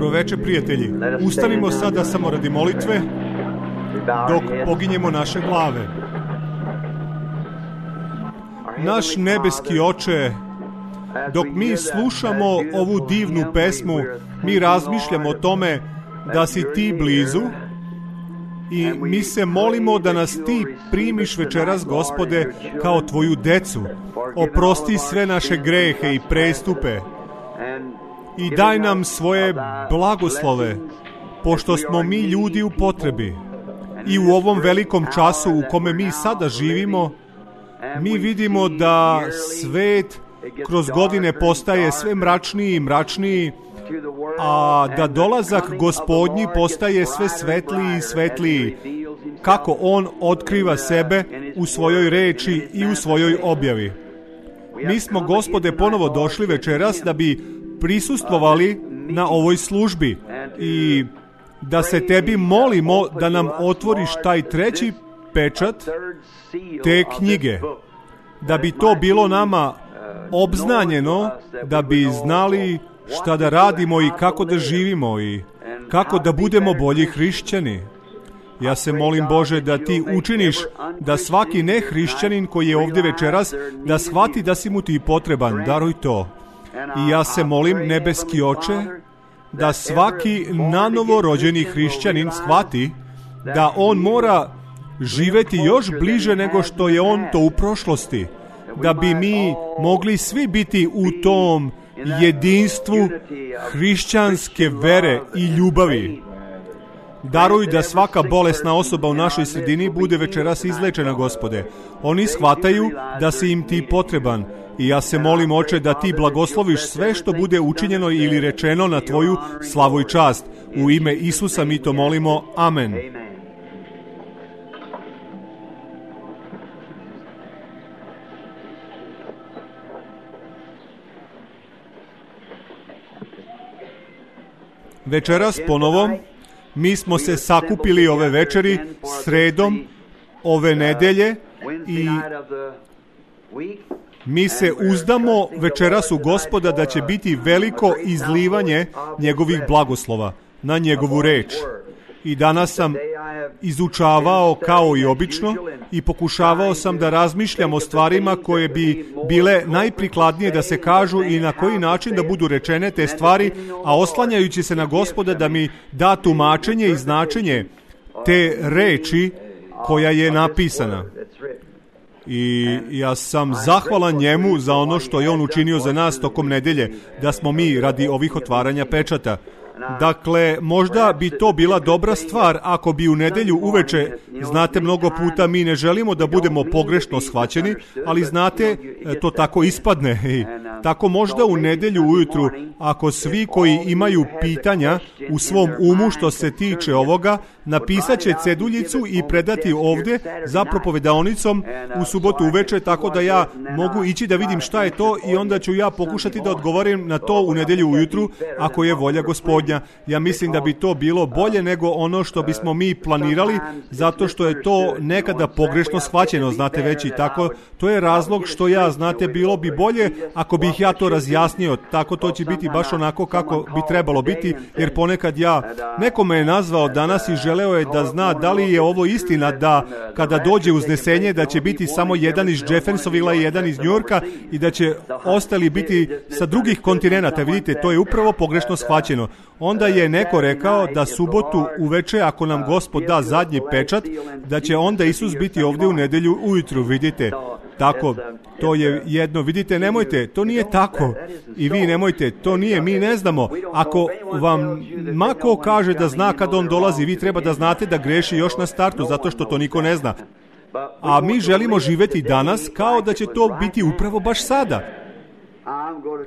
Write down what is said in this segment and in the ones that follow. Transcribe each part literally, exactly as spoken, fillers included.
Dobroveče, prijatelji. Ustanimo sada samo radi molitve dok poginjemo naše glave. Naš nebeski Oče, dok mi slušamo ovu divnu pesmu, mi razmišljamo o tome da si ti blizu i mi se molimo da nas ti primiš večeras, Gospode, kao tvoju decu. Oprosti sve naše grehe i prestupe i daj nam svoje blagoslove, pošto smo mi ljudi u potrebi. I u ovom velikom času u kome mi sada živimo, mi vidimo da svet kroz godine postaje sve mračniji i mračniji, a da dolazak Gospodnji postaje sve svetliji i svetliji, kako On otkriva sebe u svojoj reči i u svojoj objavi. Mi smo, Gospode, ponovo došli večeras da bi prisustvovali na ovoj službi i da se tebi molimo da nam otvoriš taj treći pečat te knjige, da bi to bilo nama obznanjeno, da bi znali šta da radimo i kako da živimo i kako da budemo bolji hrišćani. Ja se molim, Bože, da ti učiniš da svaki nehrišćanin koji je ovdje večeras, da shvati da si mu ti potreban. Daruj to. I ja se molim, nebeski Oče, da svaki nanovo rođeni hrišćanin shvati da on mora živeti još bliže nego što je on to u prošlosti. Da bi mi mogli svi biti u tom jedinstvu hrišćanske vere i ljubavi. Daruj da svaka bolesna osoba u našoj sredini bude večeras izlečena, Gospode. Oni shvataju da si im ti potreban. I ja se molim, Oče, da ti blagosloviš sve što bude učinjeno ili rečeno na tvoju slavu i čast. U ime Isusa mi to molimo. Amen. Večeras ponovo mi smo se sakupili ove večeri sredom ove nedelje i mi se uzdamo večeras u Gospoda da će biti veliko izlivanje njegovih blagoslova na njegovu reč. I danas sam izučavao kao i obično i pokušavao sam da razmišljam o stvarima koje bi bile najprikladnije da se kažu i na koji način da budu rečene te stvari, a oslanjajući se na Gospoda da mi da tumačenje i značenje te reči koja je napisana. I ja sam zahvalan njemu za ono što je on učinio za nas tokom nedelje, da smo mi radi ovih otvaranja pečata. Dakle, možda bi to bila dobra stvar ako bi u nedelju uveče, znate, mnogo puta mi ne želimo da budemo pogrešno shvaćeni, ali znate, to tako ispadne. I tako možda u nedelju ujutru, ako svi koji imaju pitanja u svom umu što se tiče ovoga, napisat će ceduljicu i predati ovdje za propovedaonicom u subotu uveče, tako da ja mogu ići da vidim šta je to i onda ću ja pokušati da odgovorim na to u nedelju ujutru, ako je volja Gospodnja. Ja mislim da bi to bilo bolje nego ono što bismo mi planirali, zato što je to nekada pogrešno shvaćeno, znate, već i tako. To je razlog što ja, znate, bilo bi bolje ako bih ja to razjasnio, tako to će biti baš onako kako bi trebalo biti, jer ponekad ja, neko me je nazvao danas i želeo je da zna da li je ovo istina, da kada dođe uznesenje da će biti samo jedan iz Jeffersonvilla i jedan iz Njujorka i da će ostali biti sa drugih kontinenata. Vidite, to je upravo pogrešno shvaćeno. Onda je neko rekao da subotu uveče, ako nam Gospod da zadnji pečat, da će onda Isus biti ovdje u nedelju ujutru, vidite. Tako, to je jedno, vidite, nemojte, to nije tako. I vi nemojte, to nije, mi ne znamo. Ako vam mako kaže da zna kad on dolazi, vi treba da znate da greši još na startu, zato što to niko ne zna. A mi želimo živjeti danas kao da će to biti upravo baš sada.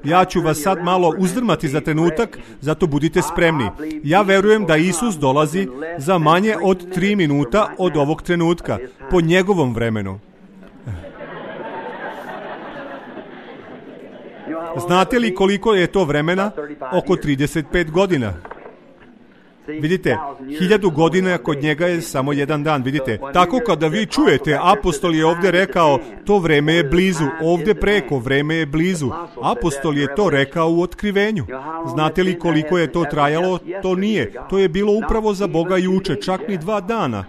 Ja ću vas sad malo uzdrmati za trenutak, zato budite spremni. Ja verujem da Isus dolazi za manje od tri minuta od ovog trenutka, po njegovom vremenu. Znate li koliko je to vremena? Oko trideset pet godina. Vidite, hiljadu godina kod njega je samo jedan dan, vidite. Tako kada vi čujete, apostol je ovdje rekao, to vreme je blizu, ovdje preko, vreme je blizu. Apostol je to rekao u otkrivenju. Znate li koliko je to trajalo? To nije. To je bilo upravo za Boga juče, čak ni dva dana.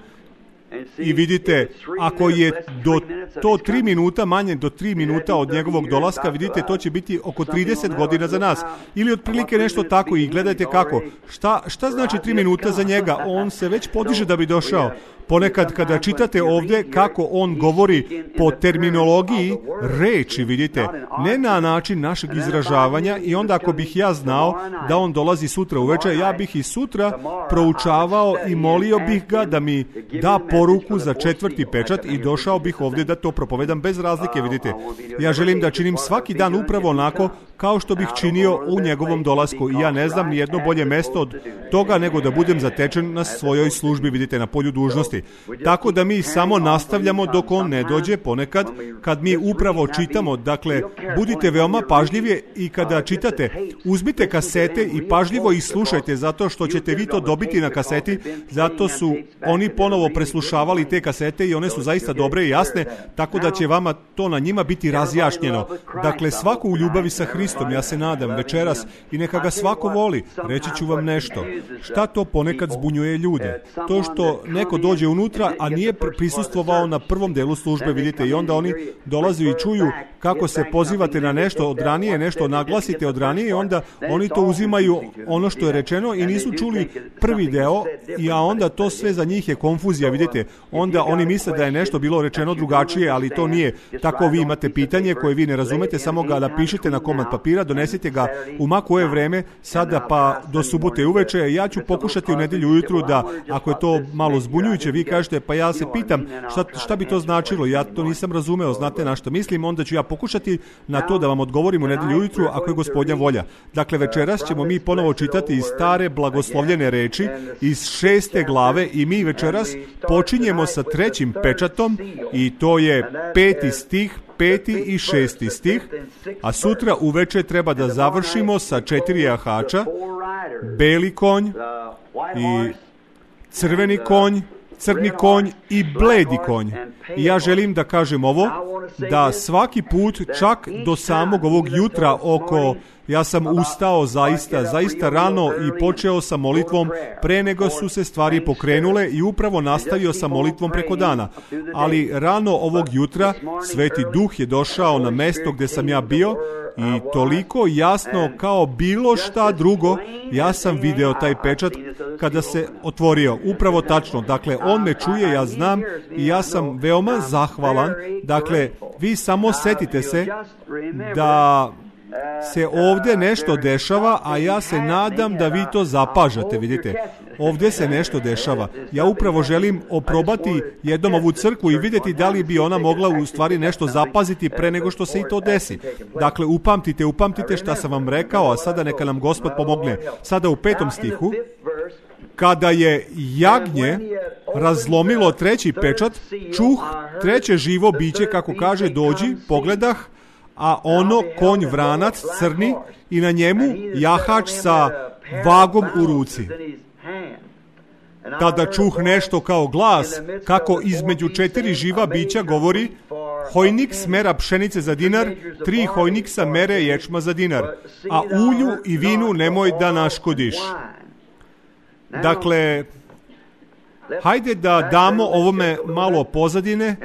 I vidite, ako je do to tri minuta, manje do tri minuta od njegovog dolaska, vidite, to će biti oko trideset godina za nas. Ili otprilike nešto tako i gledajte kako. Šta, šta znači tri minuta za njega? On se već podiže da bi došao. Ponekad kada čitate ovdje kako on govori po terminologiji reči, vidite, ne na način našeg izražavanja, i onda ako bih ja znao da on dolazi sutra uveče, ja bih i sutra proučavao i molio bih ga da mi da poruku za četvrti pečat i došao bih ovdje da to propovedam bez razlike, vidite. Ja želim da činim svaki dan upravo onako kao što bih činio u njegovom dolasku, i ja ne znam ni jedno bolje mesto od toga nego da budem zatečen na svojoj službi, vidite, na polju dužnosti. Tako da mi samo nastavljamo dok on ne dođe ponekad, kad mi upravo čitamo. Dakle, budite veoma pažljivi i kada čitate, uzmite kasete i pažljivo ih slušajte, zato što ćete vi to dobiti na kaseti, zato su oni ponovo preslušavali te kasete i one su zaista dobre i jasne, tako da će vama to na njima biti razjašnjeno. Dakle, svako u ljubavi sa Hristom, ja se nadam, večeras, i neka ga svako voli. Reći ću vam nešto. Šta to ponekad zbunjuje ljude? To što neko dođe unutra, a nije prisustvovao na prvom delu službe, vidite, i onda oni dolaze i čuju kako se pozivate na nešto od ranije, nešto naglasite od ranije, i onda oni to uzimaju ono što je rečeno i nisu čuli prvi deo, i a onda to sve za njih je konfuzija, vidite. Onda oni misle da je nešto bilo rečeno drugačije, ali to nije. Tako vi imate pitanje koje vi ne razumete, samo ga napišite na komad papira, donesite ga u ma koje vreme, sada pa do subote uveče. Ja ću pokušati u nedjelju ujutru da, ako je to malo zbunjujuće, vi kažete, pa ja se pitam šta, šta bi to značilo, ja to nisam razumeo, znate na što mislim, onda ću ja pokušati na to da vam odgovorim u nedjelju ujutru ako je Gospodnja volja. Dakle, večeras ćemo mi ponovo čitati iz stare blagoslovljene reči, iz šeste glave, i mi večeras počinjemo sa trećim pečatom, i to je peti stih, peti i šesti stih, a sutra uveče treba da završimo sa četiri jahača, beli konj i crveni konj, crni konj i bledi konj. I ja želim da kažem ovo, da svaki put, čak do samog ovog jutra oko, ja sam ustao zaista, zaista rano i počeo sa molitvom pre nego su se stvari pokrenule, i upravo nastavio sa molitvom preko dana. Ali rano ovog jutra Sveti Duh je došao na mesto gdje sam ja bio, i toliko jasno kao bilo šta drugo, ja sam video taj pečat kada se otvorio. Upravo tačno. Dakle, on me čuje, ja znam, i ja sam veoma zahvalan. Dakle, vi samo setite se da se ovdje nešto dešava, a ja se nadam da vi to zapažate, vidite. Ovdje se nešto dešava. Ja upravo želim oprobati jednom ovu crkvu i vidjeti da li bi ona mogla u stvari nešto zapaziti pre nego što se i to desi. Dakle, upamtite, upamtite šta sam vam rekao, a sada neka nam Gospod pomogne. Sada u petom stihu, kada je jagnje razlomilo treći pečat, čuh treće živo biće, kako kaže, dođi, pogledah, a ono konj vranac crni, i na njemu jahač sa vagom u ruci. Tada čuh nešto kao glas, kako između četiri živa bića govori: hojniks mera pšenice za dinar, tri hojniksa mere ječma za dinar, a ulju i vinu nemoj da naškodiš. Dakle, hajde da damo ovome malo pozadine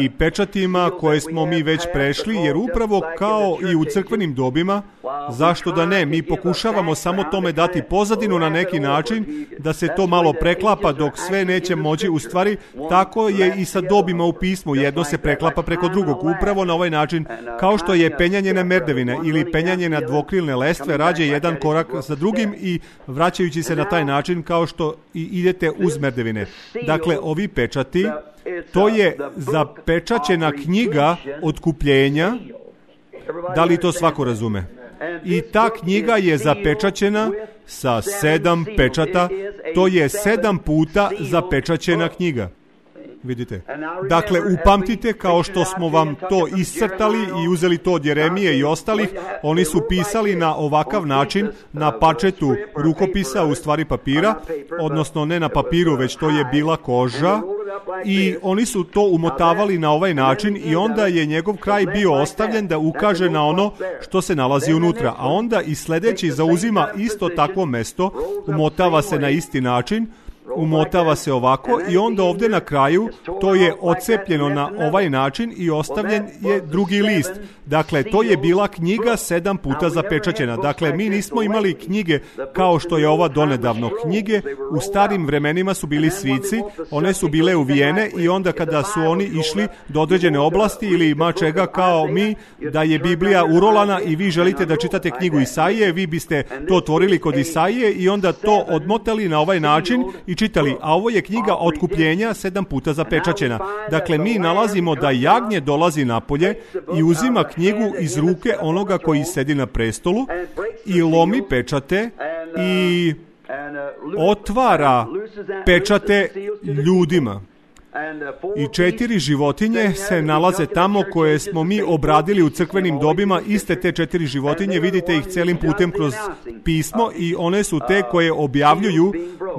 i pečatima koje smo mi već prešli, jer upravo kao i u crkvenim dobima, zašto da ne, mi pokušavamo samo tome dati pozadinu na neki način, da se to malo preklapa dok sve neće moći. U stvari, tako je i sa dobima u pismu, jedno se preklapa preko drugog, upravo na ovaj način, kao što je penjanje na merdevine ili penjanje na dvokrilne lestve, rađe jedan korak za drugim i vraćajući se na taj način kao što i idete uz merdevine. Dakle, ovi pečati, to je zapečaćena knjiga otkupljenja. Da li to svako razume? I ta knjiga je zapečaćena sa sedam pečata. To je sedam puta zapečaćena knjiga. Vidite. Dakle, upamtite, kao što smo vam to iscrtali i uzeli to od Jeremije i ostalih, oni su pisali na ovakav način, na pačetu rukopisa, u stvari papira, odnosno ne na papiru, već to je bila koža, i oni su to umotavali na ovaj način i onda je njegov kraj bio ostavljen da ukaže na ono što se nalazi unutra. A onda i sljedeći zauzima isto takvo mesto, umotava se na isti način, umotava se ovako i onda ovdje na kraju to je odcepljeno na ovaj način i ostavljen je drugi list. Dakle, to je bila knjiga sedam puta zapečaćena. Dakle, mi nismo imali knjige kao što je ova donedavno. Knjige u starim vremenima su bili svici, one su bile uvijene i onda kada su oni išli do određene oblasti ili ima čega kao mi, da je Biblija urolana i vi želite da čitate knjigu Isaije, vi biste to otvorili kod Isaije i onda to odmotali na ovaj način i čitali, a ovo je knjiga otkupljenja sedam puta zapečaćena. Dakle, mi nalazimo da jagnje dolazi napolje i uzima knjigu iz ruke onoga koji sedi na prestolu i lomi pečate i otvara pečate ljudima. I četiri životinje se nalaze tamo koje smo mi obradili u crkvenim dobima. Iste te četiri životinje, vidite ih celim putem kroz pismo i one su te koje objavljuju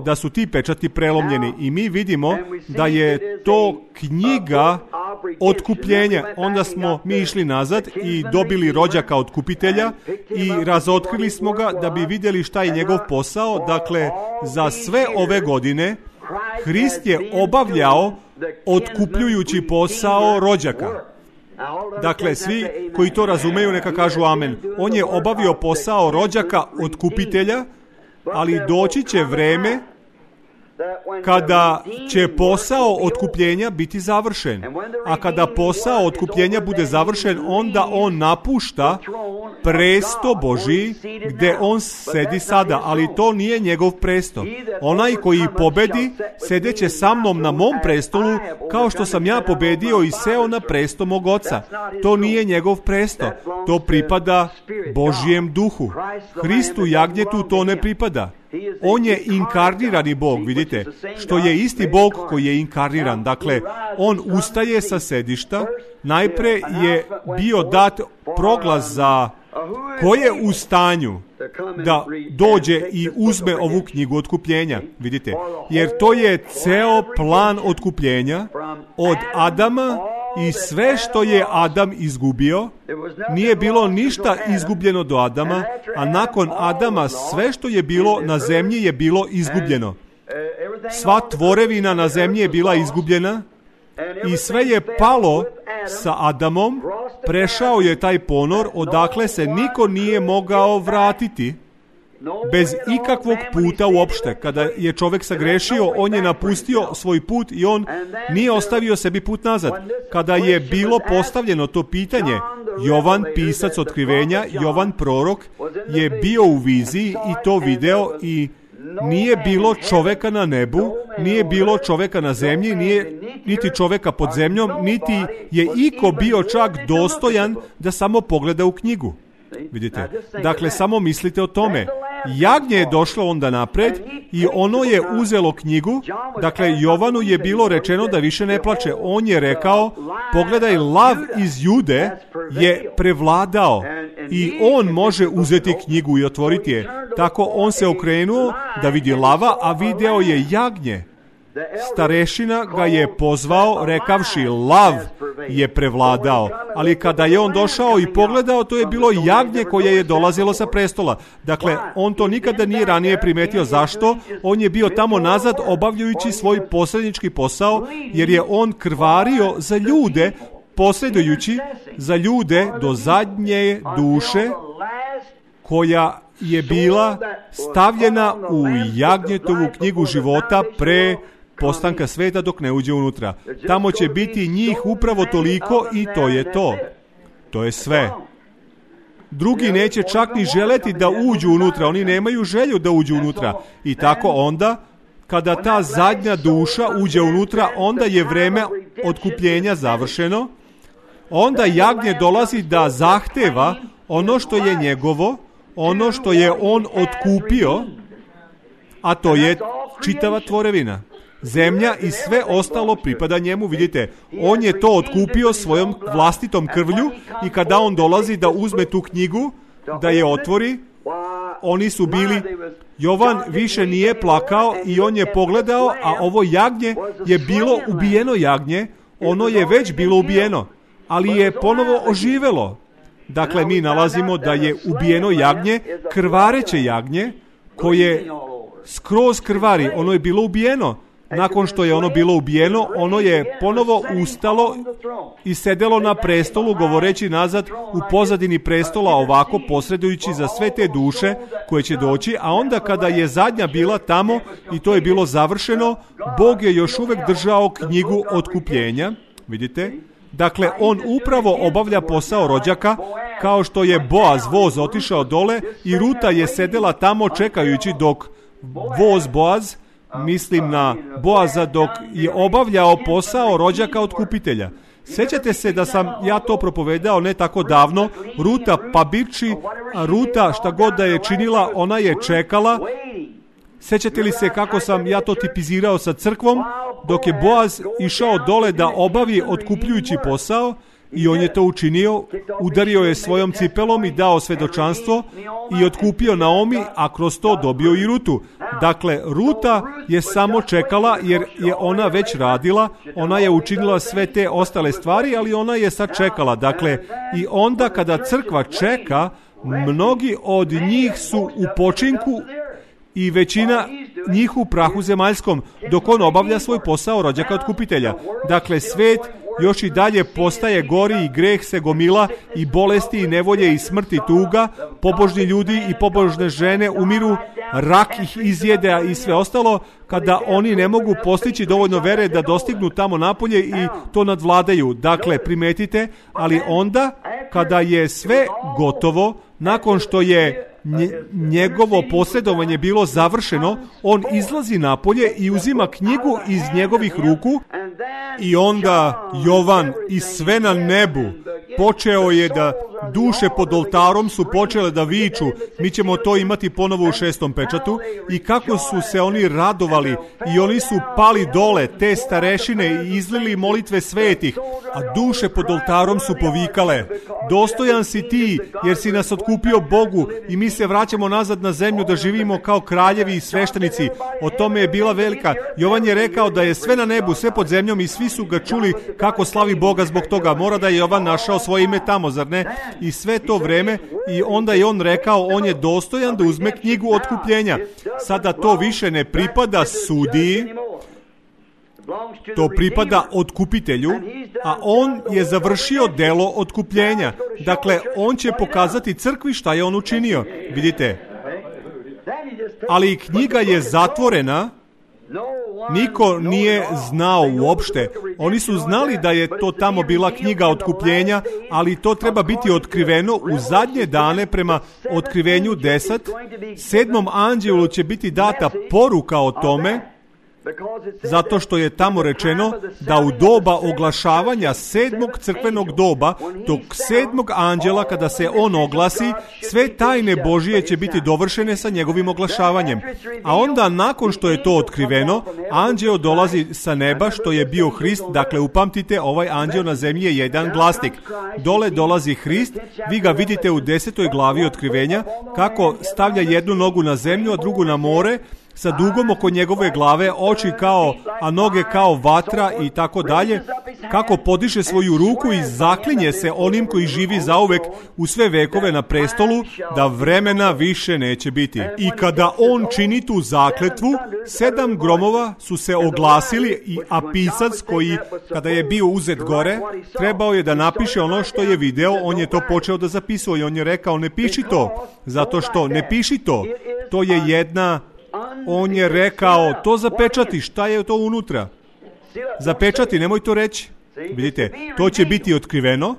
da su ti pečati prelomljeni. I mi vidimo da je to knjiga otkupljenja. Onda smo mi išli nazad i dobili rođaka otkupitelja i razotkrili smo ga da bi vidjeli šta je njegov posao. Dakle, za sve ove godine Hrist je obavljao otkupljujući posao rođaka. Dakle, svi koji to razumeju neka kažu amen. On je obavio posao rođaka otkupitelja, ali doći će vreme kada će posao otkupljenja biti završen. A kada posao otkupljenja bude završen, onda on napušta presto Božji gdje on sedi sada, ali to nije njegov presto. Onaj koji pobedi sedeće sa mnom na mom prestolu, kao što sam ja pobedio i seo na presto mog oca. To nije njegov presto, to pripada Božjem duhu. Hristu jagnjetu to ne pripada. On je inkarnirani Bog, vidite, što je isti Bog koji je inkarniran. Dakle, on ustaje sa sedišta, najpre je bio dat proglas za ko je u stanju da dođe i uzme ovu knjigu otkupljenja, vidite, jer to je ceo plan otkupljenja od Adama i sve što je Adam izgubio, nije bilo ništa izgubljeno do Adama, a nakon Adama sve što je bilo na zemlji je bilo izgubljeno. Sva tvorevina na zemlji je bila izgubljena i sve je palo sa Adamom, prešao je taj ponor odakle se niko nije mogao vratiti bez ikakvog puta uopšte. Kada je čovjek sagrešio, on je napustio svoj put i on nije ostavio sebi put nazad. Kada je bilo postavljeno to pitanje, Jovan, pisac otkrivenja, Jovan prorok, je bio u viziji i to video i nije bilo čoveka na nebu, nije bilo čoveka na zemlji, nije niti čoveka pod zemljom, niti je iko bio čak dostojan da samo pogleda u knjigu. Vidite, dakle, samo mislite o tome. Jagnje je došlo onda napred i ono je uzelo knjigu. Dakle, Jovanu je bilo rečeno da više ne plače. On je rekao, pogledaj, lav iz Jude je prevladao i on može uzeti knjigu i otvoriti je. Tako on se okrenuo da vidi lava, a video je jagnje. Starešina ga je pozvao rekavši, lav je prevladao, ali kada je on došao i pogledao, to je bilo jagnje koje je dolazilo sa prestola. Dakle, on to nikada nije ranije primetio. Zašto? On je bio tamo nazad obavljajući svoj posrednički posao, jer je on krvario za ljude, posredujući za ljude do zadnje duše koja je bila stavljena u jagnjetovu knjigu života pre postanka sveta dok ne uđe unutra. Tamo će biti njih upravo toliko i to je to. To je sve. Drugi neće čak ni želeti da uđu unutra. Oni nemaju želju da uđu unutra. I tako onda, kada ta zadnja duša uđe unutra, onda je vreme otkupljenja završeno. Onda jagnje dolazi da zahteva ono što je njegovo, ono što je on otkupio, a to je čitava tvorevina. Zemlja i sve ostalo pripada njemu, vidite. On je to otkupio svojom vlastitom krvlju i kada on dolazi da uzme tu knjigu, da je otvori, oni su bili, Jovan više nije plakao i on je pogledao, a ovo jagnje je bilo ubijeno jagnje, ono je već bilo ubijeno, ali je ponovo oživelo. Dakle, mi nalazimo da je ubijeno jagnje, krvareće jagnje, koje skroz krvari, ono je bilo ubijeno. Nakon što je ono bilo ubijeno, ono je ponovo ustalo i sedelo na prestolu, govoreći nazad u pozadini prestola, ovako posredujući za sve te duše koje će doći, a onda kada je zadnja bila tamo i to je bilo završeno, Bog je još uvek držao knjigu otkupljenja, vidite? Dakle, on upravo obavlja posao rođaka, kao što je Boaz voz otišao dole i Ruta je sedela tamo čekajući dok voz Boaz, mislim na Boaza, dok je obavljao posao rođaka otkupitelja. Sjećate se da sam ja to propovedao ne tako davno, Ruta Pabići, a Ruta šta god da je činila, ona je čekala. Sjećate li se kako sam ja to tipizirao sa crkvom, dok je Boaz išao dole da obavi otkupljujući posao, i on je to učinio, udario je svojom cipelom i dao svedočanstvo i otkupio Naomi, a kroz to dobio i Rutu. Dakle, Ruta je samo čekala jer je ona već radila, ona je učinila sve te ostale stvari, ali ona je sad čekala. Dakle, i onda kada crkva čeka, mnogi od njih su u počinku i većina njih u prahu zemaljskom, dok on obavlja svoj posao rođaka otkupitelja. Dakle, svet još i dalje postaje gori i greh se gomila i bolesti i nevolje i smrt i tuga, pobožni ljudi i pobožne žene umiru, rak ih izjede i sve ostalo, kada oni ne mogu postići dovoljno vere da dostignu tamo napolje i to nadvladaju. Dakle, primetite, ali onda kada je sve gotovo, nakon što je njegovo posredovanje bilo završeno, on izlazi napolje i uzima knjigu iz njegovih ruku i onda Jovan i sve na nebu počeo je da duše pod oltarom su počele da viču, mi ćemo to imati ponovo u šestom pečatu, i kako su se oni radovali i oni su pali dole, te starešine, i izlili molitve svetih, a duše pod oltarom su povikale, dostojan si ti jer si nas otkupio Bogu i mi se vraćamo nazad na zemlju da živimo kao kraljevi i sveštenici. O tome je bila velika. Jovan je rekao da je sve na nebu, sve pod zemljom, i svi su ga čuli kako slavi Boga zbog toga. Mora da je Jovan našao svoje ime tamo, zar ne? I sve to vreme, i onda je on rekao, on je dostojan da uzme knjigu otkupljenja. Sada to više ne pripada sudiji, to pripada otkupitelju, a on je završio delo otkupljenja. Dakle, on će pokazati crkvi šta je on učinio. Vidite, ali knjiga je zatvorena, niko nije znao uopšte. Oni su znali da je to tamo bila knjiga otkupljenja, ali to treba biti otkriveno u zadnje dane prema otkrivenju deset. Sedmom anđelu će biti data poruka o tome, zato što je tamo rečeno da u doba oglašavanja sedmog crkvenog doba, tog sedmog anđela, kada se on oglasi, sve tajne Božije će biti dovršene sa njegovim oglašavanjem. A onda, nakon što je to otkriveno, anđeo dolazi sa neba, što je bio Hrist. Dakle, upamtite, ovaj anđeo na zemlji je jedan glasnik. Dole dolazi Hrist, vi ga vidite u desetoj glavi otkrivenja, kako stavlja jednu nogu na zemlju, a drugu na more, sa dugom oko njegove glave, oči kao, a noge kao vatra i tako dalje, kako podiže svoju ruku i zaklinje se onim koji živi zauvek u sve vekove na prestolu, da vremena više neće biti. I kada on čini tu zakletvu, sedam gromova su se oglasili, i a pisac koji, kada je bio uzet gore, trebao je da napiše ono što je video, on je to počeo da zapisuje i on je rekao, ne piši to, zato što ne piši to, to je jedna... On je rekao, to zapečati, šta je to unutra? Zapečati, nemoj to reći. Vidite, to će biti otkriveno,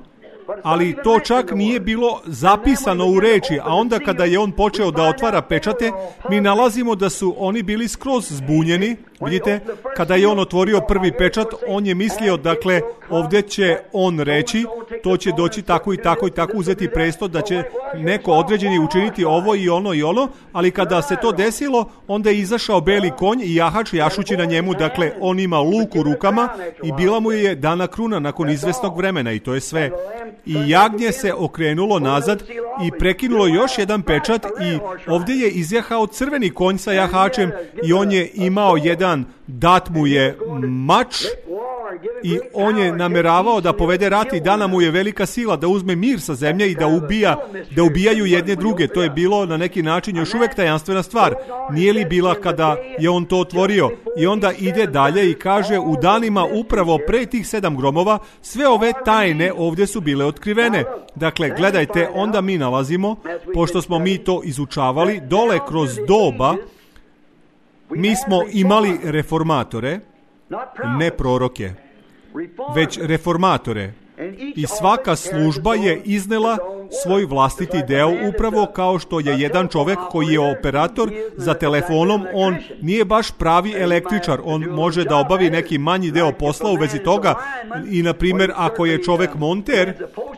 ali to čak nije bilo zapisano u reči, a onda kada je on počeo da otvara pečate, mi nalazimo da su oni bili skroz zbunjeni, Vidite, kada je on otvorio prvi pečat, on je mislio, dakle, ovdje će on reći, to će doći tako i tako i tako, uzeti presto, da će neko određeni učiniti ovo i ono i ono, ali kada se to desilo, onda je izašao beli konj i jahač jašući na njemu, dakle, on ima luk u rukama i bila mu je dana kruna nakon izvesnog vremena i to je sve. I jagnje se okrenulo nazad i prekinulo još jedan pečat i ovdje je izjahao crveni konj sa jahačem i on je imao jedan, dat mu je mač i on je nameravao da povede rat i dana mu je velika sila da uzme mir sa zemlje i da ubija, da ubijaju jedne druge. To je bilo na neki način još uvijek tajanstvena stvar. Nije li bila kada je on to otvorio? I onda ide dalje i kaže, u danima upravo pre tih sedam gromova sve ove tajne ovdje su bile otkrivene. Dakle, gledajte, onda mi nalazimo, pošto smo mi to izučavali, dole kroz doba mi smo imali reformatore, ne proroke, već reformatore. I svaka služba je iznela svoj vlastiti deo, upravo kao što je jedan čovjek koji je operator za telefonom, on nije baš pravi električar, on može da obavi neki manji deo posla u vezi toga i, na primjer, ako je čovjek monter,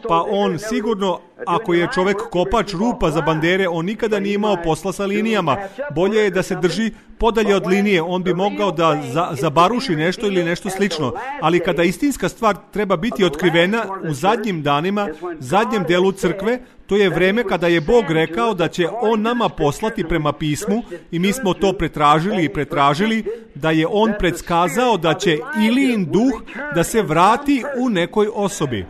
pa on sigurno, ako je čovjek kopač rupa za bandere, on nikada nije imao posla sa linijama. Bolje je da se drži podalje od linije, on bi mogao da za, zabaruši nešto ili nešto slično. Ali kada istinska stvar treba biti otkrivena u zadnjim danima, zadnjem delu crkve, to je vreme kada je Bog rekao da će on nama poslati prema pismu i mi smo to pretražili i pretražili, da je on predskazao da će Ilijin duh da se vrati u nekoj osobi.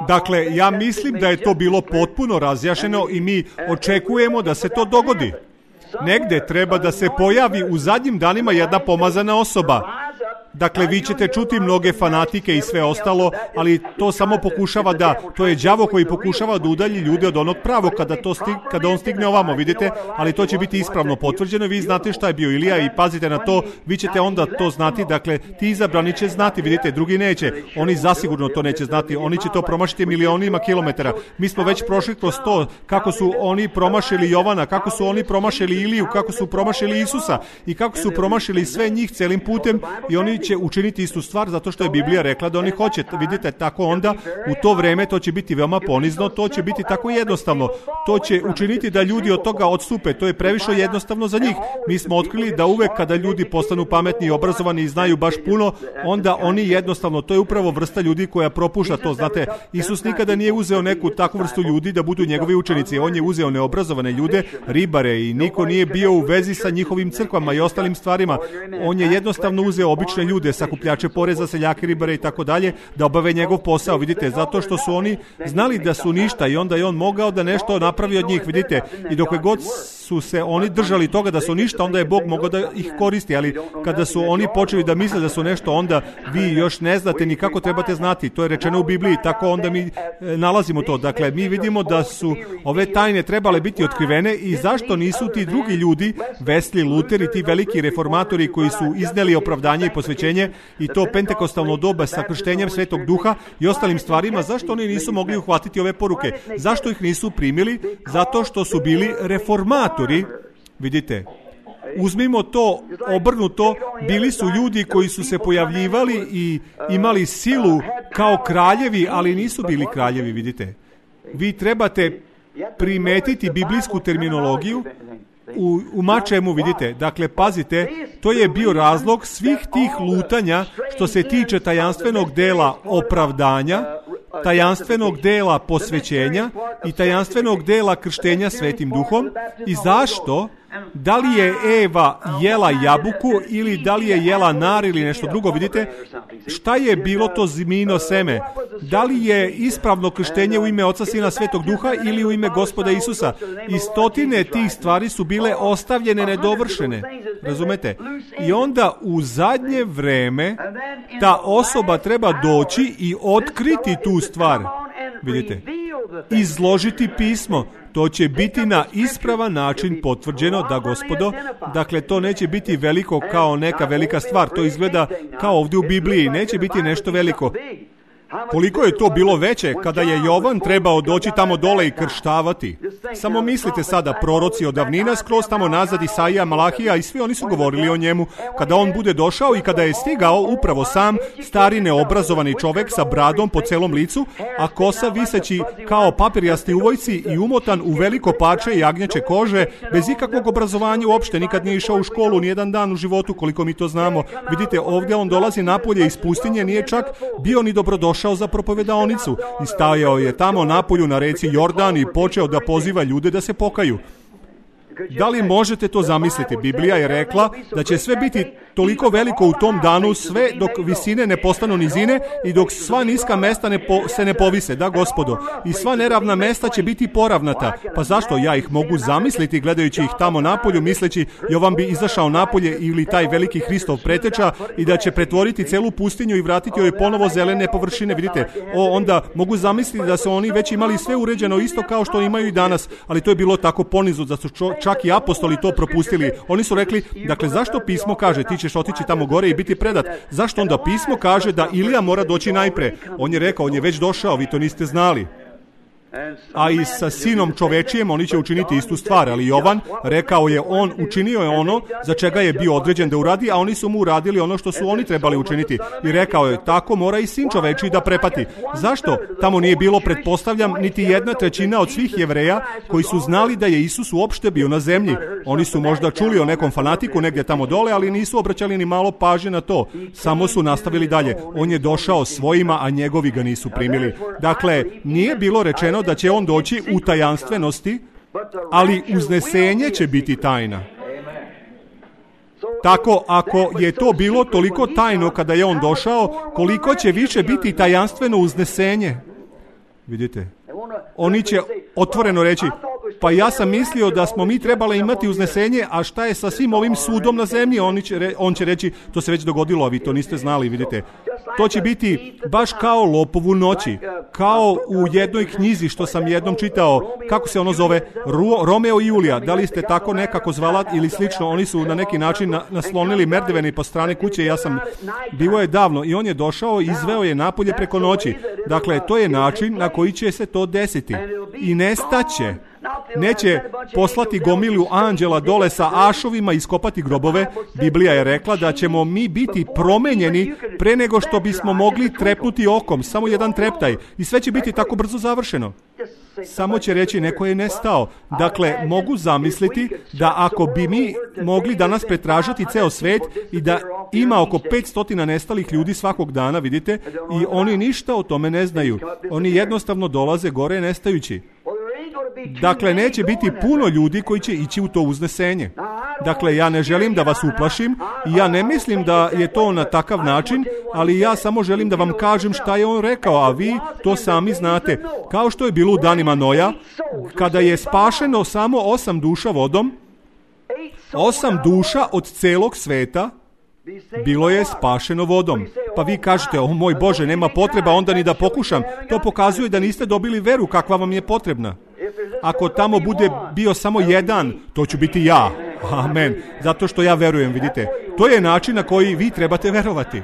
Dakle, ja mislim da je to bilo potpuno razjašnjeno i mi očekujemo da se to dogodi. Negde treba da se pojavi u zadnjim danima jedna pomazana osoba. Dakle, vi ćete čuti mnoge fanatike i sve ostalo, ali to samo pokušava da, to je đavo koji pokušava da udalji ljude od onog pravog kada, to stig, kada on stigne ovamo, vidite, ali to će biti ispravno potvrđeno, vi znate šta je bio Ilija i pazite na to, vi ćete onda to znati, dakle, ti izabrani će znati, vidite, drugi neće, oni zasigurno to neće znati, oni će to promašiti milionima kilometara. Mi smo već prošli kroz to, kako su oni promašili Jovana, kako su oni promašili Iliju, kako su promašili Isusa i kako su promašili sve njih celim putem i oni će učiniti istu stvar zato što je Biblija rekla da oni hoće. Vidite, tako onda u to vreme to će biti veoma ponizno, to će biti tako jednostavno. To će učiniti da ljudi od toga odstupe. To je previše jednostavno za njih. Mi smo otkrili da uvek kada ljudi postanu pametni i obrazovani i znaju baš puno, onda oni jednostavno, to je upravo vrsta ljudi koja propušta to. Znate, Isus nikada nije uzeo neku takvu vrstu ljudi da budu njegovi učenici. On je uzeo neobrazovane ljude, ribare i niko nije bio u vezi sa njihovim crkvama i ostalim stvarima. On je jednostavno uzeo obične ljude, sakupljače poreza, seljake, ribare i tako dalje, da obave njegov posao, vidite, zato što su oni znali da su ništa i onda je on mogao da nešto napravi od njih, vidite, i dok god su se oni držali toga da su ništa, onda je Bog mogao da ih koristi, ali kada su oni počeli da misle da su nešto, onda vi još ne znate ni kako trebate znati, to je rečeno u Bibliji, tako onda mi nalazimo to, dakle, mi vidimo da su ove tajne trebale biti otkrivene i zašto nisu ti drugi ljudi, Wesley, Luther i ti veliki reformatori koji su izneli opravdanje i posvećenje i to pentekostalno doba sa krštenjem Svetog Duha i ostalim stvarima, zašto oni nisu mogli uhvatiti ove poruke? Zašto ih nisu primili? Zato što su bili reformatori. Vidite, uzmimo to obrnuto, bili su ljudi koji su se pojavljivali i imali silu kao kraljevi, ali nisu bili kraljevi, vidite. Vi trebate primetiti biblijsku terminologiju u, u mačemu, vidite. Dakle, pazite, to je bio razlog svih tih lutanja što se tiče tajanstvenog dela opravdanja, tajanstvenog dela posvećenja i tajanstvenog dela krštenja Svetim Duhom. I zašto? Da li je Eva jela jabuku ili da li je jela nar ili nešto drugo, vidite, šta je bilo to zmino seme? Da li je ispravno krštenje u ime Oca, Sina, Svetog Duha ili u ime Gospoda Isusa? I stotine tih stvari su bile ostavljene nedovršene, razumete? I onda u zadnje vreme ta osoba treba doći i otkriti tu stvar, vidite, izložiti pismo. To će biti na ispravan način potvrđeno da, gospodo, dakle to neće biti veliko kao neka velika stvar, to izgleda kao ovdje u Bibliji, neće biti nešto veliko. Koliko je to bilo veće kada je Jovan trebao doći tamo dole i krštavati. Samo mislite sada, proroci od davnina, skroz tamo nazad, Isaija, Malahija i svi oni su govorili o njemu. Kada on bude došao i kada je stigao upravo sam, stari neobrazovani čovek sa bradom po celom licu, a kosa viseći kao papirjasti uvojci i umotan u veliko parče i jagnjeće kože, bez ikakvog obrazovanja uopšte, nikad nije išao u školu, nijedan dan u životu, koliko mi to znamo. Vidite, ovdje on dolazi napolje iz pustinje, nije čak bio ni dobrodošao za propovedaonicu i stajao je tamo napolju na reci Jordan i počeo da poziva ljude da se pokaju. Da li možete to zamisliti? Biblija je rekla da će sve biti toliko veliko u tom danu, sve dok visine ne postanu nizine i dok sva niska mesta ne po, se ne povise, da gospodo. I sva neravna mesta će biti poravnata. Pa zašto ja ih mogu zamisliti gledajući ih tamo napolju, misleći Jovan bi izašao napolje ili taj veliki Hristov preteča i da će pretvoriti celu pustinju i vratiti joj ponovo zelene površine. Vidite, o, onda mogu zamisliti da su oni već imali sve uređeno isto kao što imaju i danas, ali to je bilo tako ponizu da su čo, čak i apostoli to propustili. Oni su rekli, dakle, zašto pismo kaže ti ćeš otići tamo gore i biti predat? Zašto onda pismo kaže da Ilija mora doći najpre? On je rekao, on je već došao, vi to niste znali. A i sa sinom čovečijem oni će učiniti istu stvar, ali Jovan rekao je, on učinio je ono za čega je bio određen da uradi, a oni su mu uradili ono što su oni trebali učiniti. I rekao je, tako mora i sin čovečiji da prepati. Zašto? Tamo nije bilo, pretpostavljam, niti jedna trećina od svih Jevreja koji su znali da je Isus uopšte bio na zemlji. Oni su možda čuli o nekom fanatiku negdje tamo dole, ali nisu obraćali ni malo pažnje na to. Samo su nastavili dalje. On je došao svojima, a njegovi ga nisu primili. Dakle, nije bilo rečeno da će on doći u tajanstvenosti, ali uznesenje će biti tajna. Tako, ako je to bilo toliko tajno kada je on došao, koliko će više biti tajanstveno uznesenje? Vidite, oni će otvoreno reći, pa ja sam mislio da smo mi trebali imati uznesenje, a šta je sa svim ovim sudom na zemlji? On će, re, on će reći, to se već dogodilo, a vi to niste znali, vidite. To će biti baš kao lopovu noći, kao u jednoj knjizi što sam jednom čitao, kako se ono zove, Ru, Romeo i Julija, da li ste tako nekako zvala ili slično, oni su na neki način na, naslonili merdeveni po strane kuće, ja sam, bilo je davno, i on je došao i izveo je napolje preko noći. Dakle, to je način na koji će se to desiti. I nestaće. Neće poslati gomilu anđela dole sa ašovima i iskopati grobove. Biblija je rekla da ćemo mi biti promenjeni pre nego što bismo mogli trepnuti okom. Samo jedan treptaj. I sve će biti tako brzo završeno. Samo će reći, neko je nestao. Dakle, mogu zamisliti da ako bi mi mogli danas pretražati ceo svet i da ima oko petsto nestalih ljudi svakog dana, vidite, i oni ništa o tome ne znaju. Oni jednostavno dolaze gore nestajući. Dakle, neće biti puno ljudi koji će ići u to uznesenje. Dakle, ja ne želim da vas uplašim i ja ne mislim da je to na takav način, ali ja samo želim da vam kažem šta je on rekao, a vi to sami znate. Kao što je bilo u danima Noja, kada je spašeno samo osam duša vodom, osam duša od celog sveta bilo je spašeno vodom. Pa vi kažete, o moj Bože, nema potreba onda ni da pokušam. To pokazuje da niste dobili veru kakva vam je potrebna. Ako tamo bude bio samo jedan, to ću biti ja. Amen. Zato što ja verujem, vidite. To je način na koji vi trebate verovati.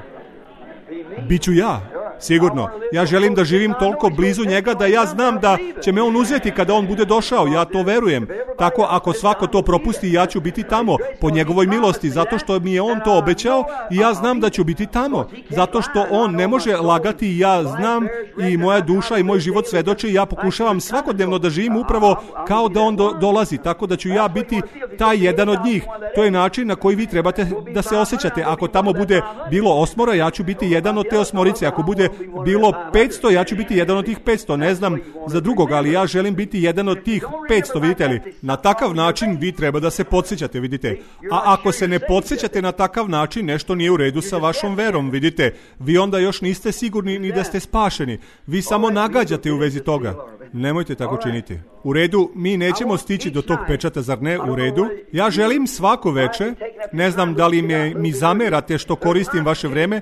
Biću ja. Sigurno. Ja želim da živim toliko blizu njega da ja znam da će me on uzeti kada on bude došao. Ja to verujem. Tako ako svako to propusti, ja ću biti tamo po njegovoj milosti, zato što mi je on to obećao i ja znam da ću biti tamo. Zato što on ne može lagati i ja znam i moja duša i moj život svedoči i ja pokušavam svakodnevno da živim upravo kao da on do, dolazi. Tako da ću ja biti taj jedan od njih. To je način na koji vi trebate da se osjećate. Ako tamo bude bilo osmora, ja ću biti jedan od te osmorice. Ako bude bilo petsto, ja ću biti jedan od tih petsto. Ne znam za drugog, ali ja želim biti jedan od tih petsto, vidite li? Na takav način vi treba da se podsjećate, vidite. A ako se ne podsjećate na takav način, nešto nije u redu sa vašom verom, vidite. Vi onda još niste sigurni ni da ste spašeni. Vi samo nagađate u vezi toga. Nemojte tako činiti. U redu, mi nećemo stići do tog pečata, zar ne? U redu. Ja želim svako veče, ne znam da li me, mi zamerate što koristim vaše vreme,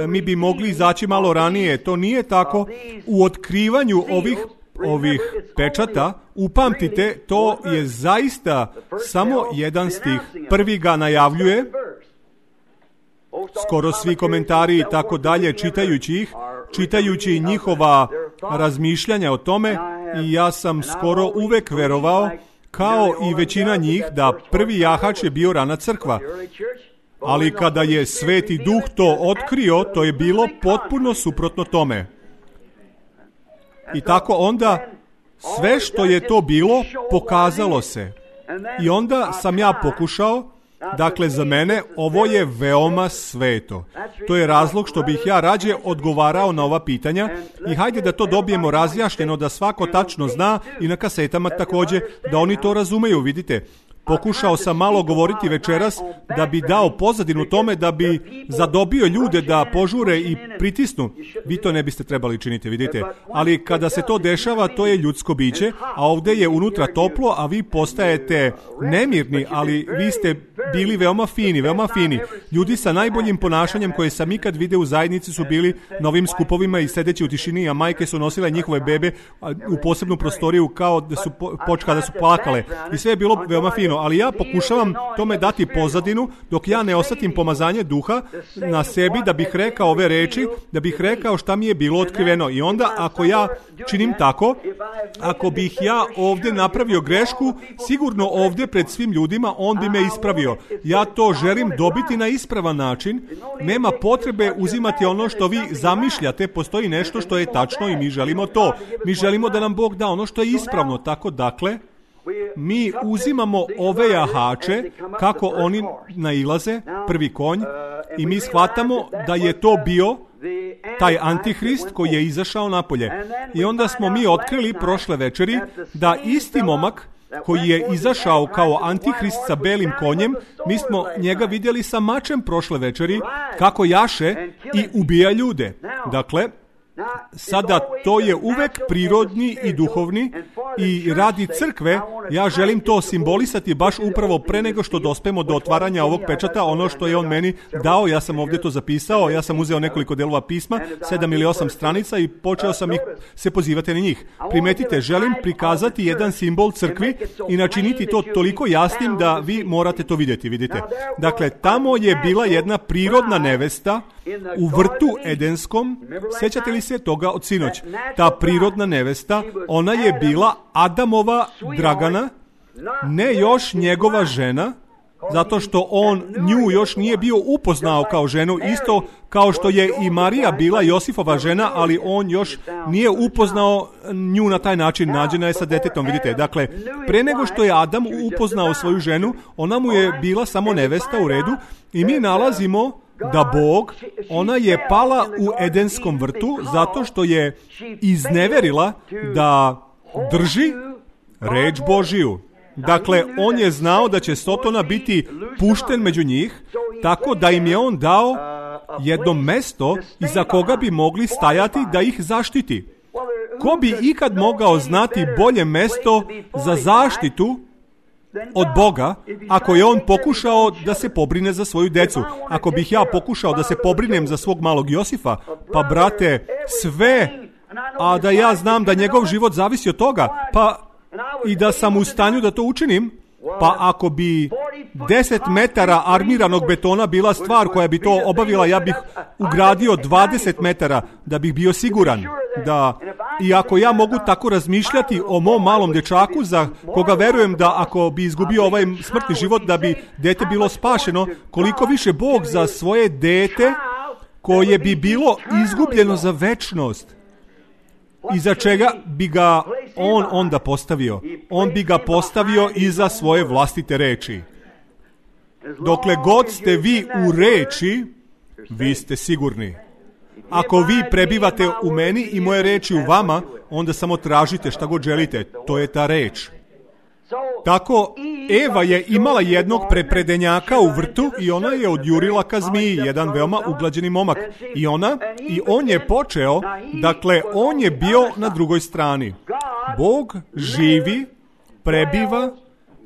mi bi mogli izaći malo ranije. To nije tako. U otkrivanju ovih ovih pečata, upamtite, to je zaista samo jedan stih. Prvi ga najavljuje, skoro svi komentari i tako dalje, čitajući ih, čitajući njihova razmišljanja o tome, i ja sam skoro uvek verovao, kao i većina njih, da prvi jahač je bio rana crkva. Ali kada je Sveti Duh to otkrio, to je bilo potpuno suprotno tome. I tako onda sve što je to bilo pokazalo se. I onda sam ja pokušao, dakle za mene ovo je veoma sveto. To je razlog što bih ja rađe odgovarao na ova pitanja i hajde da to dobijemo razjašnjeno, da svako tačno zna, i na kasetama također, da oni to razumeju, vidite. Pokušao sam malo govoriti večeras da bi dao pozadinu tome, da bi zadobio ljude da požure i pritisnu. Vi to ne biste trebali činiti, vidite. Ali kada se to dešava, to je ljudsko biće, a ovdje je unutra toplo, a vi postajete nemirni, ali vi ste bili veoma fini, veoma fini. Ljudi sa najboljim ponašanjem koje sam ikad video u zajednici su bili na ovim skupovima i sedeći u tišini, a majke su nosile njihove bebe u posebnu prostoriju kao da su počka da su plakale. I sve je bilo veoma fino. Ali ja pokušavam tome dati pozadinu dok ja ne osetim pomazanje duha na sebi, da bih rekao ove reči, da bih rekao šta mi je bilo otkriveno. I onda ako ja činim tako, ako bih ja ovdje napravio grešku, sigurno ovdje pred svim ljudima on bi me ispravio. Ja to želim dobiti na ispravan način. Nema potrebe uzimati ono što vi zamišljate. Postoji nešto što je tačno i mi želimo to. Mi želimo da nam Bog da ono što je ispravno. Tako dakle, mi uzimamo ove jahače, kako oni nailaze, prvi konj, i mi shvatamo da je to bio taj antihrist koji je izašao napolje. I onda smo mi otkrili prošle večeri da isti momak koji je izašao kao antihrist sa belim konjem, mi smo njega vidjeli sa mačem prošle večeri, kako jaše i ubija ljude. Dakle, sada to je uvek prirodni i duhovni, i radi crkve ja želim to simbolisati baš upravo pre nego što dospemo do otvaranja ovog pečata, ono što je on meni dao. Ja sam ovdje to zapisao, ja sam uzeo nekoliko delova pisma, sedam ili osam stranica, i počeo sam ih se pozivati na njih. Primetite, želim prikazati jedan simbol crkvi i načiniti to toliko jasnim da vi morate to vidjeti, vidite. Dakle, tamo je bila jedna prirodna nevesta u vrtu Edenskom. Sjećate li se toga od sinoć? Ta prirodna nevesta, ona je bila Adamova Dragana, ne još njegova žena, zato što on nju još nije bio upoznao kao ženu, isto kao što je i Marija bila Josifova žena, ali on još nije upoznao nju na taj način, nađena je sa detetom, vidite. Dakle, pre nego što je Adam upoznao svoju ženu, ona mu je bila samo nevesta, u redu, i mi nalazimo da Bog, ona je pala u Edenskom vrtu zato što je izneverila da drži reč Božiju. Dakle, on je znao da će Sotona biti pušten među njih, tako da im je on dao jedno mesto iza koga bi mogli stajati da ih zaštiti. Ko bi ikad mogao znati bolje mesto za zaštitu od Boga, ako je on pokušao da se pobrine za svoju decu? Ako bih ja pokušao da se pobrinem za svog malog Josifa, pa brate, sve, a da ja znam da njegov život zavisi od toga, pa i da sam u stanju da to učinim, pa ako bi deset metara armiranog betona bila stvar koja bi to obavila, ja bih ugradio dvadeset metara da bih bio siguran da, i ako ja mogu tako razmišljati o mom malom dečaku za koga verujem da ako bi izgubio ovaj smrtni život da bi dete bilo spašeno, koliko više Bog za svoje dete koje bi bilo izgubljeno za večnost, iza čega bi ga on onda postavio? On bi ga postavio iza svoje vlastite reči. Dokle god ste vi u reči, vi ste sigurni. Ako vi prebivate u meni i moje reči u vama, onda samo tražite šta god želite. To je ta reč. Tako, Eva je imala jednog prepredenjaka u vrtu i ona je odjurila ka zmiji, jedan veoma uglađeni momak. I ona, i on je počeo, dakle, on je bio na drugoj strani. Bog živi, prebiva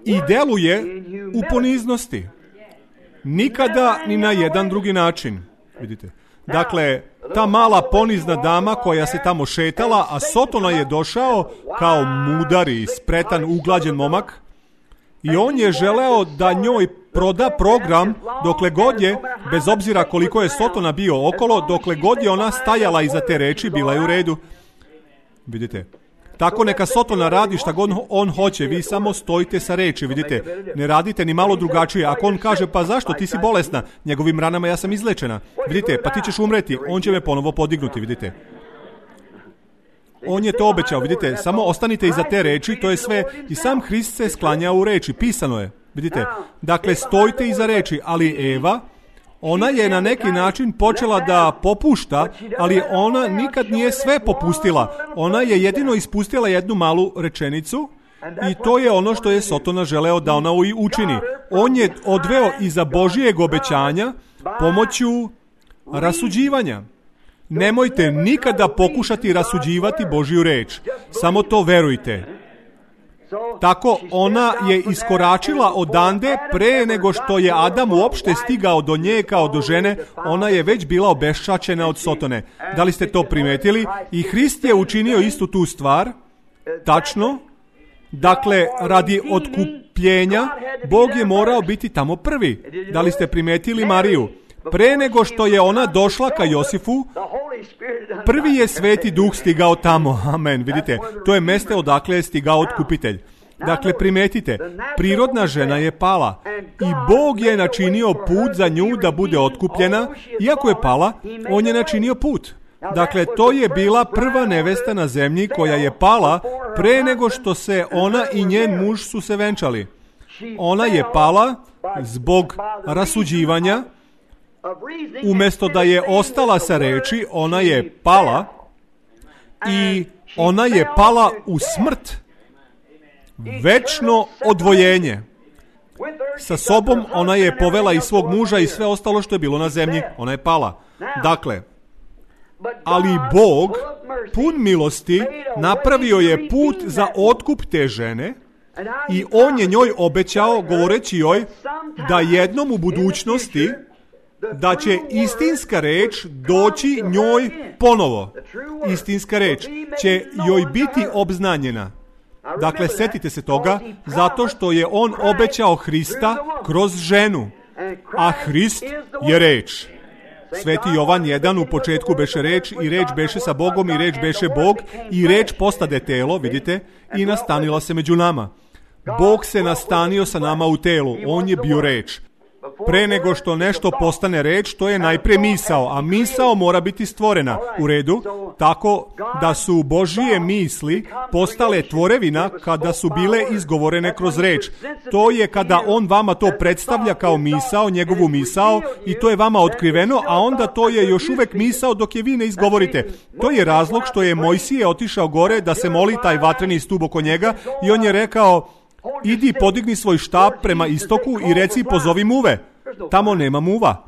i deluje u poniznosti. Nikada ni na jedan drugi način. Vidite. Dakle, ta mala ponizna dama koja se tamo šetala, a Sotona je došao kao mudar i spretan, uglađen momak, I on je želeo da njoj proda program dokle god je, bez obzira koliko je Sotona bio okolo, dokle god je ona stajala iza te reči, bila je u redu. Vidite? Tako neka Sotona radi šta god on hoće, vi samo stojite sa reči, vidite, ne radite ni malo drugačije. Ako on kaže, pa zašto, ti si bolesna, njegovim ranama ja sam izlečena, vidite, pa ti ćeš umreti, on će me ponovo podignuti, vidite. On je to obećao, vidite, samo ostanite iza te reči, to je sve, i sam Hrist se sklanja u reči, pisano je, vidite. Dakle, stojite iza reči, ali Eva, ona je na neki način počela da popušta, ali ona nikad nije sve popustila. Ona je jedino ispustila jednu malu rečenicu i to je ono što je Sotona želeo da ona učini. On je odveo iza Božijeg obećanja pomoću rasuđivanja. Nemojte nikada pokušati rasuđivati Božju reč. Samo to verujte. Tako ona je iskoračila odande pre nego što je Adam uopšte stigao do nje kao do žene, ona je već bila obeščačena od Sotone. Da li ste to primetili? I Hrist je učinio istu tu stvar, tačno. Dakle, radi otkupljenja, Bog je morao biti tamo prvi. Da li ste primetili Mariju? Pre nego što je ona došla ka Josifu, prvi je Sveti Duh stigao tamo. Amen. Vidite, to je mjesto odakle je stigao otkupitelj. Dakle, primetite, prirodna žena je pala i Bog je načinio put za nju da bude otkupljena. Iako je pala, on je načinio put. Dakle, to je bila prva nevesta na zemlji koja je pala pre nego što se ona i njen muž su se venčali. Ona je pala zbog rasuđivanja. Umjesto da je ostala sa reči, ona je pala i ona je pala u smrt. Večno odvojenje. Sa sobom ona je povela i svog muža i sve ostalo što je bilo na zemlji. Ona je pala. Dakle, ali Bog, pun milosti, napravio je put za otkup te žene i on je njoj obećao, govoreći joj, da jednom u budućnosti da će istinska reč doći njoj ponovo. Istinska reč će joj biti obznanjena. Dakle, setite se toga, zato što je on obećao Hrista kroz ženu, a Hrist je reč. Sveti Jovan jedan u početku beše reč i reč beše sa Bogom i reč beše Bog i reč postade telo, vidite, i nastanila se među nama. Bog se nastanio sa nama u telu, on je bio reč. Pre nego što nešto postane reč, to je najpre misao, a misao mora biti stvorena. U redu, tako da su Božije misli postale tvorevina kada su bile izgovorene kroz reč. To je kada on vama to predstavlja kao misao, njegovu misao, i to je vama otkriveno, a onda to je još uvek misao dok je vi ne izgovorite. To je razlog što je Mojsije otišao gore da se moli taj vatreni stub oko njega i on je rekao: idi, podigni svoj štap prema istoku i reci pozovi muve. Tamo nema muva.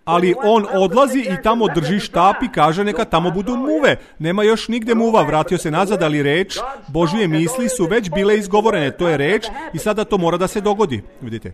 Ali on odlazi i tamo drži štap i kaže neka tamo budu muve. Nema još nigde muva. Vratio se nazad, ali reč, Božije misli su već bile izgovorene. To je reč i sada to mora da se dogodi. Vidite?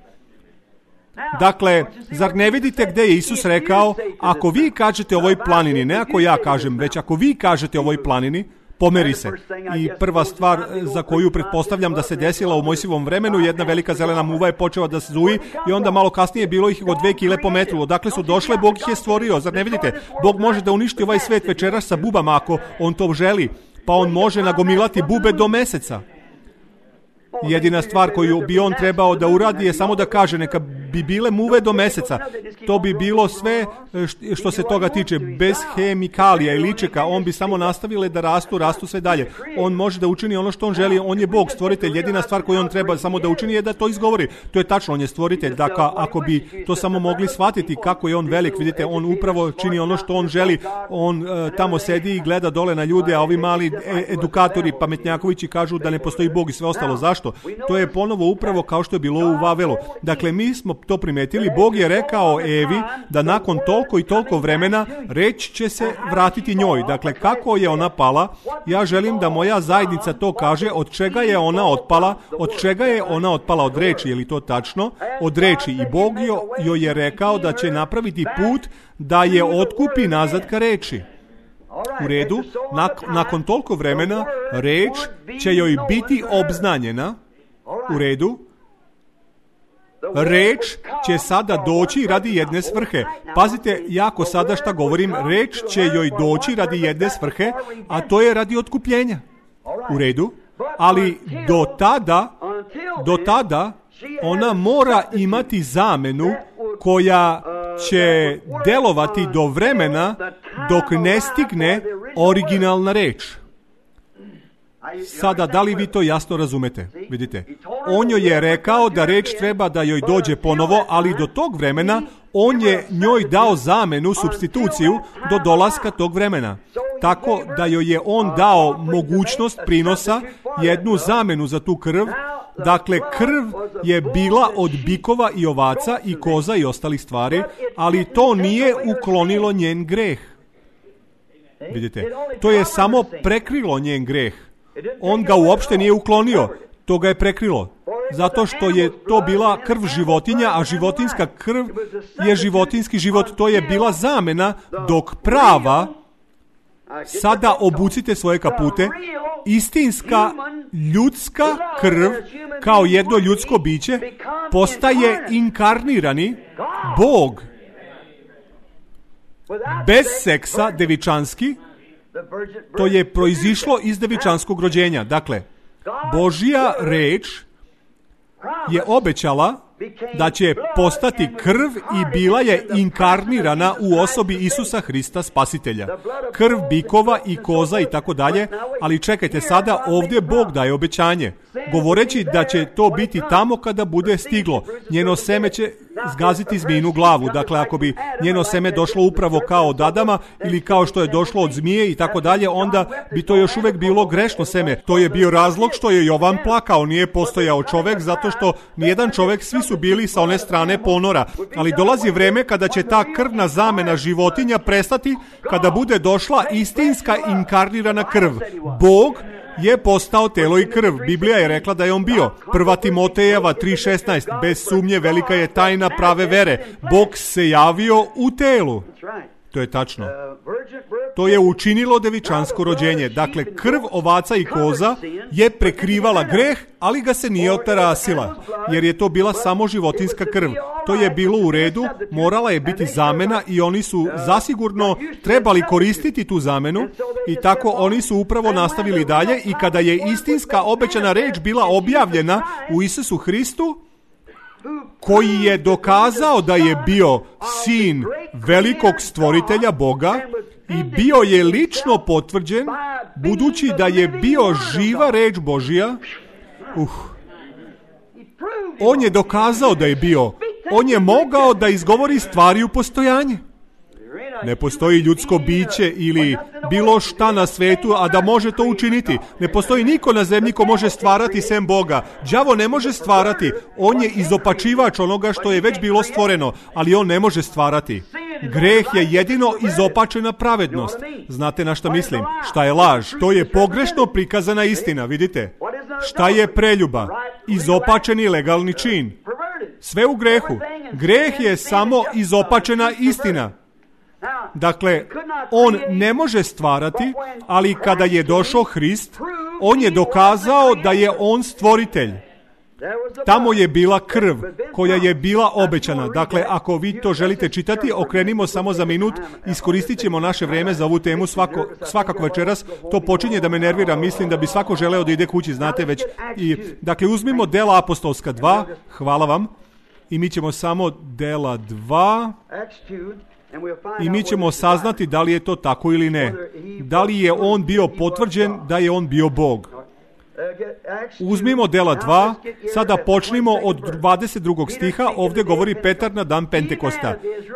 Dakle, zar ne vidite gde je Isus rekao, ako vi kažete ovoj planini, ne ako ja kažem, već ako vi kažete ovoj planini, pomeri se. I prva stvar za koju pretpostavljam da se desila u Mojsijevom vremenu, jedna velika zelena muva je počela da se zuji i onda malo kasnije bilo ih od dve kile po metru. Odakle su došle, Bog ih je stvorio. Zar ne vidite? Bog može da uništi ovaj svet večeras sa bubama ako on to želi. Pa on može nagomilati bube do meseca. Jedina stvar koju bi on trebao da uradi je samo da kaže neka bi bile muve do meseca. To bi bilo sve što se toga tiče, bez hemikalija i ličeka. On bi samo nastavile da rastu, rastu sve dalje. On može da učini ono što on želi. On je Bog, stvoritelj. Jedina stvar koju on treba samo da učini je da to izgovori. To je tačno, on je stvoritelj. Dakle, ako bi to samo mogli shvatiti kako je on velik, vidite, on upravo čini ono što on želi. On uh, tamo sedi i gleda dole na ljude, a ovi mali edukatori, pametnjakovići kažu da ne postoji Bog i sve ostalo. Zašto? To je ponovo upravo kao što je bilo u Vavelu. Dakle, mi smo to primetili. Bog je rekao Evi da nakon toliko i toliko vremena reč će se vratiti njoj. Dakle, kako je ona pala? Ja želim da moja zajednica to kaže. Od čega je ona otpala? Od čega je ona otpala? Od reči. Je li to tačno? Od reči. I Bog joj je rekao da će napraviti put da je otkupi nazad ka reči. U redu, nak- nakon toliko vremena reč će joj biti obznanjena. U redu, Reč će sada doći radi jedne svrhe. Pazite jako sada šta govorim. Reč će joj doći radi jedne svrhe, a to je radi otkupljenja. U redu. Ali do tada, do tada ona mora imati zamenu koja će delovati do vremena dok ne stigne originalna reč. Sada, da li vi to jasno razumete? Vidite, on joj je rekao da reč treba da joj dođe ponovo, ali do tog vremena on je njoj dao zamenu, supstituciju, do dolaska tog vremena. Tako da joj je on dao mogućnost prinosa, jednu zamenu za tu krv. Dakle, krv je bila od bikova i ovaca i koza i ostalih stvari, ali to nije uklonilo njen greh. Vidite, to je samo prekrilo njen greh. On ga uopšte nije uklonio, to ga je prekrilo. Zato što je to bila krv životinja, a životinska krv je životinski život. To je bila zamena, dok prava, sada obucite svoje kapute, istinska ljudska krv, kao jedno ljudsko biće, postaje inkarnirani Bog. Bez seksa, devičanski, to je proizišlo iz devičanskog rođenja. Dakle, Božja reč je obećala da će postati krv i bila je inkarnirana u osobi Isusa Hrista Spasitelja. Krv bikova i koza i tako dalje, ali čekajte sada, ovdje Bog daje obećanje, govoreći da će to biti tamo kada bude stiglo. Njeno seme će zgaziti zmijinu glavu. Dakle, ako bi njeno seme došlo upravo kao od Adama ili kao što je došlo od zmije i tako dalje, onda bi to još uvijek bilo grešno seme. To je bio razlog što je Jovan plakao. Nije postojao čovjek zato što nijedan čovjek, svi su bili sa one strane ponora. Ali dolazi vrijeme kada će ta krvna zamena životinja prestati, kada bude došla istinska inkarnirana krv. Bog je postao telo i krv. Biblija je rekla da je on bio. Prva Timotejeva tri šesnaest. Bez sumnje velika je tajna prave vere. Bog se javio u telu. To je tačno. To je učinilo devičansko rođenje. Dakle, krv ovaca i koza je prekrivala greh, ali ga se nije otarasila, jer je to bila samo životinska krv. To je bilo u redu, morala je biti zamena i oni su zasigurno trebali koristiti tu zamenu i tako oni su upravo nastavili dalje i kada je istinska obećana reč bila objavljena u Isusu Hristu, koji je dokazao da je bio sin velikog stvoritelja Boga i bio je lično potvrđen, budući da je bio živa reč Božja, uh, on je dokazao da je bio, on je mogao da izgovori stvari u postojanje. Ne postoji ljudsko biće ili bilo šta na svetu, a da može to učiniti. Ne postoji niko na zemlji ko može stvarati sem Boga. Đavo ne može stvarati. On je izopačivač onoga što je već bilo stvoreno, ali on ne može stvarati. Greh je jedino izopačena pravednost. Znate na šta mislim? Šta je laž? To je pogrešno prikazana istina, vidite? Šta je preljuba? Izopačeni legalni čin. Sve u grehu. Greh je samo izopačena istina. Dakle, on ne može stvarati, ali kada je došao Hrist, on je dokazao da je on stvoritelj. Tamo je bila krv koja je bila obećana. Dakle, ako vi to želite čitati, okrenimo samo za minut, iskoristit ćemo naše vrijeme za ovu temu svako, svakako večeras. To počinje da me nervira, mislim da bi svako želeo da ide kući, znate već. I, dakle, uzmimo Dela apostolska dva, hvala vam, i mi ćemo samo Dela dva... I mi ćemo saznati da li je to tako ili ne. Da li je on bio potvrđen da je on bio Bog. Uzmimo Dela dva, sada počnimo od dvadeset drugog stiha, ovdje govori Petar na dan Pentekosta.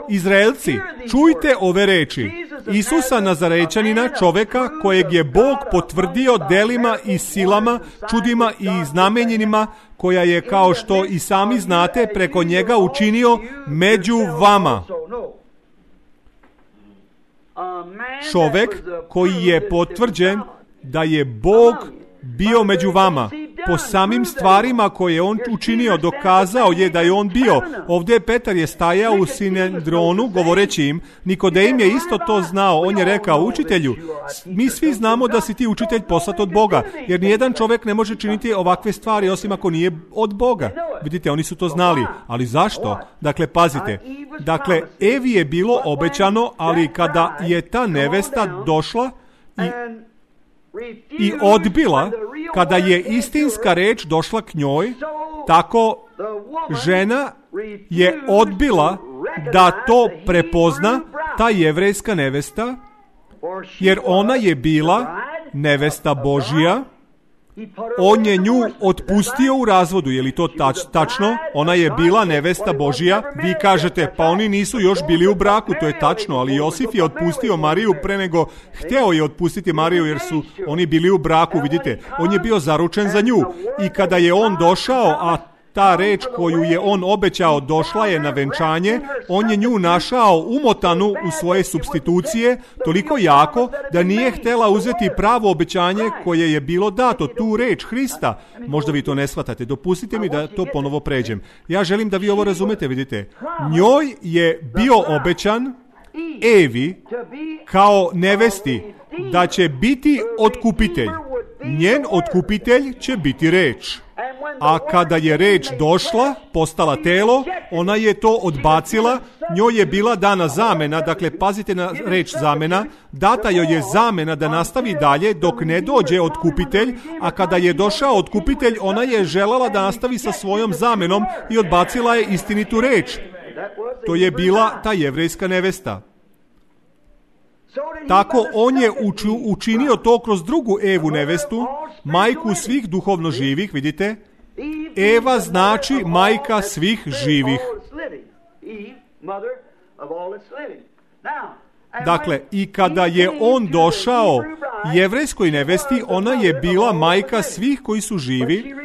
Izraelci, čujte ove reči. Isusa Nazarećanina, čoveka kojeg je Bog potvrdio delima i silama, čudima i znamenjenima, koja je, kao što i sami znate, preko njega učinio među vama. Čovek koji je potvrđen da je Bog bio među vama. po samim stvarima koje je on učinio, dokazao je da je on bio. Ovdje Petar je stajao u Sinedronu govoreći im, Nikodim je isto to znao. On je rekao, učitelju, mi svi znamo da si ti učitelj poslat od Boga, jer nijedan čovjek ne može činiti ovakve stvari osim ako nije od Boga. Vidite, oni su to znali. Ali zašto? Dakle, pazite. Dakle, Evi je bilo obećano, ali kada je ta nevesta došla i i odbila, kada je istinska reč došla k njoj, tako žena je odbila da to prepozna, ta jevrejska nevesta, jer ona je bila nevesta Božja. On je nju otpustio u razvodu. Je li to tač, tačno? Ona je bila nevesta Božja. Vi kažete, pa oni nisu još bili u braku. To je tačno, ali Josif je otpustio Mariju pre nego hteo je otpustiti Mariju, jer su oni bili u braku. Vidite, on je bio zaručen za nju. I kada je on došao, a ta reč koju je on obećao došla je na venčanje, on je nju našao umotanu u svoje supstitucije toliko jako da nije htjela uzeti pravo obećanje koje je bilo dato, tu reč Hrista. Možda vi to ne shvatate, dopustite mi da to ponovo pređem. Ja želim da vi ovo razumete, vidite. Njoj je bio obećan, Evi, kao nevesti, da će biti otkupitelj. Njen otkupitelj će biti reč. A kada je reč došla, postala telo, ona je to odbacila, njoj je bila dana zamena, dakle pazite na reč zamena, data joj je zamena da nastavi dalje dok ne dođe otkupitelj, a kada je došao otkupitelj, ona je željela da nastavi sa svojom zamenom i odbacila je istinitu reč. To je bila ta jevrejska nevesta. Tako on je uču, učinio to kroz drugu Evu nevestu, majku svih duhovno živih, vidite. Eva znači majka svih živih. Dakle, i kada je on došao jevrejskoj nevesti, ona je bila majka svih koji su živi,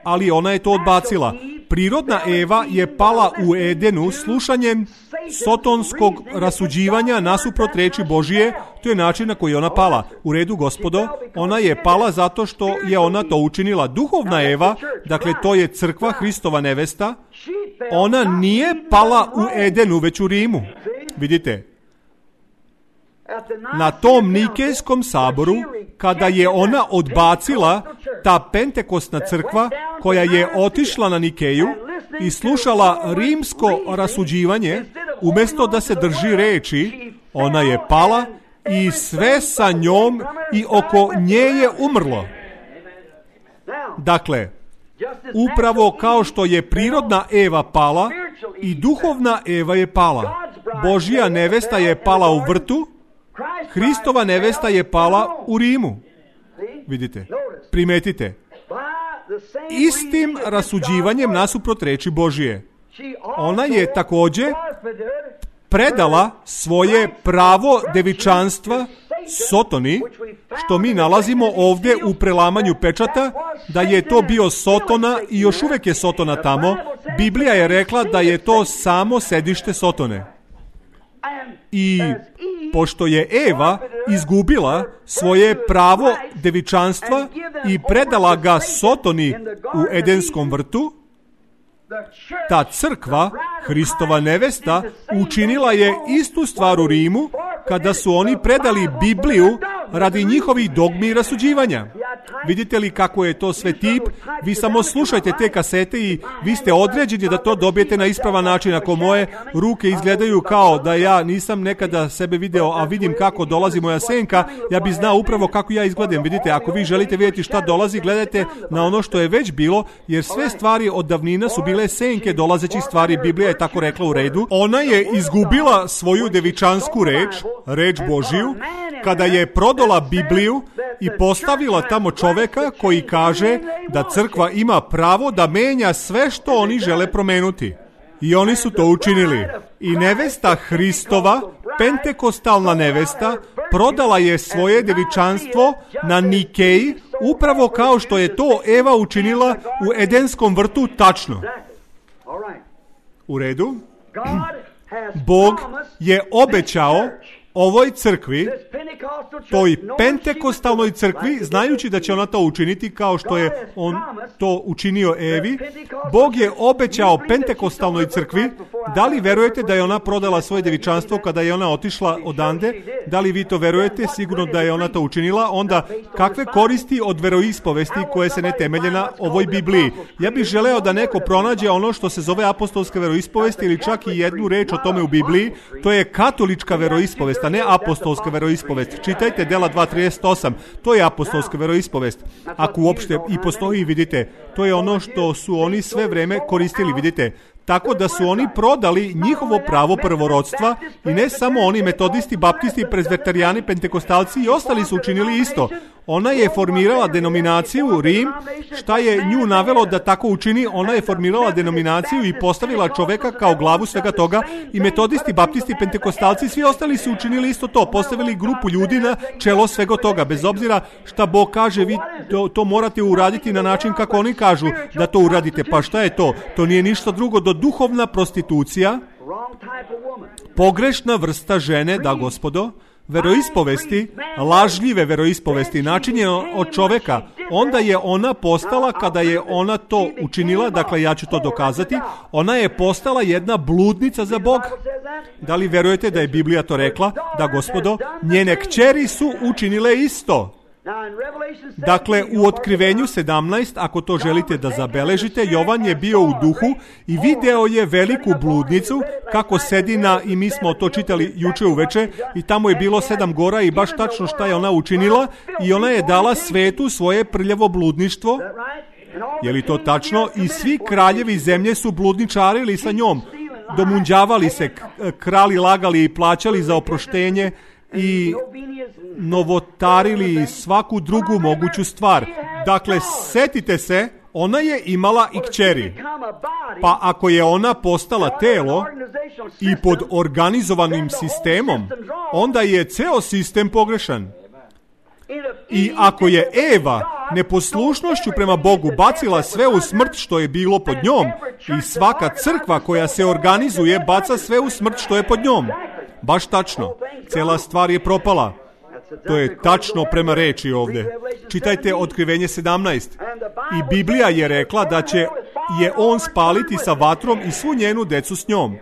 ali ona je to odbacila. Prirodna Eva je pala u Edenu slušanjem sotonskog rasuđivanja nasuprot reči Božije. To je način na koji je ona pala. U redu, gospodo, ona je pala zato što je ona to učinila. Duhovna Eva, dakle to je crkva, Hristova nevesta, ona nije pala u Edenu, već u Rimu. Vidite, na tom Nikejskom saboru, kada je ona odbacila, ta pentekostna crkva koja je otišla na Nikeju i slušala rimsko rasuđivanje, umjesto da se drži reči, ona je pala i sve sa njom i oko nje je umrlo. Dakle, upravo kao što je prirodna Eva pala, i duhovna Eva je pala. Božja nevesta je pala u vrtu, Hristova nevesta je pala u Rimu. Vidite, primetite. Istim rasuđivanjem nasuprot reči Božije. Ona je također predala svoje pravo devičanstva Sotoni, što mi nalazimo ovdje u prelamanju pečata, da je to bio Sotona i još uvijek je Sotona tamo. Biblija je rekla da je to samo sedište Sotone. I pošto je Eva izgubila svoje pravo devičanstva i predala ga Sotoni u Edenskom vrtu, ta crkva, Hristova nevesta, učinila je istu stvar u Rimu kada su oni predali Bibliju radi njihovih dogmi i rasuđivanja. Vidite li kako je to sve tip? Vi samo slušajte te kasete i vi ste određeni da to dobijete na ispravan način. Ako moje ruke izgledaju kao da ja nisam nekada sebe video, a vidim kako dolazi moja senka, ja bi znao upravo kako ja izgledam. Vidite, ako vi želite vidjeti šta dolazi, gledajte na ono što je već bilo, jer sve stvari od davnina su bile senke dolazećih stvari. Biblija je tako rekla, u redu. Ona je izgubila svoju devičansku reč, reč Božiju, kada je prodala Bibliju i postavila tamo čoveka koji kaže da crkva ima pravo da menja sve što oni žele promenuti. I oni su to učinili. I nevesta Hristova, pentekostalna nevesta, prodala je svoje devičanstvo na Nikeji, upravo kao što je to Eva učinila u Edenskom vrtu tačno. U redu? Bog je obećao ovoj crkvi, toj pentekostalnoj crkvi, znajući da će ona to učiniti kao što je on to učinio Evi. Bog je obećao pentekostalnoj crkvi. Da li verujete da je ona prodala svoje devičanstvo kada je ona otišla odande? Da li vi to verujete? Sigurno da je ona to učinila. Onda, kakve koristi od veroispovesti koje se ne temelje na ovoj Bibliji? Ja bih želeo da neko pronađe ono što se zove apostolska veroispovest ili čak i jednu reč o tome u Bibliji. To je katolička veroispovest, a ne apostolska veroispovest. Čitajte Dela dva trideset osam. To je apostolska veroispovest. Ako uopšte i postoji, vidite, to je ono što su oni sve vreme koristili, vidite. Tako da su oni prodali njihovo pravo prvorodstva i ne samo oni, metodisti, baptisti, prezbiterijani, pentekostalci i ostali su učinili isto. Ona je formirala denominaciju Rim. Šta je nju navelo da tako učini? Ona je formirala denominaciju i postavila čoveka kao glavu svega toga i metodisti, baptisti, pentekostalci, svi ostali su učinili isto to. Postavili grupu ljudi na čelo svega toga. Bez obzira šta Bog kaže, vi to, to morate uraditi na način kako oni kažu da to uradite. Pa šta je to? To nije ništa drugo do duhovna prostitucija, pogrešna vrsta žene, da gospodo, veroispovesti, lažljive veroispovesti, načinjeno od čoveka. Onda je ona postala, kada je ona to učinila, dakle ja ću to dokazati, ona je postala jedna bludnica za Boga. Da li verujete da je Biblija to rekla? Da gospodo, njene kćeri su učinile isto. Dakle, u Otkrivenju sedamnaest, ako to želite da zabeležite, Jovan je bio u duhu i video je veliku bludnicu kako sedi na, i mi smo to čitali juče uveče, i tamo je bilo sedam gora i baš tačno šta je ona učinila i ona je dala svetu svoje prljavo bludništvo. Je li to tačno? I svi kraljevi zemlje su bludničarili sa njom, domunđavali se, krali, lagali i plaćali za oproštenje i novotarili svaku drugu moguću stvar. Dakle, setite se, ona je imala i kćeri. Pa ako je ona postala telo i pod organizovanim sistemom, onda je ceo sistem pogrešan. I ako je Eva neposlušnošću prema Bogu bacila sve u smrt što je bilo pod njom, i svaka crkva koja se organizuje baca sve u smrt što je pod njom. Baš tačno. Cela stvar je propala. To je tačno prema reči ovde. Čitajte Otkrivenje sedamnaest. I Biblija je rekla da će je on spaliti sa vatrom i svu njenu decu s njom.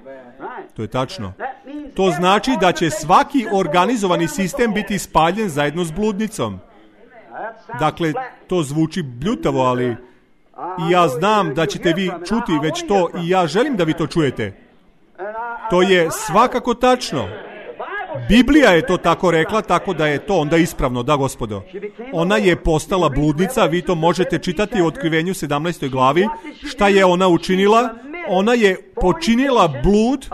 To je tačno. To znači da će svaki organizovani sistem biti spaljen zajedno s bludnicom. Dakle, to zvuči bljutavo, ali i ja znam da ćete vi čuti već to i ja želim da vi to čujete. To je svakako tačno. Biblija je to tako rekla, tako da je to onda ispravno, da gospodo. Ona je postala bludnica, vi to možete čitati u Otkrivenju sedamnaestoj glavi. Šta je ona učinila? Ona je počinila blud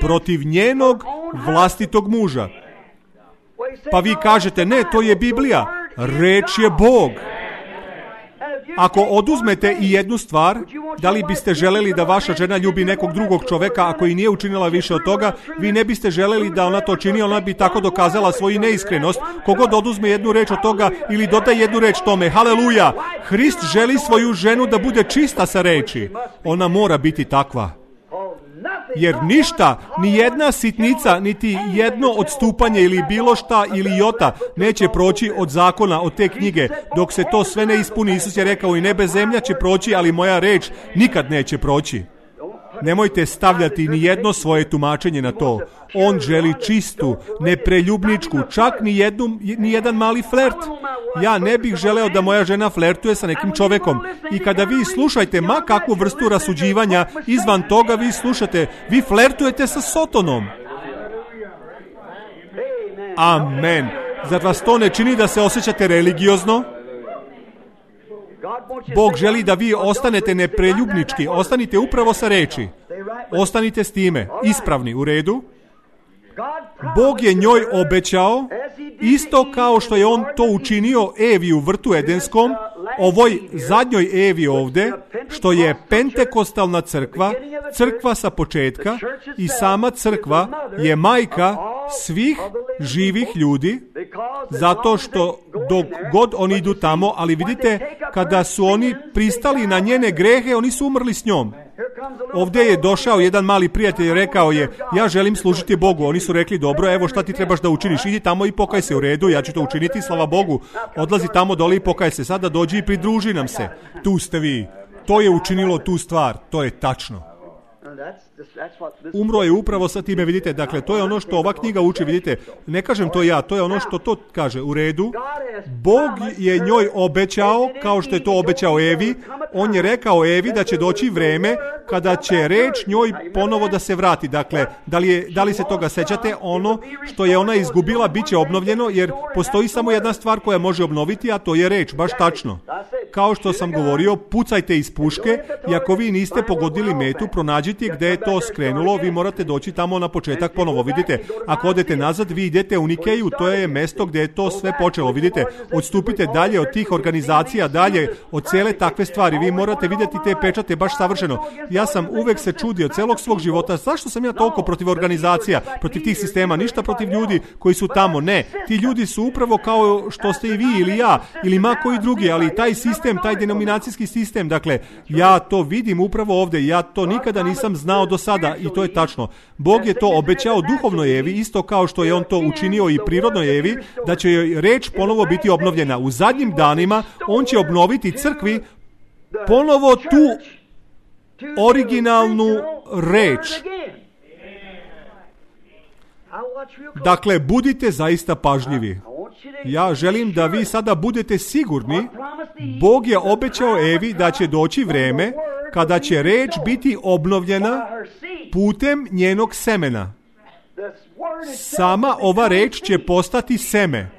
protiv njenog vlastitog muža. Pa vi kažete, ne, to je Biblija. Reč je Bog. Ako oduzmete i jednu stvar, da li biste želeli da vaša žena ljubi nekog drugog čoveka ako i nije učinila više od toga? Vi ne biste želeli da ona to čini, ona bi tako dokazala svoju neiskrenost. Kogod oduzme jednu reč od toga ili dodaje jednu reč tome, haleluja, Hrist želi svoju ženu da bude čista sa reči. Ona mora biti takva. Jer ništa, ni jedna sitnica, niti jedno odstupanje ili bilo šta ili jota neće proći od zakona, od te knjige. Dok se to sve ne ispuni, Isus je rekao, i nebe zemlja će proći, ali moja reč nikad neće proći. Nemojte stavljati ni jedno svoje tumačenje na to. On želi čistu, nepreljubničku, čak ni, jednu, ni jedan mali flert. Ja ne bih želeo da moja žena flertuje sa nekim čovekom. I kada vi slušajte ma kakvu vrstu rasuđivanja, izvan toga vi slušate, vi flertujete sa Sotonom. Amen. Zar vas to ne čini da se osjećate religiozno? Bog želi da vi ostanete nepreljubnički, ostanite upravo sa reči. Ostanite s time, ispravni, u redu. Bog je njoj obećao, isto kao što je on to učinio Evi u vrtu Edenskom, ovoj zadnjoj Evi ovde, što je pentekostalna crkva, crkva sa početka, i sama crkva je majka svih živih ljudi, zato što dok god oni idu tamo, ali vidite, kada su oni pristali na njene grehe, oni su umrli s njom. Ovdje je došao jedan mali prijatelj i rekao je, ja želim služiti Bogu. Oni su rekli, dobro, evo šta ti trebaš da učiniš, idi tamo i pokaj se. U redu, ja ću to učiniti, slava Bogu. Odlazi tamo dole i pokaj se. Sada dođi i pridruži nam se. Tu ste vi. To je učinilo tu stvar. To je tačno. Umro je upravo sa time, vidite, dakle, to je ono što ova knjiga uči, vidite, ne kažem to ja, to je ono što to kaže, u redu. Bog je njoj obećao, kao što je to obećao Evi, on je rekao Evi da će doći vreme kada će reč njoj ponovo da se vrati, dakle, da li, je, da li se toga sećate, ono što je ona izgubila bit će obnovljeno, jer postoji samo jedna stvar koja može obnoviti, a to je reč, baš tačno. Kao što sam govorio, pucajte iz puške i ako vi niste pogodili metu, pronađite gde je to skrenulo, vi morate doći tamo na početak ponovo. Vidite, ako odete nazad, vi idete u Nikeju, to je mesto gdje je to sve počelo. Vidite, odstupite dalje od tih organizacija, dalje od cijele takve stvari. Vi morate vidjeti te pečate baš savršeno. Ja sam uvek se čudio celog svog života, zašto sam ja toliko protiv organizacija, protiv tih sistema, ništa protiv ljudi koji su tamo. Ne, ti ljudi su upravo kao što ste i vi ili ja, ili ma koji drugi, ali taj sistem, taj denominacijski sistem, dakle, ja to vidim upravo ovdje, ja to nikada nisam znao do sada i to je tačno. Bog je to obećao duhovnoj Evi, isto kao što je on to učinio i prirodnoj Evi, da će joj reč ponovo biti obnovljena. U zadnjim danima on će obnoviti crkvi ponovo tu originalnu reč. Dakle, budite zaista pažljivi. Ja želim da vi sada budete sigurni, Bog je obećao Evi da će doći vreme kada će reč biti obnovljena putem njenog semena. Sama ova reč će postati seme.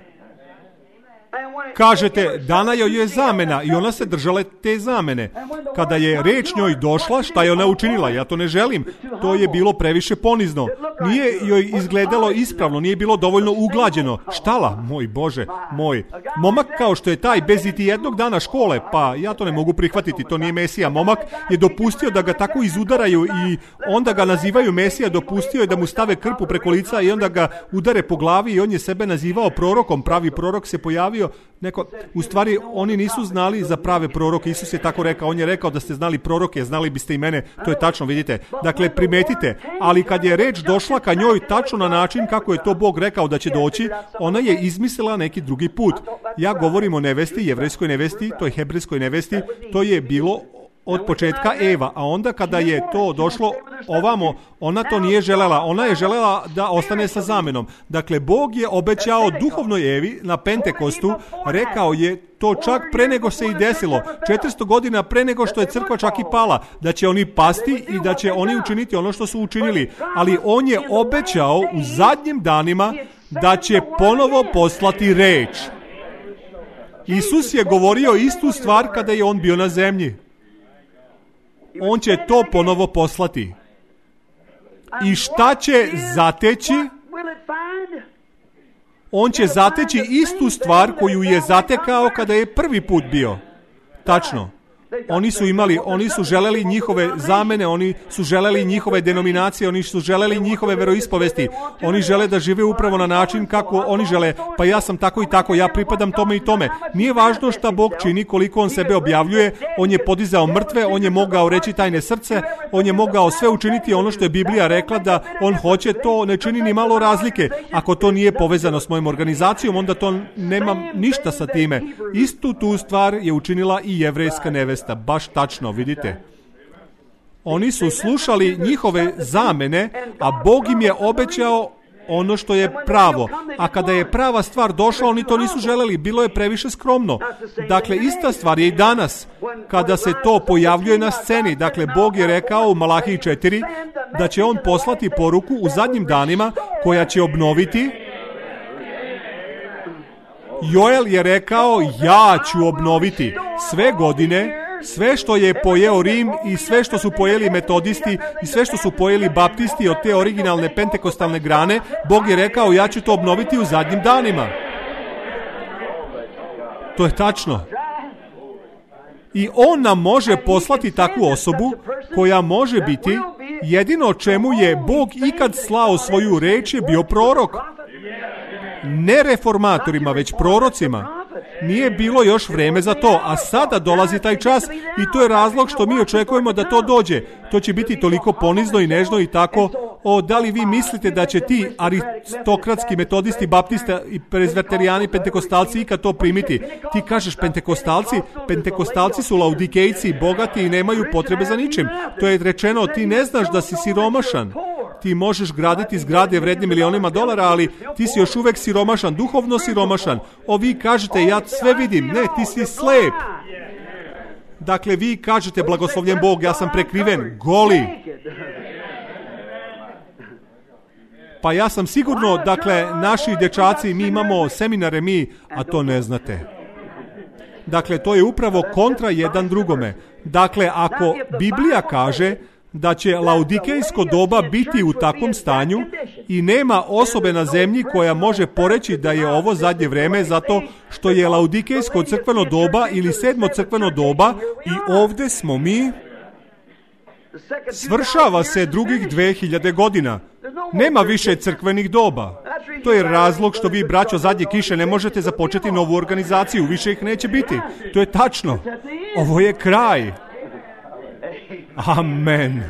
Kažete, dana joj je zamena i ona se držala te zamene. Kada je reč njoj došla, šta je ona učinila? Ja to ne želim. To je bilo previše ponizno. Nije joj izgledalo ispravno, nije bilo dovoljno uglađeno. Štala, moj Bože, moj. Momak kao što je taj, bez iti jednog dana škole, pa ja to ne mogu prihvatiti, to nije Mesija. Momak je dopustio da ga tako izudaraju i onda ga nazivaju Mesija, dopustio je da mu stave krpu preko lica i onda ga udare po glavi i on je sebe nazivao prorokom. Pravi prorok se pojavio. Neko, u stvari, oni nisu znali za prave proroke. Isus je tako rekao. On je rekao da ste znali proroke, znali biste i mene. To je tačno, vidite. Dakle, primetite. Ali kad je reč došla ka njoj tačno na način kako je to Bog rekao da će doći, ona je izmislila neki drugi put. Ja govorim o nevesti, jevrejskoj nevesti, toj hebrejskoj nevesti. To je bilo od početka Eva, a onda kada je to došlo ovamo, ona to nije želela. Ona je želela da ostane sa zamenom. Dakle, Bog je obećao duhovnoj Evi na Pentekostu, rekao je to čak pre nego se i desilo, četiristo godina pre nego što je crkva čak i pala, da će oni pasti i da će oni učiniti ono što su učinili. Ali on je obećao u zadnjim danima da će ponovo poslati reč. Isus je govorio istu stvar kada je on bio na zemlji. On će to ponovo poslati. I šta će zateći? On će zateći istu stvar koju je zatekao kada je prvi put bio. Tačno. Oni su imali, oni su želeli njihove zamene, oni su želeli njihove denominacije, oni su želeli njihove veroispovesti. Oni žele da žive upravo na način kako oni žele. Pa ja sam tako i tako, ja pripadam tome i tome. Nije važno šta Bog čini, koliko on sebe objavljuje. On je podizao mrtve, on je mogao reći tajne srce, on je mogao sve učiniti ono što je Biblija rekla da on hoće, to ne čini ni malo razlike. Ako to nije povezano s mojom organizacijom, onda to nema ništa sa time. Istu tu stvar je učinila i jevrejska nevesta. Baš tačno, vidite. Oni su slušali njihove zamene, a Bog im je obećao ono što je pravo. A kada je prava stvar došla, oni to nisu želeli, bilo je previše skromno. Dakle, ista stvar je i danas, kada se to pojavljuje na sceni. Dakle, Bog je rekao u Malahiji četiri da će on poslati poruku u zadnjim danima koja će obnoviti. Joel je rekao, ja ću obnoviti sve godine, sve što je pojeo Rim i sve što su pojeli metodisti i sve što su pojeli baptisti od te originalne pentekostalne grane, Bog je rekao, ja ću to obnoviti u zadnjim danima. To je tačno. I on nam može poslati takvu osobu koja može biti, jedino čemu je Bog ikad slao svoju reč je bio prorok. Ne reformatorima, već prorocima. Nije bilo još vreme za to, a sada dolazi taj čas i to je razlog što mi očekujemo da to dođe. To će biti toliko ponizno i nežno i tako. O, da li vi mislite da će ti aristokratski metodisti, baptista i prezveterijani, pentekostalci ikad to primiti? Ti kažeš pentekostalci, pentekostalci su laudikejci, bogati i nemaju potrebe za ničim. To je rečeno, ti ne znaš da si siromašan. Ti možeš graditi zgrade vredne milionima dolara, ali ti si još uvek siromašan, duhovno siromašan. O, vi kažete, ja sve vidim. Ne, ti si slep. Dakle, vi kažete, blagoslovljen Bog, ja sam prekriven, goli. Pa ja sam sigurno, dakle, naši dečaci, mi imamo seminare, mi, a to ne znate. Dakle, to je upravo kontra jedan drugome. Dakle, ako Biblija kaže da će laudikejsko doba biti u takvom stanju i nema osobe na zemlji koja može poreći da je ovo zadnje vreme zato što je laudikejsko crkveno doba ili sedmo crkveno doba i ovde smo mi, svršava se drugih dve hiljade godina. Nema više crkvenih doba. To je razlog što vi, braćo, zadnje kiše ne možete započeti novu organizaciju. Više ih neće biti. To je tačno. Ovo je kraj. Amen.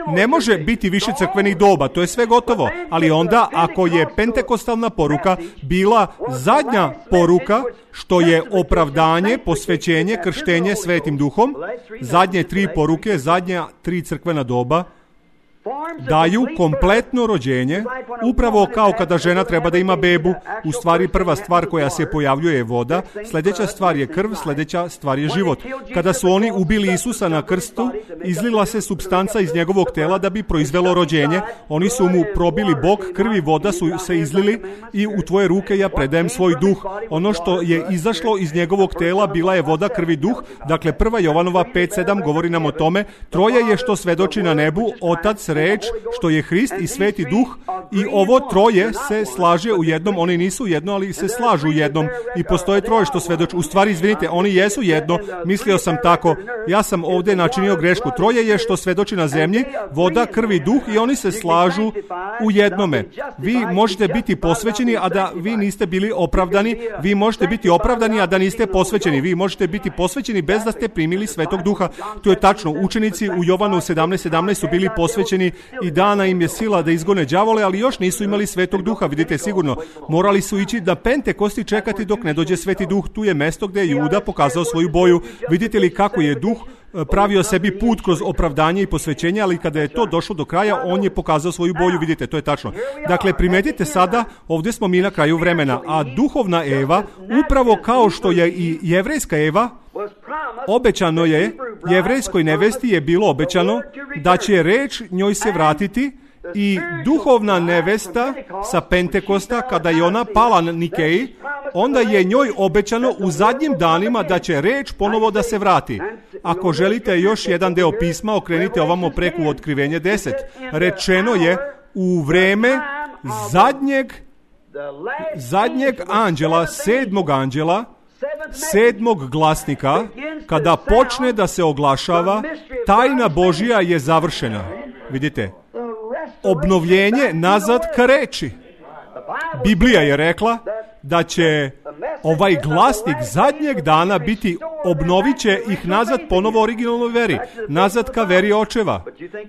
Ne može biti više crkvenih doba, to je sve gotovo. Ali onda, ako je pentekostalna poruka bila zadnja poruka, što je opravdanje, posvećenje, krštenje Svetim Duhom, zadnje tri poruke, zadnja tri crkvena doba, daju kompletno rođenje, upravo kao kada žena treba da ima bebu. U stvari prva stvar koja se pojavljuje je voda, sljedeća stvar je krv, sljedeća stvar je život. Kada su oni ubili Isusa na krstu, izlila se supstanca iz njegovog tela da bi proizvelo rođenje. Oni su mu probili bok, krv i voda su se izlili i u tvoje ruke ja predajem svoj duh. Ono što je izašlo iz njegovog tela bila je voda, krv i duh. Dakle, prva Jovanova pet sedam govori nam o tome. Troje je što svedoči na nebu, Otac, reč, što je Hrist i Sveti Duh, i ovo troje se slaže u jednom. Oni nisu jedno, ali se slažu u jednom. I postoje troje što svedoči. U stvari, izvinite, oni jesu jedno. Mislio sam tako. Ja sam ovdje načinio grešku. Troje je što svedoči na zemlji, voda, krv i duh, i oni se slažu u jednome. Vi možete biti posvećeni, a da vi niste bili opravdani. Vi možete biti opravdani, a da niste posvećeni. Vi možete biti posvećeni bez da ste primili Svetog Duha. To je tačno. Učenici u Jovanu sedamnaest sedamnaest su bili posvećeni i dana im je sila da izgone đavole, ali još nisu imali Svetog Duha. Vidite, sigurno morali su ići da Pentekosti čekati dok ne dođe Sveti Duh. Tu je mesto gdje je Juda pokazao svoju boju. Vidite li kako je Duh pravio sebi put kroz opravdanje i posvećenje, ali kada je to došlo do kraja, on je pokazao svoju boju. Vidite, to je tačno. Dakle, primetite sada, ovdje smo mi na kraju vremena, a duhovna Eva, upravo kao što je i jevrejska Eva, obećano je, jevrejskoj nevesti je bilo obećano da će reč njoj se vratiti, i duhovna nevesta sa Pentekosta, kada je ona pala na Nikeji, onda je njoj obećano u zadnjim danima da će reč ponovo da se vrati. Ako želite još jedan deo pisma, okrenite ovamo preko Otkrivenje deset. Rečeno je u vreme zadnjeg, zadnjeg anđela, sedmog anđela, sedmog glasnika, kada počne da se oglašava, tajna Božija je završena. Vidite, obnovljenje nazad ka reči. Biblija je rekla da će ovaj glasnik zadnjeg dana biti, obnovit će ih nazad ponovo originalnoj veri, nazad ka veri očeva.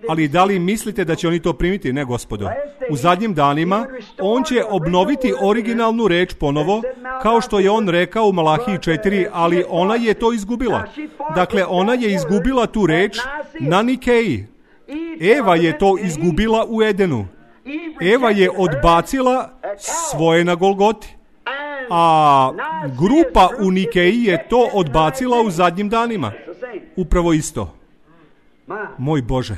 Ali da li mislite da će oni to primiti? Ne, gospodo. U zadnjim danima on će obnoviti originalnu reč ponovo, kao što je on rekao u Malahiji četiri, ali ona je to izgubila. Dakle, ona je izgubila tu reč na Nikeji. Eva je to izgubila u Edenu. Eva je odbacila svoje na Golgoti. A grupa u Nikeji je to odbacila u zadnjim danima. Upravo isto. Moj Bože.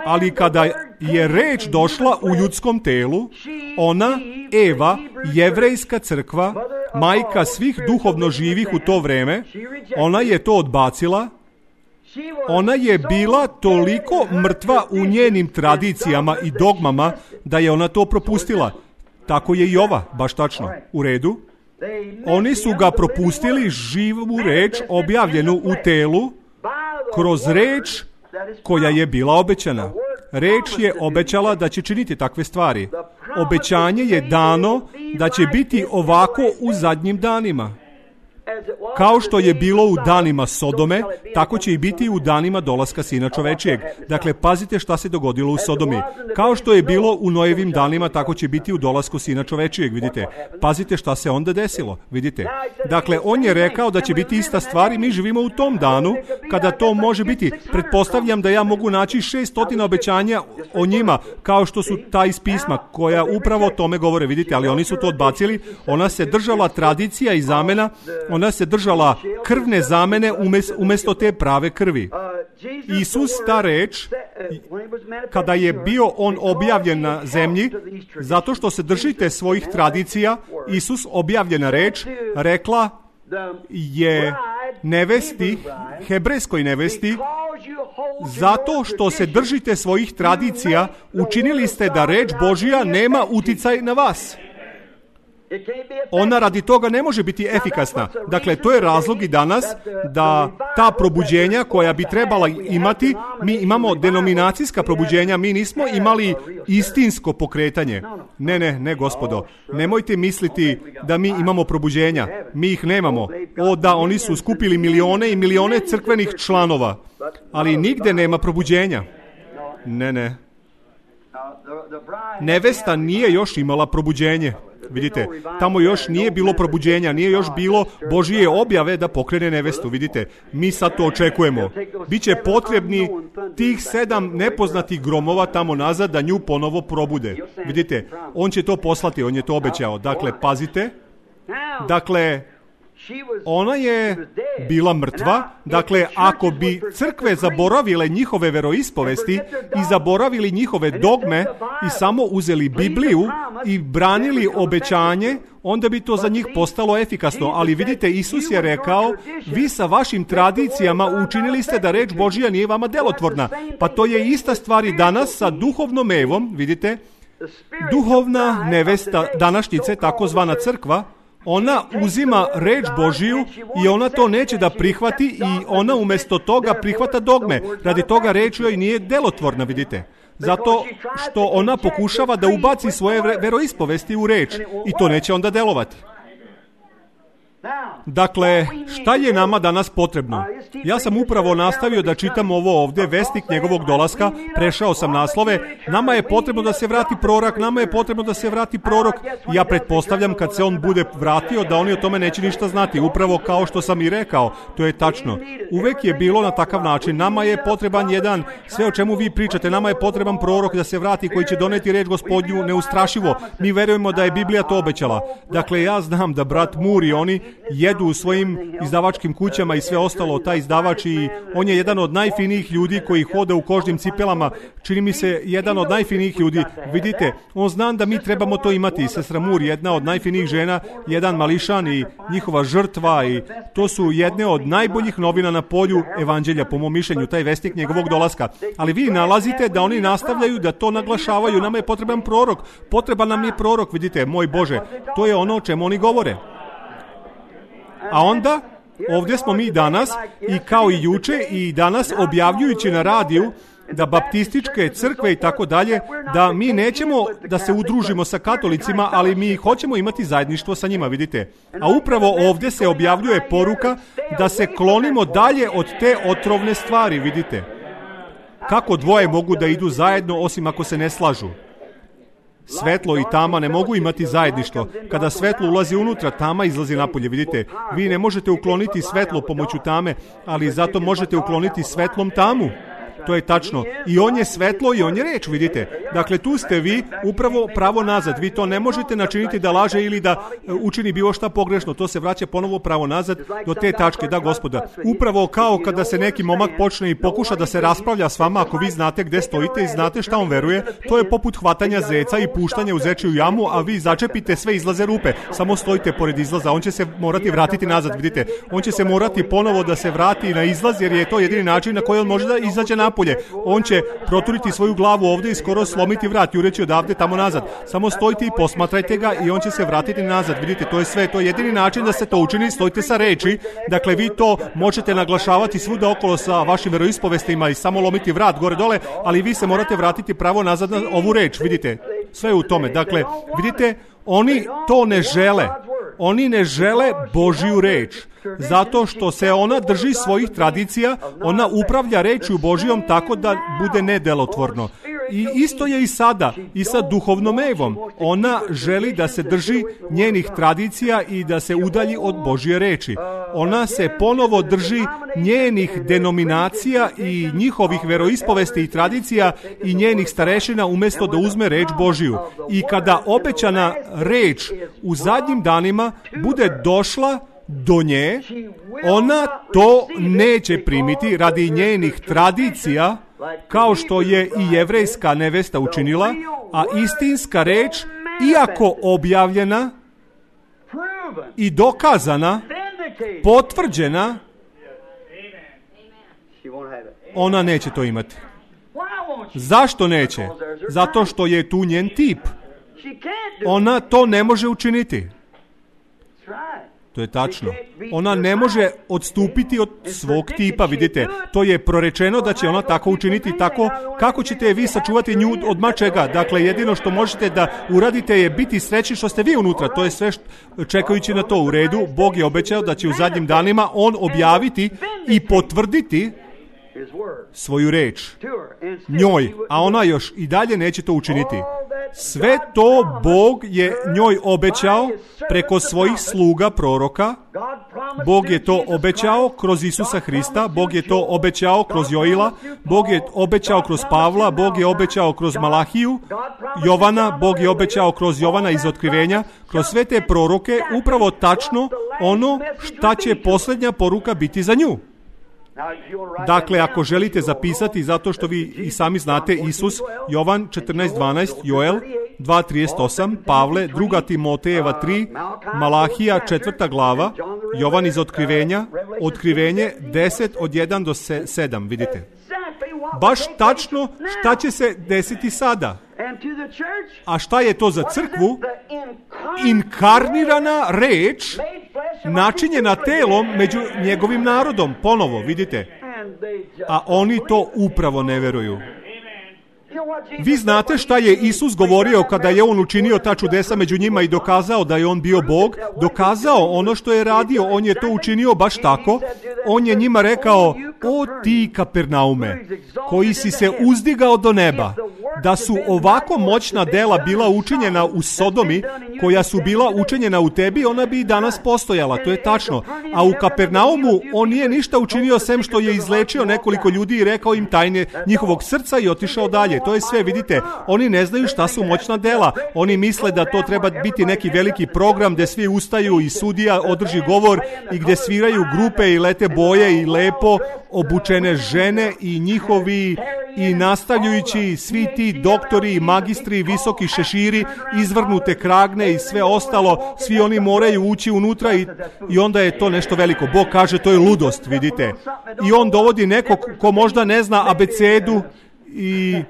Ali kada je reč došla u ljudskom telu, ona, Eva, jevrejska crkva, majka svih duhovno živih u to vreme, ona je to odbacila. Ona je bila toliko mrtva u njenim tradicijama i dogmama da je ona to propustila. Tako je i ova, baš tačno. U redu. Oni su ga propustili, živu reč objavljenu u telu, kroz reč koja je bila obećana. Reč je obećala da će činiti takve stvari. Obećanje je dano da će biti ovako u zadnjim danima. Kao što je bilo u danima Sodome, tako će i biti u danima dolaska Sina čovečijeg. Dakle, pazite šta se dogodilo u Sodomi. Kao što je bilo u Nojevim danima, tako će biti u dolasku Sina čovečijeg, vidite. Pazite šta se onda desilo, vidite. Dakle, on je rekao da će biti ista stvar i mi živimo u tom danu kada to može biti. Pretpostavljam da ja mogu naći šeststotina obećanja o njima, kao što su ta iz pisma, koja upravo o tome govore, vidite, ali oni su to odbacili. Ona se držala tradicija i zamena, ona se držala krvne zamene umjesto te prave krvi. Isus, ta reč, kada je bio on objavljen na zemlji, zato što se držite svojih tradicija, Isus, objavljena reč, rekla je nevesti, hebrejskoj nevesti, zato što se držite svojih tradicija, učinili ste da reč Božja nema uticaj na vas. Ona radi toga ne može biti efikasna. Dakle, to je razlog i danas da ta probuđenja koja bi trebala imati, mi imamo denominacijska probuđenja, mi nismo imali istinsko pokretanje. Ne, ne, ne, gospodo. Nemojte misliti da mi imamo probuđenja. Mi ih nemamo. O da, oni su skupili milione i milione crkvenih članova, ali nigde nema probuđenja. Ne, ne. Nevesta nije još imala probuđenje. Vidite, tamo još nije bilo probuđenja, nije još bilo Božije objave da pokrene nevestu, vidite. Mi sad to očekujemo. Biće potrebni tih sedam nepoznatih gromova tamo nazad da nju ponovo probude. Vidite, on će to poslati, on je to obećao. Dakle, pazite. Dakle, ona je bila mrtva. Dakle, ako bi crkve zaboravile njihove veroispovesti i zaboravili njihove dogme i samo uzeli Bibliju i branili obećanje, onda bi to za njih postalo efikasno. Ali vidite, Isus je rekao, vi sa vašim tradicijama učinili ste da reč Božja nije vama delotvorna. Pa to je ista stvar i danas sa duhovnom Evom, vidite, duhovna nevesta današnjice, takozvana crkva, ona uzima reč Božiju i ona to neće da prihvati i ona umjesto toga prihvata dogme. Radi toga reč joj nije delotvorna, vidite. Zato što ona pokušava da ubaci svoje veroispovesti u reč i to neće onda delovati. Dakle, šta je nama danas potrebno? Ja sam upravo nastavio da čitam ovo ovdje, vestnik njegovog dolaska, prešao sam naslove. Nama je potrebno da se vrati prorok, nama je potrebno da se vrati prorok. Ja pretpostavljam kad se on bude vratio da oni o tome neće ništa znati, upravo kao što sam i rekao, to je tačno. Uvek je bilo na takav način. Nama je potreban jedan, sve o čemu vi pričate, nama je potreban prorok da se vrati koji će doneti reč Gospodnju neustrašivo. Mi verujemo da je Biblija to obećala. Dakle, ja znam da brat Moore i oni jedu u svojim izdavačkim kućama i sve ostalo, taj izdavač, i on je jedan od najfinijih ljudi koji hoda u kožnim cipelama, čini mi se jedan od najfinijih ljudi. Vidite, on zna da mi trebamo to imati. Sestra Moore, jedna od najfinijih žena, jedan mališan i njihova žrtva, i to su jedne od najboljih novina na polju evanđelja, po mom mišljenju, taj vestnik njegovog dolaska. Ali vi nalazite da oni nastavljaju da to naglašavaju, nama je potreban prorok, potreban nam je prorok, vidite, moj Bože, to je ono o čemu oni govore. A onda, ovdje smo mi danas, i kao i juče i danas, objavljujući na radiju da baptističke crkve i tako dalje, da mi nećemo da se udružimo sa katolicima, ali mi hoćemo imati zajedništvo sa njima, vidite. A upravo ovdje se objavljuje poruka da se klonimo dalje od te otrovne stvari, vidite. Kako dvoje mogu da idu zajedno osim ako se ne slažu? Svetlo i tama ne mogu imati zajedništvo. Kada svetlo ulazi unutra, tama izlazi napolje, vidite. Vi ne možete ukloniti svetlo pomoću tame, ali zato možete ukloniti svetlom tamu. To je tačno. I on je svetlo i on je reč, vidite. Dakle, tu ste vi upravo pravo nazad. Vi to ne možete načiniti da laže ili da učini bilo šta pogrešno. To se vraća ponovo pravo nazad do te tačke, da Gospoda. Upravo kao kada se neki momak počne i pokuša da se raspravlja s vama, ako vi znate gde stojite i znate šta on veruje, to je poput hvatanja zeca i puštanja u zečiju jamu, a vi začepite, sve izlaze rupe. Samo stojite pored izlaza. On će se morati vratiti nazad, vidite. On će se morati ponovo da se vrati na izlaz, jer je to jedini način na koji on može da izađe napolje. On će proturiti svoju glavu ovdje i skoro slomiti vrat, jureći odavde tamo nazad. Samo stojite i posmatrajte ga i on će se vratiti nazad. Vidite, to je sve, to je jedini način da se to učini, stojite sa reči. Dakle, vi to možete naglašavati svuda okolo sa vašim veroispovestima i samo lomiti vrat gore dole, ali vi se morate vratiti pravo nazad na ovu reč, vidite. Sve je u tome. Dakle, vidite, Oni to ne žele. Oni ne žele Božju reč. Zato što se ona drži svojih tradicija, ona upravlja rečju Božjom tako da bude nedelotvorno. I isto je i sada, i sa duhovnom Evom. Ona želi da se drži njenih tradicija i da se udalji od Božje reči. Ona se ponovo drži njenih denominacija i njihovih veroispovesti i tradicija i njenih starešina umjesto da uzme reč Božju. I kada obećana reč u zadnjim danima bude došla do nje, ona to neće primiti radi njenih tradicija, kao što je i jevrejska nevesta učinila, a istinska reč, iako objavljena i dokazana, potvrđena, ona neće to imati. Zašto neće? Zato što je tu njen tip. Ona to ne može učiniti. To je tačno. Ona ne može odstupiti od svog tipa, vidite. To je prorečeno da će ona tako učiniti, tako kako ćete vi sačuvati nju od mačega. Dakle, jedino što možete da uradite je biti srećni što ste vi unutra. To je sve što, čekajući na to u redu. Bog je obećao da će u zadnjim danima on objaviti i potvrditi svoju reč njoj, a ona još i dalje neće to učiniti. Sve to Bog je njoj obećao preko svojih sluga proroka. Bog je to obećao kroz Isusa Hrista, Bog je to obećao kroz Joila, Bog je obećao kroz Pavla, Bog je obećao kroz Malahiju, Jovana, Bog je obećao kroz Jovana iz Otkrivenja, kroz sve te proroke, upravo tačno ono šta će posljednja poruka biti za nju. Dakle, ako želite zapisati, zato što vi i sami znate, Isus, Jovan četrnaest dvanaest, Joel dva trideset osam, Pavle, druga Timotejeva tri, Malahija četvrta glava, Jovan iz Otkrivenja, Otkrivenje deset od jedan do sedam, vidite. Baš tačno šta će se desiti sada. A šta je to za crkvu? Inkarnirana reč načinjena telom među njegovim narodom. Ponovo, vidite. A oni to upravo ne veruju. Vi znate šta je Isus govorio kada je on učinio ta čudesa među njima i dokazao da je on bio Bog? Dokazao ono što je radio, on je to učinio baš tako. On je njima rekao: o ti Kapernaume, koji si se uzdigao do neba, da su ovako moćna dela bila učinjena u Sodomi, koja su bila učinjena u tebi, ona bi i danas postojala, to je tačno. A u Kapernaumu on nije ništa učinio sem što je izlečio nekoliko ljudi i rekao im tajne njihovog srca i otišao dalje. To je sve, vidite. Oni ne znaju šta su moćna dela. Oni misle da to treba biti neki veliki program gdje svi ustaju i sudija održi govor i gdje sviraju grupe i lete boje i lepo obučene žene i njihovi i nastavljujući svi ti doktori i magistri, visoki šeširi, izvrnute kragne i sve ostalo, svi oni moraju ući unutra i, i onda je to nešto veliko. Bog kaže to je ludost, vidite. I on dovodi nekog ko možda ne zna abecedu i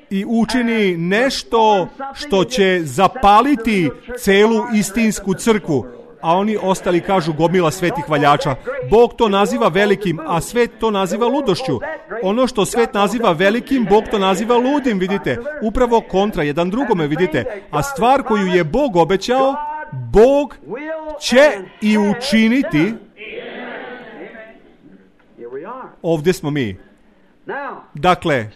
i učini nešto što će zapaliti celu istinsku crkvu. A oni ostali kažu gomila svetih valjača. Bog to naziva velikim, a svet to naziva ludošću. Ono što svet naziva velikim, Bog to naziva ludim, vidite. Upravo kontra jedan drugome, vidite. A stvar koju je Bog obećao, Bog će i učiniti. Ovdje smo mi. Dakle,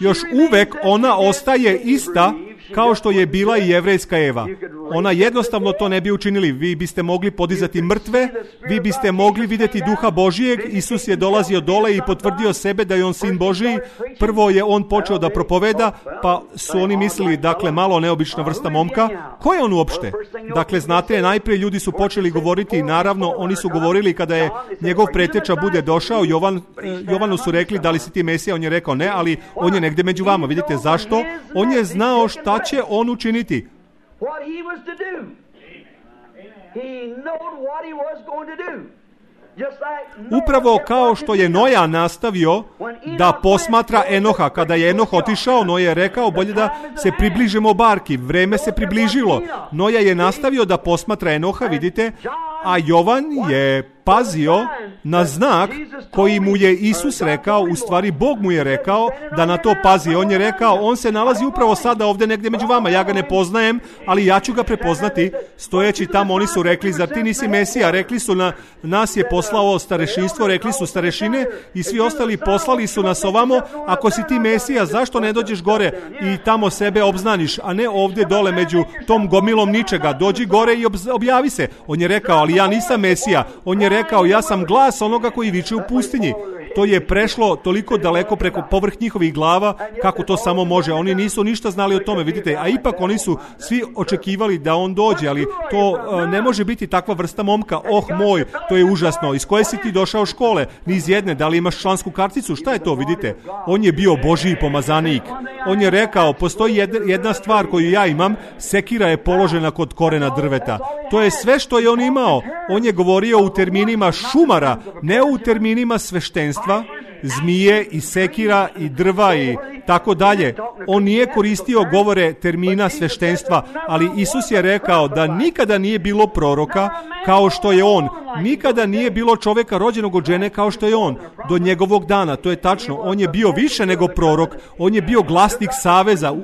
još uvek ona ostaje ista kao što je bila i jevrejska Eva. Ona jednostavno to ne bi učinili. Vi biste mogli podizati mrtve, vi biste mogli vidjeti duha Božijeg. Isus je dolazio dole i potvrdio sebe da je on sin Božiji. Prvo je on počeo da propoveda, pa su oni mislili, dakle, malo neobična vrsta momka. Ko je on uopšte? Dakle, znate, najprije ljudi su počeli govoriti, naravno, oni su govorili kada je njegov preteča bude došao, Jovan, Jovanu su rekli, da li si ti Mesija? On je rekao ne, ali on je negdje među vama. Vidite zašto? On je znao šta će on učiniti. Upravo kao što je Noja nastavio da posmatra Enoha. Kada je Enoh otišao, Noja je rekao bolje da se približimo barki. Vreme se približilo. Noja je nastavio da posmatra Enoha, vidite, a Jovan je pazio na znak koji mu je Isus rekao, u stvari Bog mu je rekao da na to pazi. On je rekao, on se nalazi upravo sada ovdje negdje među vama, ja ga ne poznajem, ali ja ću ga prepoznati. Stojeći tamo, oni su rekli, zar ti nisi Mesija? Rekli su, na nas je poslao starešinstvo, rekli su starešine i svi ostali poslali su nas ovamo, ako si ti Mesija, zašto ne dođeš gore i tamo sebe obznaniš, a ne ovdje dole među tom gomilom ničega, dođi gore i objavi se. On je rekao, ali ja nisam Mesija. On je rekao, ja sam glas onoga koji viče u pustinji. To je prešlo toliko daleko preko povrh njihovih glava, kako to samo može. Oni nisu ništa znali o tome, vidite, a ipak oni su svi očekivali da on dođe, ali to uh, ne može biti takva vrsta momka. Oh moj, to je užasno. Iz koje si ti došao škole? Ni iz jedne. Da li imaš člansku karticu? Šta je to, vidite? On je bio Božji pomazanik. On je rekao, postoji jedna stvar koju ja imam, sekira je položena kod korena drveta. To je sve što je on imao. On je govorio u terminima šumara, ne u terminima sveštenstva, zmije i sekira i drva i tako dalje. On nije koristio govore termina sveštenstva, ali Isus je rekao da nikada nije bilo proroka kao što je on. Nikada nije bilo čovjeka rođenog od žene kao što je on. Do njegovog dana, to je tačno. On je bio više nego prorok. On je bio glasnik saveza.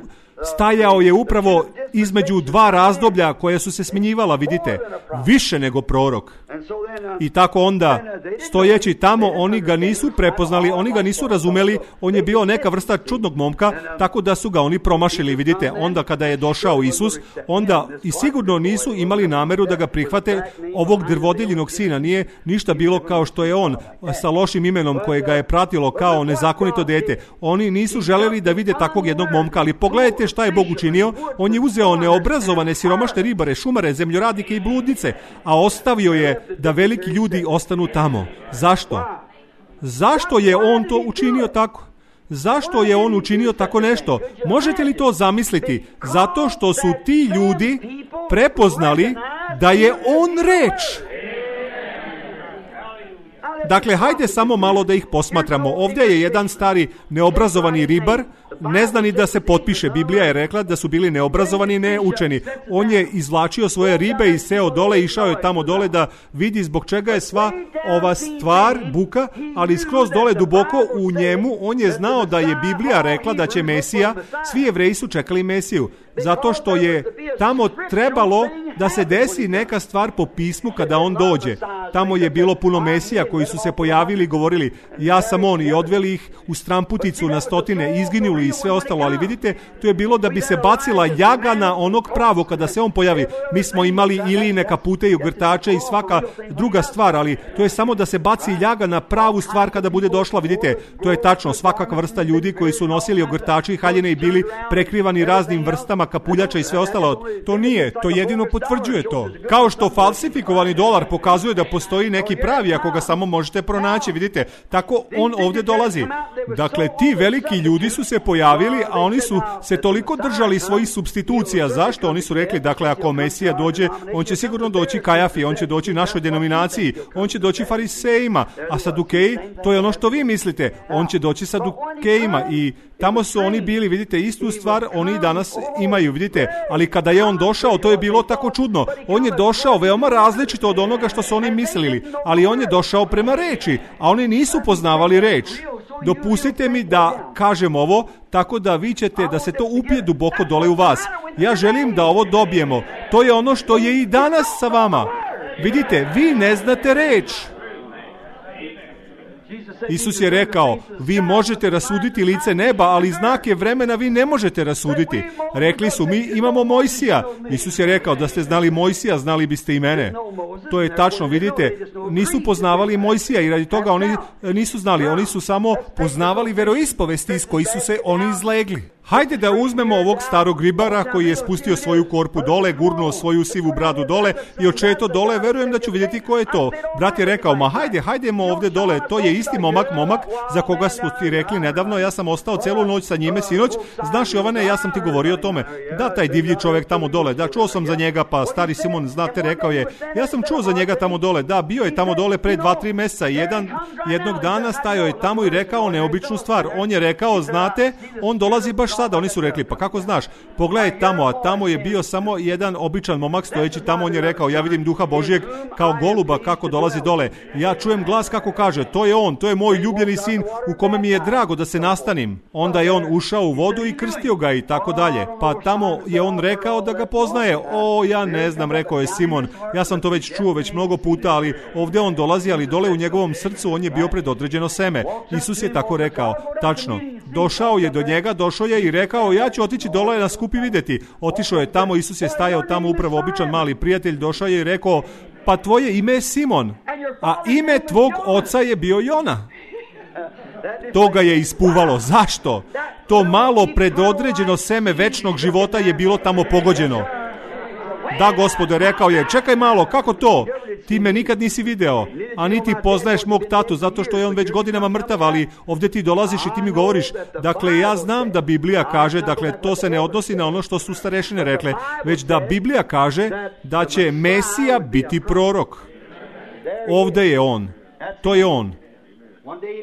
Stajao je upravo između dva razdoblja koje su se smjenjivala, vidite, više nego prorok. I tako onda, stojeći tamo, oni ga nisu prepoznali, oni ga nisu razumeli, on je bio neka vrsta čudnog momka, tako da su ga oni promašili, vidite. Onda kada je došao Isus, onda i sigurno nisu imali nameru da ga prihvate, ovog drvodeljinog sina. Nije ništa bilo kao što je on, sa lošim imenom koje ga je pratilo kao nezakonito dete. Oni nisu želeli da vide takvog jednog momka, ali pogledajte šta je Bog učinio. On je uzeo neobrazovane, siromašne ribare, šumare, zemljoradnike i bludnice, a ostavio je da veliki ljudi ostanu tamo. Zašto? Zašto je on to učinio tako? Zašto je on učinio tako nešto? Možete li to zamisliti? Zato što su ti ljudi prepoznali da je on reč. Dakle, hajde samo malo da ih posmatramo. Ovdje je jedan stari neobrazovani ribar, ne zna ni da se potpiše. Biblija je rekla da su bili neobrazovani i neučeni. On je izvlačio svoje ribe i seo dole, išao je tamo dole da vidi zbog čega je sva ova stvar, buka, ali skroz dole duboko u njemu on je znao da je Biblija rekla da će Mesija, svi Jevreji su čekali Mesiju, zato što je tamo trebalo da se desi neka stvar po pismu kada on dođe. Tamo je bilo puno Mesija koji su se pojavili i govorili, ja sam on, i odveli ih u stramputicu na stotine, izginuli i sve ostalo, ali vidite, to je bilo da bi se bacila ljaga na onog pravo kada se on pojavi. Mi smo imali iline, kapute i ogrtače i svaka druga stvar, ali to je samo da se baci ljaga na pravu stvar kada bude došla, vidite, to je tačno, svakakva vrsta ljudi koji su nosili ogrtače i haljine i bili prekrivani raznim vrstama kapuljača i sve ostalo. To nije, to jedino potvrđuje to. Kao što falsifikovani dolar pokazuje da postoji neki pravi ako ga samo možete pronaći, vidite, tako on ovdje dolazi. Dakle, ti veliki ljudi su se pojavili, a oni su se toliko držali svojih supstitucija. Zašto? Oni su rekli, dakle, ako Mesija dođe, on će sigurno doći Kajafi, on će doći našoj denominaciji, on će doći farisejima, a Sadukeji, to je ono što vi mislite, on će doći Sadukejima i tamo su oni bili, vidite, istu stvar oni danas imaju, vidite, ali kada je on došao, to je bilo tako čudno. On je došao veoma različito od onoga što su oni mislili, ali on je došao prema reči, a oni nisu poznavali reč. Dopustite mi da kažem ovo, tako da vi ćete da se to upije duboko dole u vas. Ja želim da ovo dobijemo. To je ono što je i danas sa vama. Vidite, vi ne znate reč. Isus je rekao, vi možete rasuditi lice neba, ali znake vremena vi ne možete rasuditi. Rekli su, mi imamo Mojsija. Isus je rekao, da ste znali Mojsija, znali biste i mene. To je tačno, vidite, nisu poznavali Mojsija i radi toga oni nisu znali. Oni su samo poznavali veroispovesti iz koji su se oni izlegli. Hajde da uzmemo ovog starog ribara koji je spustio svoju korpu dole, gurnuo svoju sivu bradu dole i očeto dole, verujem da ću vidjeti ko je to. Brat je rekao, ma hajde, hajdemo ovdje dole, to je isti momak, momak za koga su ti rekli nedavno, ja sam ostao celu noć sa njime sinoć, znaš Jovane, ja sam ti govorio o tome. Da, taj divlji čovjek tamo dole, da, čuo sam za njega, pa stari Simon, znate, rekao je, ja sam čuo za njega tamo dole, da, bio je tamo dole pre dva, tri mjeseca i jedan, jednog dana stajao je tamo i rekao neobičnu stvar. On je rekao, znate, on dolazi baš sada? Oni su rekli, pa kako znaš? Pogledaj tamo, a tamo je bio samo jedan običan momak stojeći tamo. On je rekao, ja vidim duha Božijeg kao goluba kako dolazi dole. Ja čujem glas kako kaže, to je on, to je moj ljubljeni sin u kome mi je drago da se nastanim. Onda je on ušao u vodu i krstio ga i tako dalje. Pa tamo je on rekao da ga poznaje. O, ja ne znam, rekao je Simon. Ja sam to već čuo već mnogo puta, ali ovdje on dolazi, ali dole u njegovom srcu on je bio predodređeno seme. Isus je tako rekao. Tačno. Došao je do njega, došao je i rekao, ja ću otići dole na skup i vidjeti. Otišao je tamo, Isus je stajao tamo, upravo običan mali prijatelj, došao je i rekao, pa tvoje ime je Simon, a ime tvog oca je bio Jona. To ga je ispuvalo. Zašto? To malo predodređeno seme večnog života je bilo tamo pogođeno. Da, Gospode, rekao je, čekaj malo, kako to? Ti me nikad nisi video, a niti poznaješ mog tatu, zato što je on već godinama mrtav, ali ovdje ti dolaziš i ti mi govoriš. Dakle, ja znam da Biblija kaže, dakle, to se ne odnosi na ono što su starešine rekle, već da Biblija kaže da će Mesija biti prorok. Ovdje je on. To je on.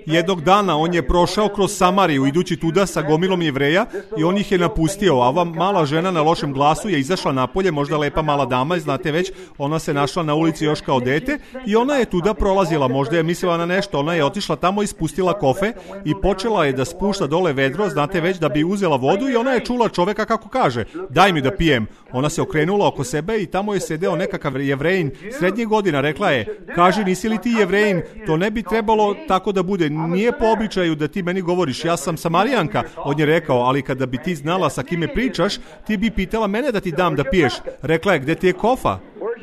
Jednog dana on je prošao kroz Samariju idući tuda sa gomilom Jevreja i on ih je napustio. A ova mala žena na lošem glasu je izašla napolje, možda lepa mala dama, znate već, ona se našla na ulici još kao dete i ona je tuda prolazila, možda je mislila na nešto, ona je otišla tamo i spustila kofe i počela je da spušta dole vedro, znate već, da bi uzela vodu i ona je čula čoveka kako kaže, daj mi da pijem. Ona se okrenula oko sebe i tamo je sedeo nekakav Jevrejin srednjih godina, rekla je, kaži, nisi li ti Jevrejin, to ne bi trebalo tako da bude, nije po običaju da ti meni govoriš, ja sam Samarijanka. On je rekao, ali kada bi ti znala sa kime pričaš, ti bi pitala mene da ti dam da piješ. Rekla je, gde ti je kofa?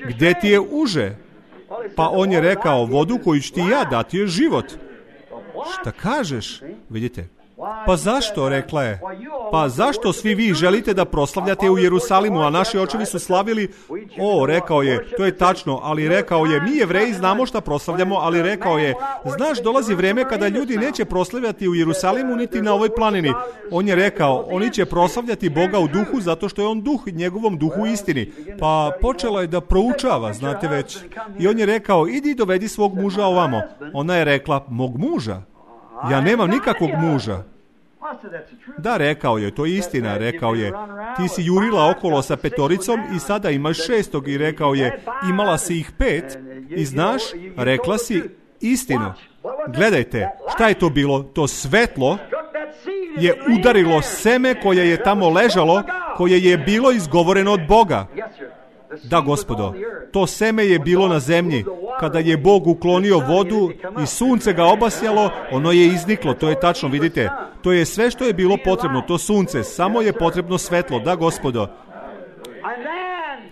Gde ti je uže? Pa on je rekao, vodu koju ću ti ja dati je život. Šta kažeš? Vidite. Pa zašto, rekla je. Pa zašto svi vi želite da proslavljate u Jerusalimu, a naši očevi su slavili? O, rekao je, to je tačno, ali rekao je, mi Jevreji znamo šta proslavljamo, ali rekao je, znaš, dolazi vreme kada ljudi neće proslavljati u Jerusalimu niti na ovoj planini. On je rekao, oni će proslavljati Boga u duhu zato što je on duh, njegovom duhu istini. Pa počela je da proučava, znate već. I on je rekao, idi dovedi svog muža ovamo. Ona je rekla, mog muža? Ja nemam nikakvog muža. Da, rekao je, to je istina, rekao je, ti si jurila okolo sa petoricom i sada imaš šestog i rekao je, imala si ih pet i znaš, rekla si istinu. Gledajte, šta je to bilo? To svetlo je udarilo seme koje je tamo ležalo, koje je bilo izgovoreno od Boga. Da, Gospodo, to seme je bilo na zemlji. Kada je Bog uklonio vodu i sunce ga obasjalo, ono je izniklo, to je tačno, vidite. To je sve što je bilo potrebno, to sunce, samo je potrebno svetlo, da, Gospodo.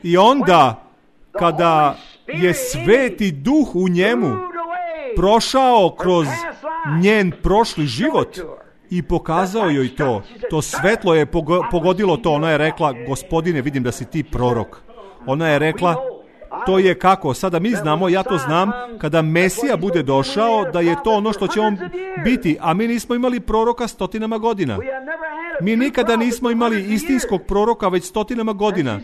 I onda, kada je sveti duh u njemu prošao kroz njen prošli život i pokazao joj to, to svetlo je pogodilo to, ona je rekla, Gospodine, vidim da si ti prorok. Ona je rekla, to je kako, sada mi znamo, ja to znam, kada Mesija bude došao, da je to ono što će on biti, a mi nismo imali proroka stotinama godina. Mi nikada nismo imali istinskog proroka već stotinama godina.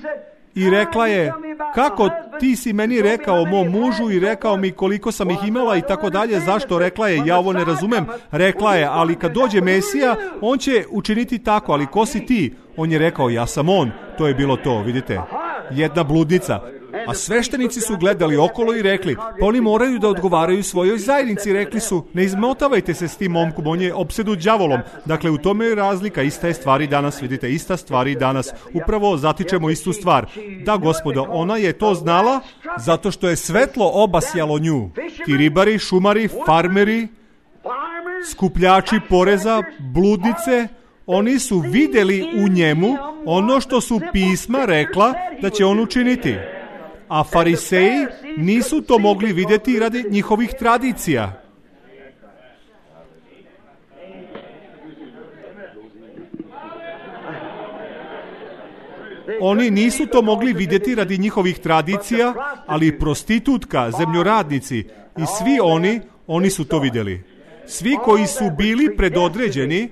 I rekla je, kako ti si meni rekao mom mužu i rekao mi koliko sam ih imala i tako dalje, zašto? Rekla je, ja ovo ne razumem. Rekla je, ali kad dođe Mesija, on će učiniti tako, ali ko si ti? On je rekao, ja sam on. To je bilo to, vidite. Jedna bludnica. A sveštenici su gledali okolo i rekli, pa oni moraju da odgovaraju svojoj zajednici. Rekli su, ne izmotavajte se s tim momkom, on je opsednut đavolom. Dakle, u tome je razlika, ista je stvari danas, vidite, ista stvari danas. Upravo zatičemo istu stvar. Da, Gospodo, ona je to znala zato što je svetlo obasjalo nju. Ti ribari, šumari, farmeri, skupljači poreza, bludnice, oni su vidjeli u njemu ono što su pisma rekla da će on učiniti. A fariseji nisu to mogli vidjeti radi njihovih tradicija. Oni nisu to mogli vidjeti radi njihovih tradicija, ali prostitutka, zemljoradnici i svi oni, oni su to vidjeli. Svi koji su bili predodređeni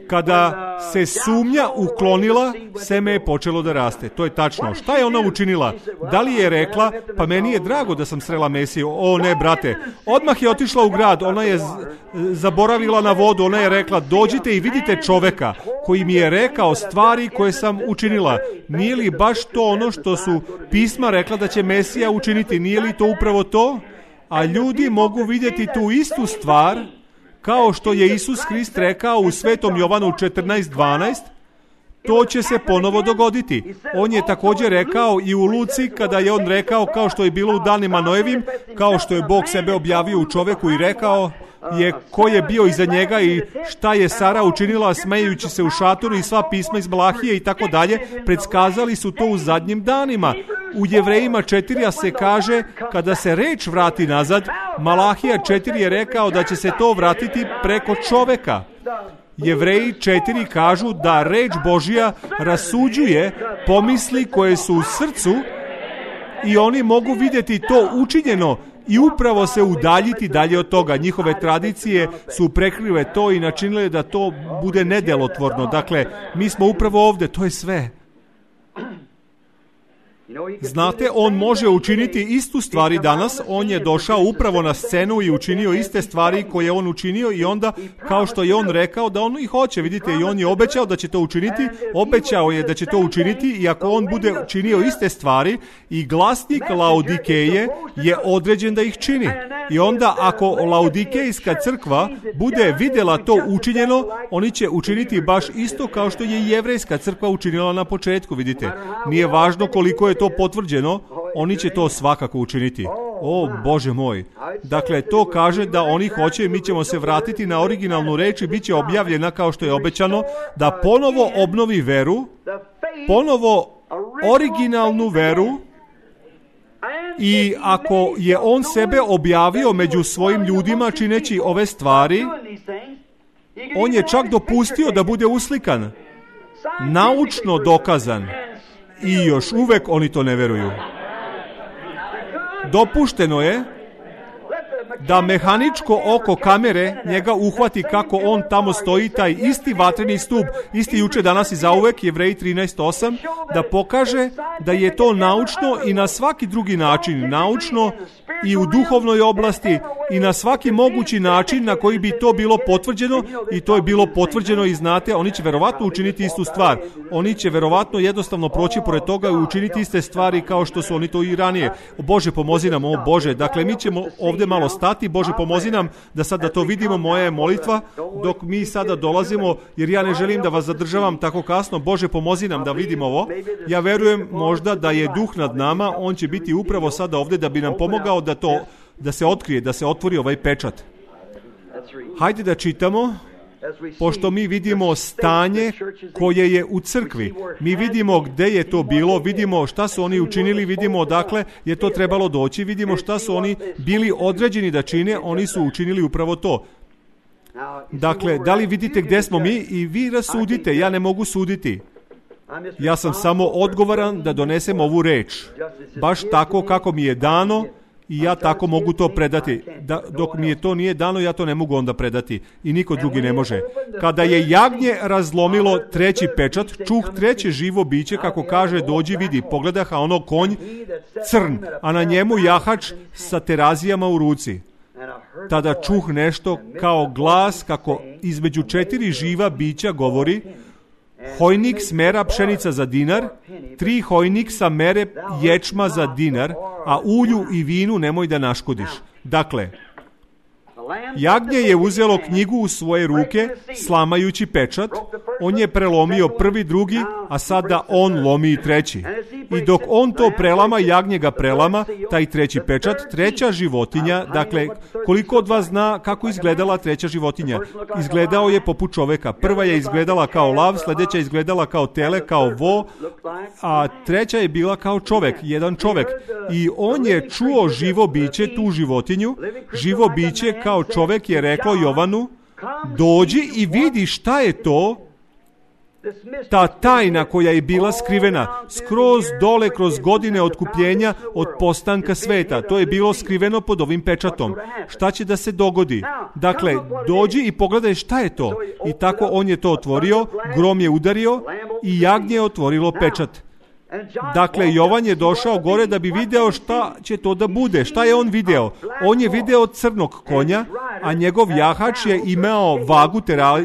Kada se sumnja uklonila, seme je počelo da raste. To je tačno. Šta je ona učinila? Da li je rekla, pa meni je drago da sam srela Mesiju? O ne, brate. Odmah je otišla u grad, ona je z- zaboravila na vodu, ona je rekla, dođite i vidite čoveka koji mi je rekao stvari koje sam učinila. Nije li baš to ono što su pisma rekla da će Mesija učiniti? Nije li to upravo to? A ljudi mogu vidjeti tu istu stvar, kao što je Isus Hrist rekao u Svetom Jovanu četrnaest dvanaest, to će se ponovo dogoditi. On je također rekao i u Luci, kada je on rekao, kao što je bilo u danima Noevim, kao što je Bog sebe objavio u čoveku i rekao je ko je bio iza njega i šta je Sara učinila smejući se u šatoru i sva pisma iz Malahije i tako dalje, predskazali su to u zadnjim danima. U Jevrejima četiri se kaže, kada se reč vrati nazad, Malahija četiri je rekao da će se to vratiti preko čoveka. Jevreji četiri kažu da reč Božja rasuđuje pomisli koje su u srcu i oni mogu vidjeti to učinjeno i upravo se udaljiti dalje od toga. Njihove tradicije su prekrile to i načinile da to bude nedelotvorno. Dakle, mi smo upravo ovdje, to je sve. Znate, on može učiniti istu stvari danas, on je došao upravo na scenu i učinio iste stvari koje je on učinio i onda, kao što je on rekao, da on ih hoće, vidite, i on je obećao da će to učiniti, obećao je da će to učiniti i ako on bude činio iste stvari i glasnik Laodikeje je određen da ih čini. I onda ako Laodikejska crkva bude vidjela to učinjeno, oni će učiniti baš isto kao što je Jevrejska crkva učinila na početku, vidite. Nije važno koliko je to potvrđeno, oni će to svakako učiniti. O, Bože moj. Dakle, to kaže da oni hoće i mi ćemo se vratiti na originalnu reč i bit će objavljena kao što je obećano, da ponovo obnovi veru, ponovo originalnu veru. I ako je on sebe objavio među svojim ljudima čineći ove stvari, on je čak dopustio da bude uslikan, naučno dokazan. I još uvek oni to ne veruju. Dopušteno je da mehaničko oko kamere njega uhvati kako on tamo stoji, taj isti vatreni stup, isti juče, danas i zauvek, Jevreji trinaest osam, da pokaže da je to naučno i na svaki drugi način, naučno i u duhovnoj oblasti i na svaki mogući način na koji bi to bilo potvrđeno, i to je bilo potvrđeno i znate, oni će verovatno učiniti istu stvar. Oni će verovatno jednostavno proći pored toga i učiniti iste stvari kao što su oni to i ranije. O Bože, pomozi nam, o Bože. Dakle, mi ćemo ovdje malo stati. Bože, pomozi nam da sad da to vidimo. Moja je molitva dok mi sada dolazimo, jer ja ne želim da vas zadržavam tako kasno. Bože, pomozi nam da vidimo ovo. Ja verujem možda da je duh nad nama. On će biti upravo sada ovdje da bi nam pomogao da to, da se otkrije, da se otvori ovaj pečat. Hajde da čitamo. Pošto mi vidimo stanje koje je u crkvi, mi vidimo gdje je to bilo, vidimo šta su oni učinili, vidimo odakle je to trebalo doći, vidimo šta su oni bili određeni da čine, oni su učinili upravo to. Dakle, da li vidite gdje smo mi i vi rasudite, ja ne mogu suditi. Ja sam samo odgovoran da donesem ovu reč, baš tako kako mi je dano. I ja tako mogu to predati. Da, dok mi je to nije dano, ja to ne mogu onda predati. I niko drugi ne može. Kada je jagnje razlomilo treći pečat, čuh treće živo biće, kako kaže, dođi vidi. Pogledaha ono konj crn, a na njemu jahač sa terazijama u ruci. Tada čuh nešto kao glas, kako između četiri živa bića govori: hojnik smera pšenica za dinar, tri hojnik sa mere ječma za dinar, a ulju i vinu nemoj da naškodiš. Dakle, jagnje je uzelo knjigu u svoje ruke, slamajući pečat. On je prelomio prvi, drugi, a sada on lomi i treći. I dok on to prelama, jagnje ga prelama, taj treći pečat, treća životinja. Dakle, koliko od vas zna kako izgledala treća životinja? Izgledao je poput čoveka. Prva je izgledala kao lav, sljedeća je izgledala kao tele, kao vo, a treća je bila kao čovek, jedan čovek. I on je čuo živo biće, tu životinju, živo biće kao čovek je reklo Jovanu: dođi i vidi šta je to. ta tajna koja je bila skrivena skroz dole kroz godine otkupljenja od postanka sveta. To je bilo skriveno pod ovim pečatom. Šta će da se dogodi? Dakle, dođi i pogledaj šta je to. I tako on je to otvorio, grom je udario i jagnje je otvorilo pečat. Dakle, Jovan je došao gore da bi video šta će to da bude. Šta je on video? On je video crnog konja, a njegov jahač je imao vagu,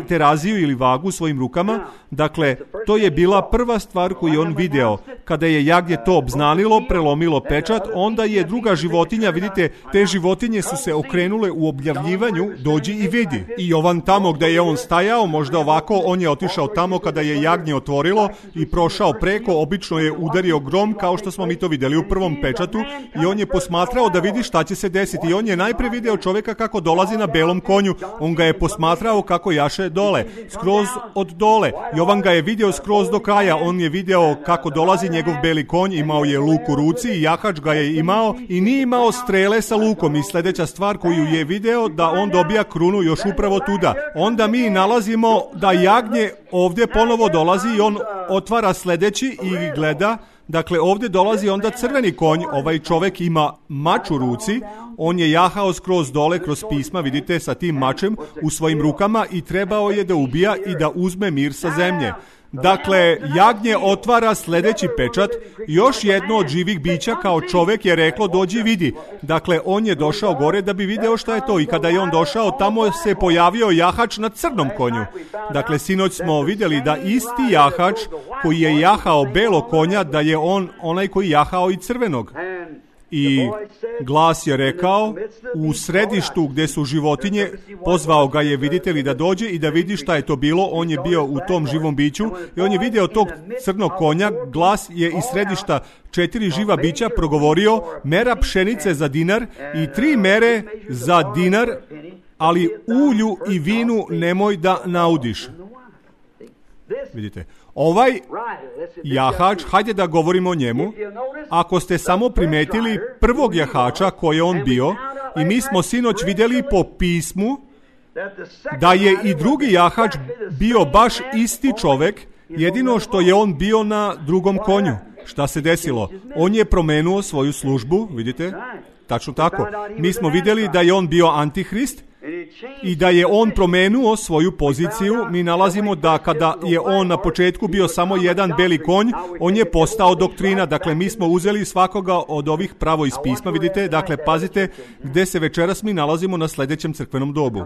teraziju ili vagu u svojim rukama. Dakle, to je bila prva stvar koju je on video. Kada je jagnje to obznanilo, prelomilo pečat, onda je druga životinja, vidite, te životinje su se okrenule u objavljivanju, dođi i vidi. I Jovan tamo gde je on stajao, možda ovako, on je otišao tamo kada je jagnje otvorilo i prošao preko, obično je udario grom kao što smo mi to videli u prvom pečatu i on je posmatrao da vidi šta će se desiti. I on je najpre video čovjeka kako dolazi na belom konju. On ga je posmatrao kako jaše dole, skroz od dole. Jovan ga je video skroz do kraja. On je video kako dolazi njegov beli konj, imao je luk u ruci i jahač ga je imao i nije imao strele sa lukom. I sljedeća stvar koju je video da on dobija krunu još upravo tuda. Onda mi nalazimo da jagnje ovdje ponovo dolazi i on otvara sljedeći i gleda. Dakle, ovdje dolazi onda crveni konj, ovaj čovjek ima mač u ruci, on je jahao skroz dole kroz pisma, vidite, sa tim mačem u svojim rukama i trebao je da ubija i da uzme mir sa zemlje. Dakle, jagnje otvara sljedeći pečat, još jedno od živih bića kao čovjek je reklo dođi vidi. Dakle, on je došao gore da bi video šta je to i kada je on došao, tamo se pojavio jahač na crnom konju. Dakle, sinoć smo vidjeli da isti jahač koji je jahao belo konja, da je on onaj koji jahao i crvenog. I glas je rekao, u središtu gdje su životinje, pozvao ga je, vidite li, da dođe i da vidi šta je to bilo. On je bio u tom živom biću i on je video tog crnog konja. Glas je iz središta četiri živa bića progovorio, mera pšenice za dinar i tri mere za dinar, ali ulju i vinu nemoj da naudiš. Vidite, ovaj jahač, hajde da govorimo o njemu. Ako ste samo primetili prvog jahača koji je on bio, i mi smo sinoć vidjeli po pismu da je i drugi jahač bio baš isti čovjek, jedino što je on bio na drugom konju. Šta se desilo? On je promenuo svoju službu, vidite? Tačno tako. Mi smo vidjeli da je on bio antihrist i da je on promenuo svoju poziciju. Mi nalazimo da kada je on na početku bio samo jedan beli konj, on je postao doktrina. Dakle, mi smo uzeli svakoga od ovih pravo iz pisma, vidite. Dakle, pazite gdje se večeras mi nalazimo na sljedećem crkvenom dobu.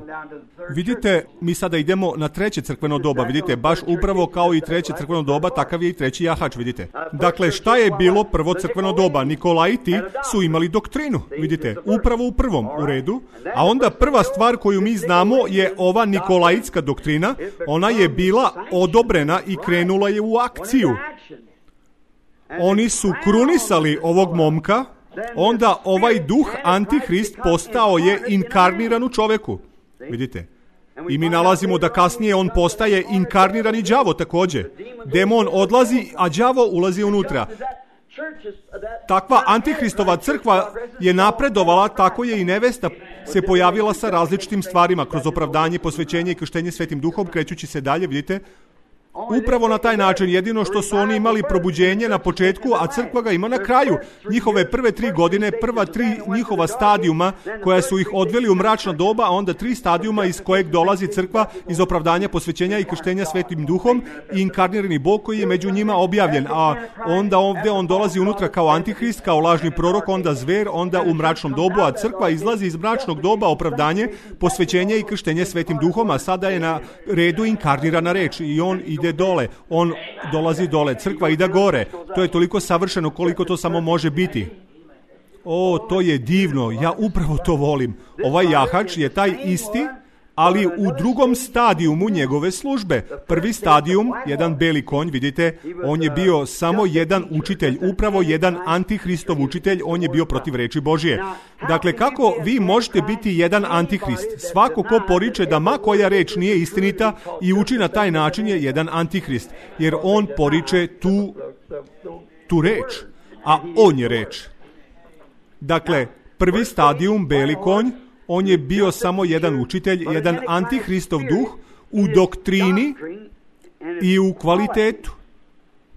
Vidite, mi sada idemo na treće crkveno doba, vidite, baš upravo kao i treće crkveno doba, takav je i treći jahač, vidite. Dakle, šta je bilo prvo crkveno doba? Nikolaiti su imali doktrinu, vidite, upravo u prvom, u redu. A onda prva stvar koju mi znamo je ova nikolaitska doktrina, ona je bila odobrena i krenula je u akciju. Oni su krunisali ovog momka, onda ovaj duh antihrist postao je inkarniran u čoveku. Vidite. I mi nalazimo da kasnije on postaje inkarnirani đavo također. Demon odlazi, a đavo ulazi unutra. Takva antihristova crkva je napredovala, tako je i nevesta se pojavila sa različitim stvarima, kroz opravdanje, posvećenje i krštenje Svetim Duhom, krećući se dalje, vidite. Upravo na taj način, jedino što su oni imali probuđenje na početku, a crkva ga ima na kraju. Njihove prve tri godine, prva tri njihova stadijuma koja su ih odveli u mračna doba, a onda tri stadijuma iz kojeg dolazi crkva iz opravdanja, posvećenja i krštenja Svetim Duhom i inkarnirani Bog koji je među njima objavljen. A onda ovdje on dolazi unutra kao antihrist, kao lažni prorok, onda zver, onda u mračnom dobu, a crkva izlazi iz mračnog doba, opravdanje, posvećenje i krštenje Svetim Duhom, a sada je na redu inkarnirana reč i on ide dole, on dolazi dole, crkva ide gore. To je toliko savršeno koliko to samo može biti. O, to je divno, ja upravo to volim. Ovaj jahač je taj isti, ali u drugom stadijumu njegove službe. Prvi stadijum, jedan beli konj, vidite, on je bio samo jedan učitelj, upravo jedan antihristov učitelj, on je bio protiv reči Božije. Dakle, kako vi možete biti jedan antihrist? Svako ko poriče da ma koja reč nije istinita i uči na taj način je jedan antihrist, jer on poriče tu, tu reč, a on je reč. Dakle, prvi stadijum, beli konj, on je bio samo jedan učitelj, jedan antihristov duh u doktrini i u kvalitetu.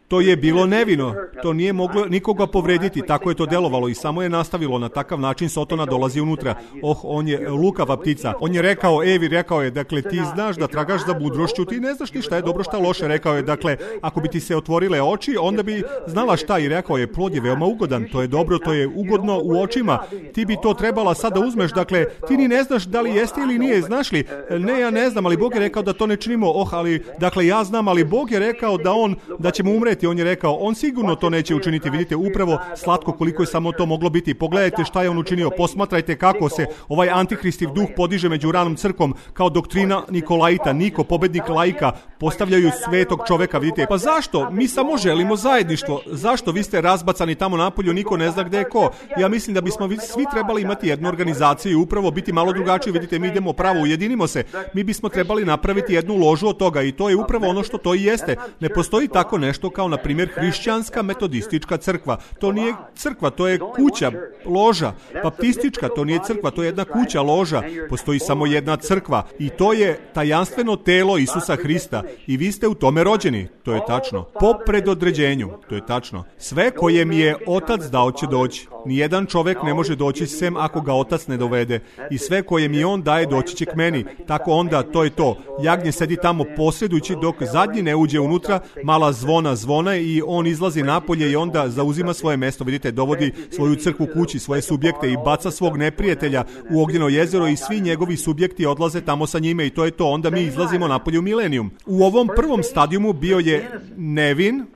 To je bilo nevino, to nije moglo nikoga povrediti, tako je to delovalo i samo je nastavilo. Na takav način Sotona dolazi unutra. Oh, on je lukava ptica. On je rekao, Evi, rekao je, dakle, ti znaš da tragaš za mudrošću, ti ne znaš ni šta je dobro, šta loše. Rekao je, dakle, ako bi ti se otvorile oči, onda bi znala šta, i rekao je, plod je veoma ugodan, to je dobro, to je ugodno u očima, ti bi to trebala sad da uzmeš, dakle, ti ni ne znaš da li jeste ili nije, znaš li? Ne, ja ne znam, ali Bog je rekao da to ne činimo. Oh, ali, dakle, ja znam, ali Bog je rekao da on, da ćemo umreti. On je rekao, on sigurno to neće učiniti. Vidite, upravo slatko koliko je samo to moglo biti. Pogledajte šta je on učinio. Posmatrajte kako se ovaj antikristiv duh podiže među ranom crkvom kao doktrina Nikolaita. Niko, pobednik laika, postavljaju svetog čoveka. Vidite, pa zašto? Mi samo želimo zajedništvo. Zašto? Vi ste razbacani tamo napolju, niko ne zna gde je ko. Ja mislim da bismo svi trebali imati jednu organizaciju i upravo biti malo drugačiji. Vidite, mi idemo pravo, ujedinimo se. Mi bismo trebali napraviti jednu ložu od toga i to je upravo ono što to i jeste. Ne postoji tako nešto kao, na primjer, hrišćanska metodistička crkva. To nije crkva, to je kuća, loža. Baptistička, to nije crkva, to je jedna kuća, loža. Postoji samo jedna crkva i to je tajanstveno telo Isusa Hrista i vi ste u tome rođeni. To je tačno. Po predodređenju. To je tačno. Sve koje mi je Otac dao će doći. Nijedan čovek ne može doći sem ako ga Otac ne dovede. I sve koje mi on daje doći će k meni. Tako onda, to je to. Jagnje sedi tamo posredujući dok zadnji ne uđe unutra, mala zvona zvona i on izlazi napolje i onda zauzima svoje mesto. Vidite, dovodi svoju crkvu kući, svoje subjekte i baca svog neprijatelja u ognjeno jezero i svi njegovi subjekti odlaze tamo sa njime i to je to. Onda mi izlazimo napolje u milenijum. U ovom prvom stadijumu bio je nevin.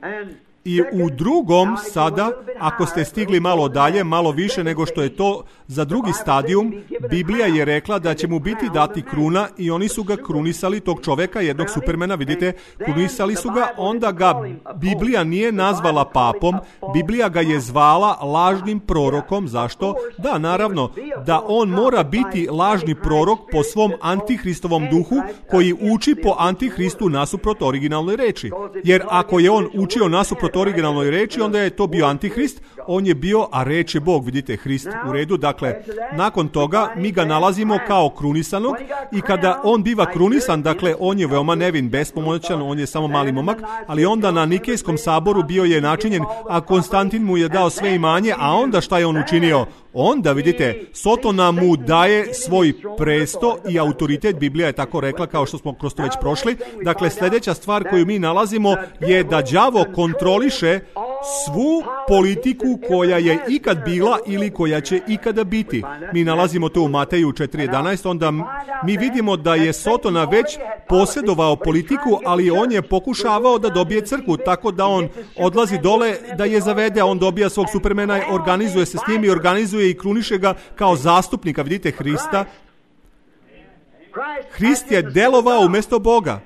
I u drugom sada, ako ste stigli malo dalje, malo više nego što je to za drugi stadijum, Biblija je rekla da će mu biti dati kruna i oni su ga krunisali, tog čoveka, jednog supermena, vidite, krunisali su ga, onda ga Biblija nije nazvala papom, Biblija ga je zvala lažnim prorokom. Zašto? Da, naravno, da on mora biti lažni prorok po svom antihristovom duhu koji uči po antihristu nasuprot originalnoj reči. Jer ako je on učio nasuprot originalnoj reči, onda je to bio antihrist, on je bio, a reč je Bog, vidite, Hrist, u redu. Dakle, nakon toga mi ga nalazimo kao krunisanog i kada on biva krunisan, dakle, on je veoma nevin, bespomoćan, on je samo mali momak, ali onda na Nikejskom saboru bio je načinjen, a Konstantin mu je dao sve imanje, a onda šta je on učinio? Onda, vidite, Sotona mu daje svoj presto i autoritet, Biblija je tako rekla, kao što smo kroz to već prošli. Dakle, sljedeća stvar koju mi nalazimo je da đavo kontroliše svu politiku koja je ikad bila ili koja će ikada biti. Mi nalazimo to u Mateju četiri jedanaest, onda mi vidimo da je Sotona već posjedovao politiku, ali on je pokušavao da dobije crkvu, tako da on odlazi dole da je zavede, on dobija svog supermena, organizuje se s njim i organizuje i kruniše ga kao zastupnika, vidite, Hrista. Hrist je delovao umjesto Boga.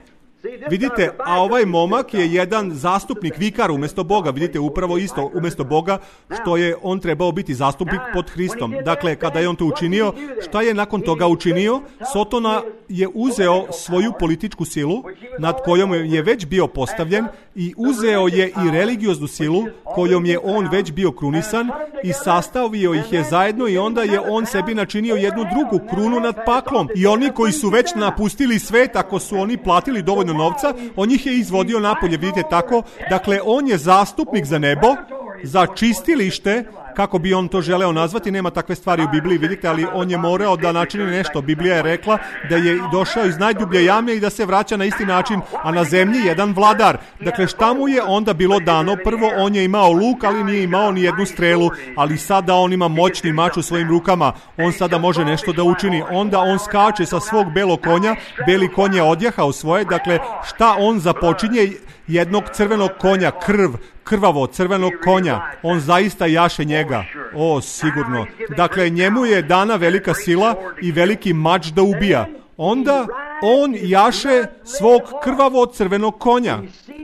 Vidite, a ovaj momak je jedan zastupnik, vikar umjesto Boga. Vidite, upravo isto umjesto Boga, što je on trebao biti zastupnik pod Hristom. Dakle, kada je on to učinio, šta je nakon toga učinio? Sotona je uzeo svoju političku silu, nad kojom je već bio postavljen, i uzeo je i religioznu silu, kojom je on već bio krunisan, i sastavio ih je zajedno, i onda je on sebi načinio jednu drugu krunu nad paklom. I oni koji su već napustili svet, ako su oni platili dovoljno novca, on ih je izvodio napolje, vidite tako. Dakle, on je zastupnik za nebo, za čistilište, kako bi on to želeo nazvati, nema takve stvari u Bibliji, vidite, ali on je morao da načini nešto. Biblija je rekla da je došao iz najdublje jame i da se vraća na isti način, a na zemlji jedan vladar. Dakle, šta mu je onda bilo dano? Prvo, on je imao luk, ali nije imao ni jednu strelu, ali sada on ima moćni mač u svojim rukama, on sada može nešto da učini. Onda on skače sa svog belog konja, beli konj je odjahao svoje, dakle, šta on započinje? Jednog crvenog konja, krv, krvavo crvenog konja, on zaista jaše njega, o, sigurno. Dakle, njemu je dana velika sila i veliki mač da ubija. Onda on jaše svog krvavo crvenog konja.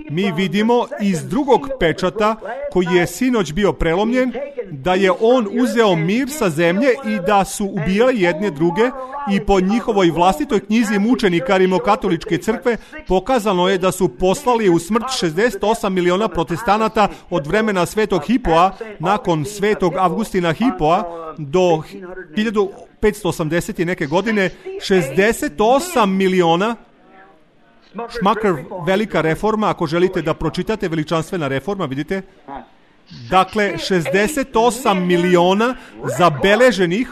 Mi vidimo iz drugog pečata, koji je sinoć bio prelomljen, da je on uzeo mir sa zemlje i da su ubijali jedne druge, i po njihovoj vlastitoj knjizi mučenika rimokatoličke crkve pokazano je da su poslali u smrt šezdeset osam miliona protestanata od vremena svetog Hipoa, nakon svetog Avgustina Hipoa, do hiljadu petsto osamdeset neke godine, šezdeset osam miliona. Šmaker, velika reforma, ako želite da pročitate, veličanstvena reforma, vidite. Dakle, šezdeset osam miliona zabeleženih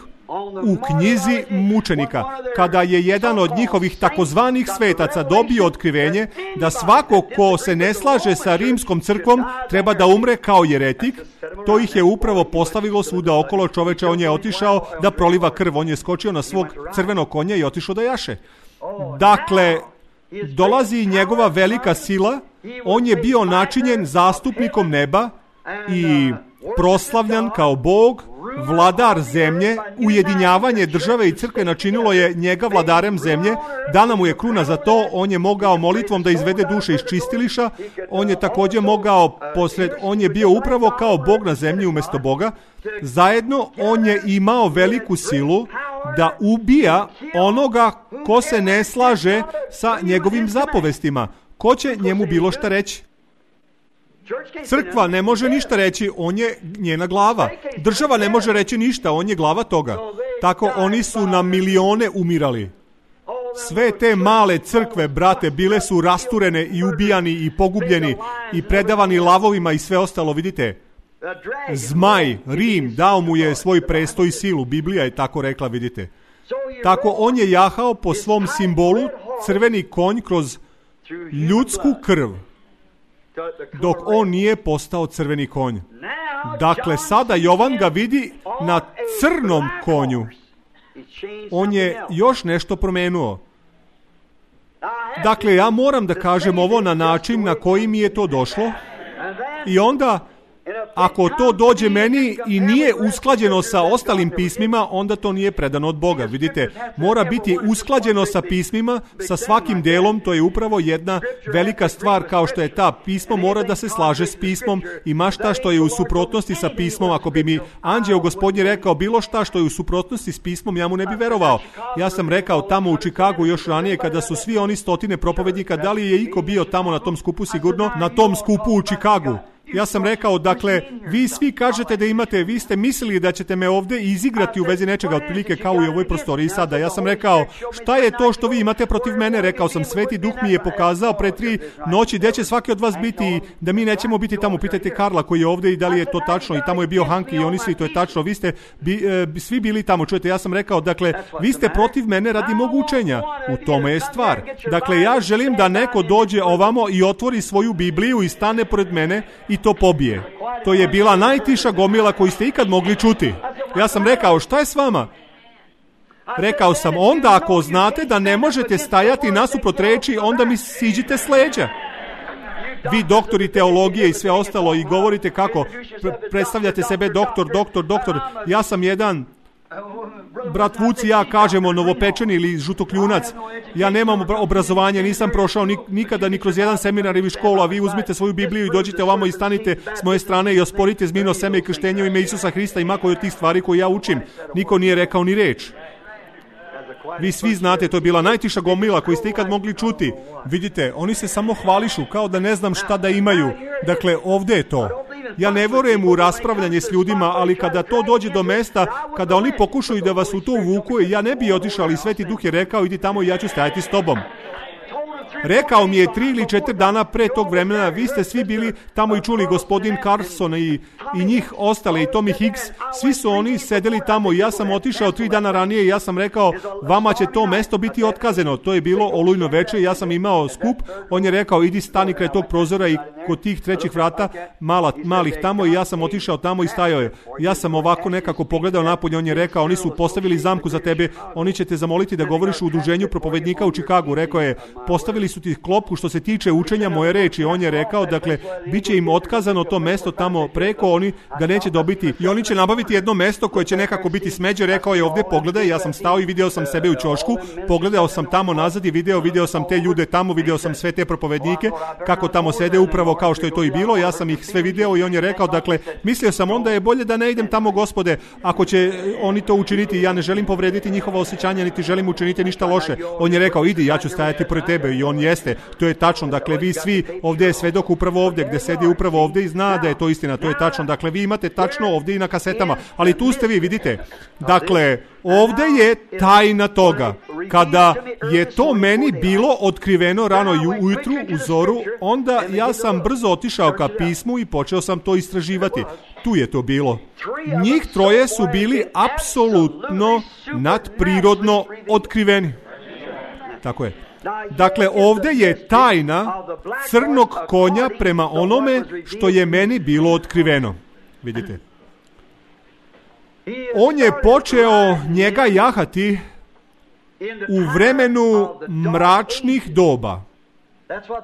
u knjizi mučenika, kada je jedan od njihovih takozvanih svetaca dobio otkrivenje da svako ko se ne slaže sa rimskom crkvom treba da umre kao jeretik, to ih je upravo postavilo svuda okolo. Čoveče, on je otišao da proliva krv, on je skočio na svog crvenog konja i otišao da jaše. Dakle, dolazi njegova velika sila, on je bio načinjen zastupnikom neba i proslavljan kao Bog, vladar zemlje. Ujedinjavanje države i crkve načinilo je njega vladarem zemlje, dana mu je kruna za to, on je mogao molitvom da izvede duše iz čistiliša, on je također mogao posred, on je bio upravo kao Bog na zemlji umjesto Boga. Zajedno on je imao veliku silu da ubija onoga ko se ne slaže sa njegovim zapovestima. Ko će njemu bilo šta reći? Crkva ne može ništa reći, on je njena glava. Država ne može reći ništa, on je glava toga. Tako oni su na milione umirali. Sve te male crkve, brate, bile su rasturene i ubijani i pogubljeni i predavani lavovima i sve ostalo, vidite. Zmaj, Rim, dao mu je svoj prestoj i silu, Biblija je tako rekla, vidite. Tako on je jahao po svom simbolu crveni konj kroz ljudsku krv, dok on nije postao crveni konj. Dakle, sada Jovan ga vidi na crnom konju. On je još nešto promenuo. Dakle, ja moram da kažem ovo na način na koji mi je to došlo. I onda, ako to dođe meni i nije usklađeno sa ostalim pismima, onda to nije predano od Boga. Vidite, mora biti usklađeno sa pismima, sa svakim delom. To je upravo jedna velika stvar, kao što je ta. Pismo mora da se slaže s pismom i ma šta što je u suprotnosti sa pismom. Ako bi mi anđeo Gospodnji rekao bilo šta što je u suprotnosti s pismom, ja mu ne bi verovao. Ja sam rekao tamo u Čikagu još ranije, kada su svi oni stotine propovednika, da li je iko bio tamo na tom skupu? Sigurno na tom skupu u Čikagu. Ja sam rekao, dakle, vi svi kažete da imate, vi ste mislili da ćete me ovdje izigrati u vezi nečega, otprilike kao i u ovoj prostoriji sada. Ja sam rekao, šta je to što vi imate protiv mene? Rekao sam, Sveti Duh mi je pokazao pre tri noći gdje će svaki od vas biti, da mi nećemo biti tamo. Pitajte Karla koji je ovdje i da li je to tačno, i tamo je bio Hanki i oni svi, to je tačno. Vi ste bi, e, svi bili tamo, čujete, ja sam rekao, dakle, vi ste protiv mene radi mog učenja. U tome je stvar. Dakle, ja želim da neko dođe ovamo i otvori svoju Bibliju i stane pored mene i to pobije. To je bila najtiša gomila koju ste ikad mogli čuti. Ja sam rekao, šta je s vama? Rekao sam, onda ako znate da ne možete stajati nasuprot reči, onda mi siđite s leđa. Vi doktori teologije i sve ostalo i govorite kako predstavljate sebe doktor, doktor, doktor. Ja sam jedan, brat Vuci, ja kažemo novopečeni ili žutokljunac. Ja nemam obrazovanje, nisam prošao nikada ni kroz jedan seminar ili školu, a vi uzmite svoju Bibliju i dođite ovamo i stanite s moje strane i osporite zmino seme i krštenje u ime Isusa Hrista i mako od tih stvari koje ja učim. Niko nije rekao ni reč. Vi svi znate, to je bila najtiša gomila koju ste ikad mogli čuti. Vidite, oni se samo hvališu kao da ne znam šta da imaju. Dakle, ovdje je to. Ja ne vjerujem u raspravljanje s ljudima, ali kada to dođe do mesta, kada oni pokušaju da vas u to uvuku, ja ne bi otišao, ali Sveti Duh je rekao, idi tamo i ja ću stajati s tobom. Rekao mi je tri ili četiri dana pre tog vremena, vi ste svi bili tamo i čuli gospodin Carson i, i njih ostale i Tommy Hicks, svi su oni sedeli tamo i ja sam otišao tri dana ranije i ja sam rekao, vama će to mesto biti otkazano. To je bilo olujno veče i ja sam imao skup, on je rekao, idi stani kraj tog prozora i kod tih trećih vrata, mala, malih tamo, i ja sam otišao tamo i stajao je. Ja sam ovako nekako pogledao napolje, on je rekao, oni su postavili zamku za tebe, oni će te zamoliti da govoriš u udruženju propovednika u Čikagu. Rekao je, postavili su ti klopku što se tiče učenja moje reči. On je rekao, dakle, bit će im otkazano to mesto tamo preko, oni ga neće dobiti i oni će nabaviti jedno mesto koje će nekako biti smeđe. Rekao je, ovdje pogledaj, ja sam stao i video sam sebe u ćošku, pogledao sam tamo nazad i video, video sam te ljude tamo, video sam sve te propovednike, kako tamo sede upravo kao što je to i bilo, ja sam ih sve video i on je rekao, dakle, mislio sam onda je bolje da ne idem tamo, Gospode, ako će oni to učiniti, ja ne želim povrediti njihova osjećanja, niti želim učiniti ništa loše. On je rekao, idi, ja ću stajati pored tebe, i on jeste, to je tačno, dakle, vi svi, ovdje je svedok upravo ovdje, gdje sedi upravo ovdje i zna da je to istina, to je tačno, dakle, vi imate tačno ovdje i na kasetama, ali tu ste vi, vidite, dakle, ovdje je tajna toga. kada je to meni bilo otkriveno rano ujutru u zoru, onda ja sam brzo otišao ka pismu i počeo sam to istraživati. Tu je to bilo. Njih troje su bili apsolutno nadprirodno otkriveni. Tako je. Dakle, ovdje je tajna crnog konja prema onome što je meni bilo otkriveno. Vidite. On je počeo njega jahati u vremenu mračnih doba.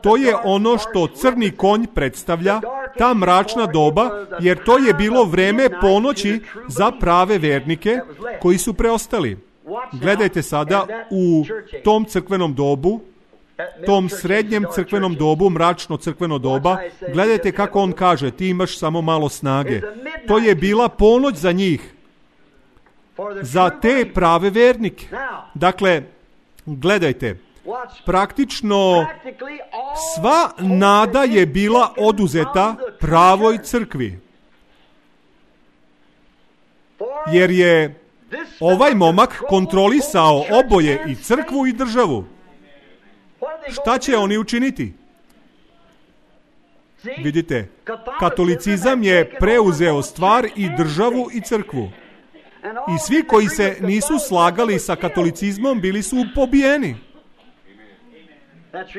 To je ono što crni konj predstavlja, ta mračna doba, jer to je bilo vreme ponoći za prave vernike koji su preostali. Gledajte sada u tom crkvenom dobu, tom srednjem crkvenom dobu, mračno crkveno doba, gledajte kako on kaže, ti imaš samo malo snage. To je bila ponoć za njih, za te prave vernike. Dakle, gledajte, praktično sva nada je bila oduzeta pravoj crkvi. Jer je ovaj momak kontrolisao oboje, i crkvu i državu. Šta će oni učiniti? Vidite, katolicizam je preuzeo stvar i državu i crkvu. I svi koji se nisu slagali sa katolicizmom bili su pobijeni.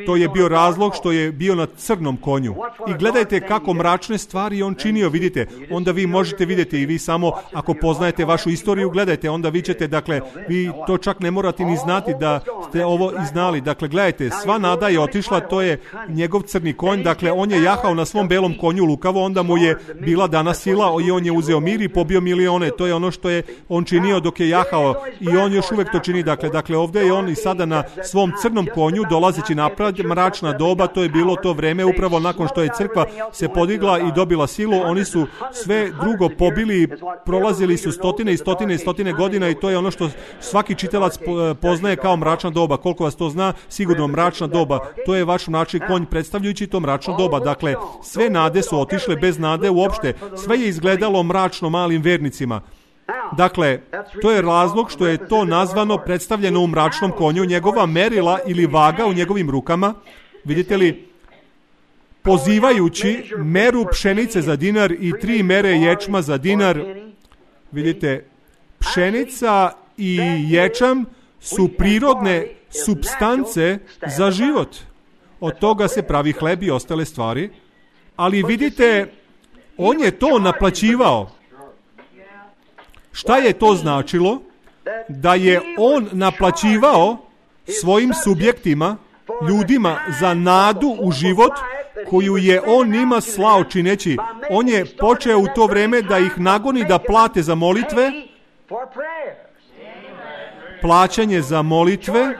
To je bio razlog što je bio na crnom konju. I gledajte kako mračne stvari on činio, vidite. Onda vi možete vidjeti i vi samo ako poznajete vašu istoriju, gledajte, onda vi ćete, dakle, vi to čak ne morate ni znati da ste ovo i znali. Dakle, gledajte, sva nada je otišla, to je njegov crni konj, dakle, on je jahao na svom belom konju lukavo, onda mu je bila dana sila i on je uzeo mir i pobio milione. To je ono što je on činio dok je jahao i on još uvijek to čini. Dakle, dakle ovdje je on i sada na svom crnom konju dolazeći na mračna doba, to je bilo to vreme upravo nakon što je crkva se podigla i dobila silu, oni su sve drugo pobili, prolazili su stotine i stotine i stotine godina i to je ono što svaki čitalac poznaje kao mračna doba. Koliko vas to zna, sigurno mračna doba, to je vaš mračni konj predstavljajući to mračno doba. Dakle, sve nade su otišle bez nade uopšte, sve je izgledalo mračno malim vernicima. Dakle, to je razlog što je to nazvano, predstavljeno u mračnom konju, njegova merila ili vaga u njegovim rukama, vidite li, pozivajući meru pšenice za dinar i tri mere ječma za dinar. Vidite, pšenica i ječam su prirodne supstance za život. Od toga se pravi hleb i ostale stvari. Ali vidite, on je to naplaćivao. Šta je to značilo? Da je on naplaćivao svojim subjektima, ljudima, za nadu u život koju je on njima slao čineći. On je počeo u to vreme da ih nagoni da plate za molitve, plaćanje za molitve.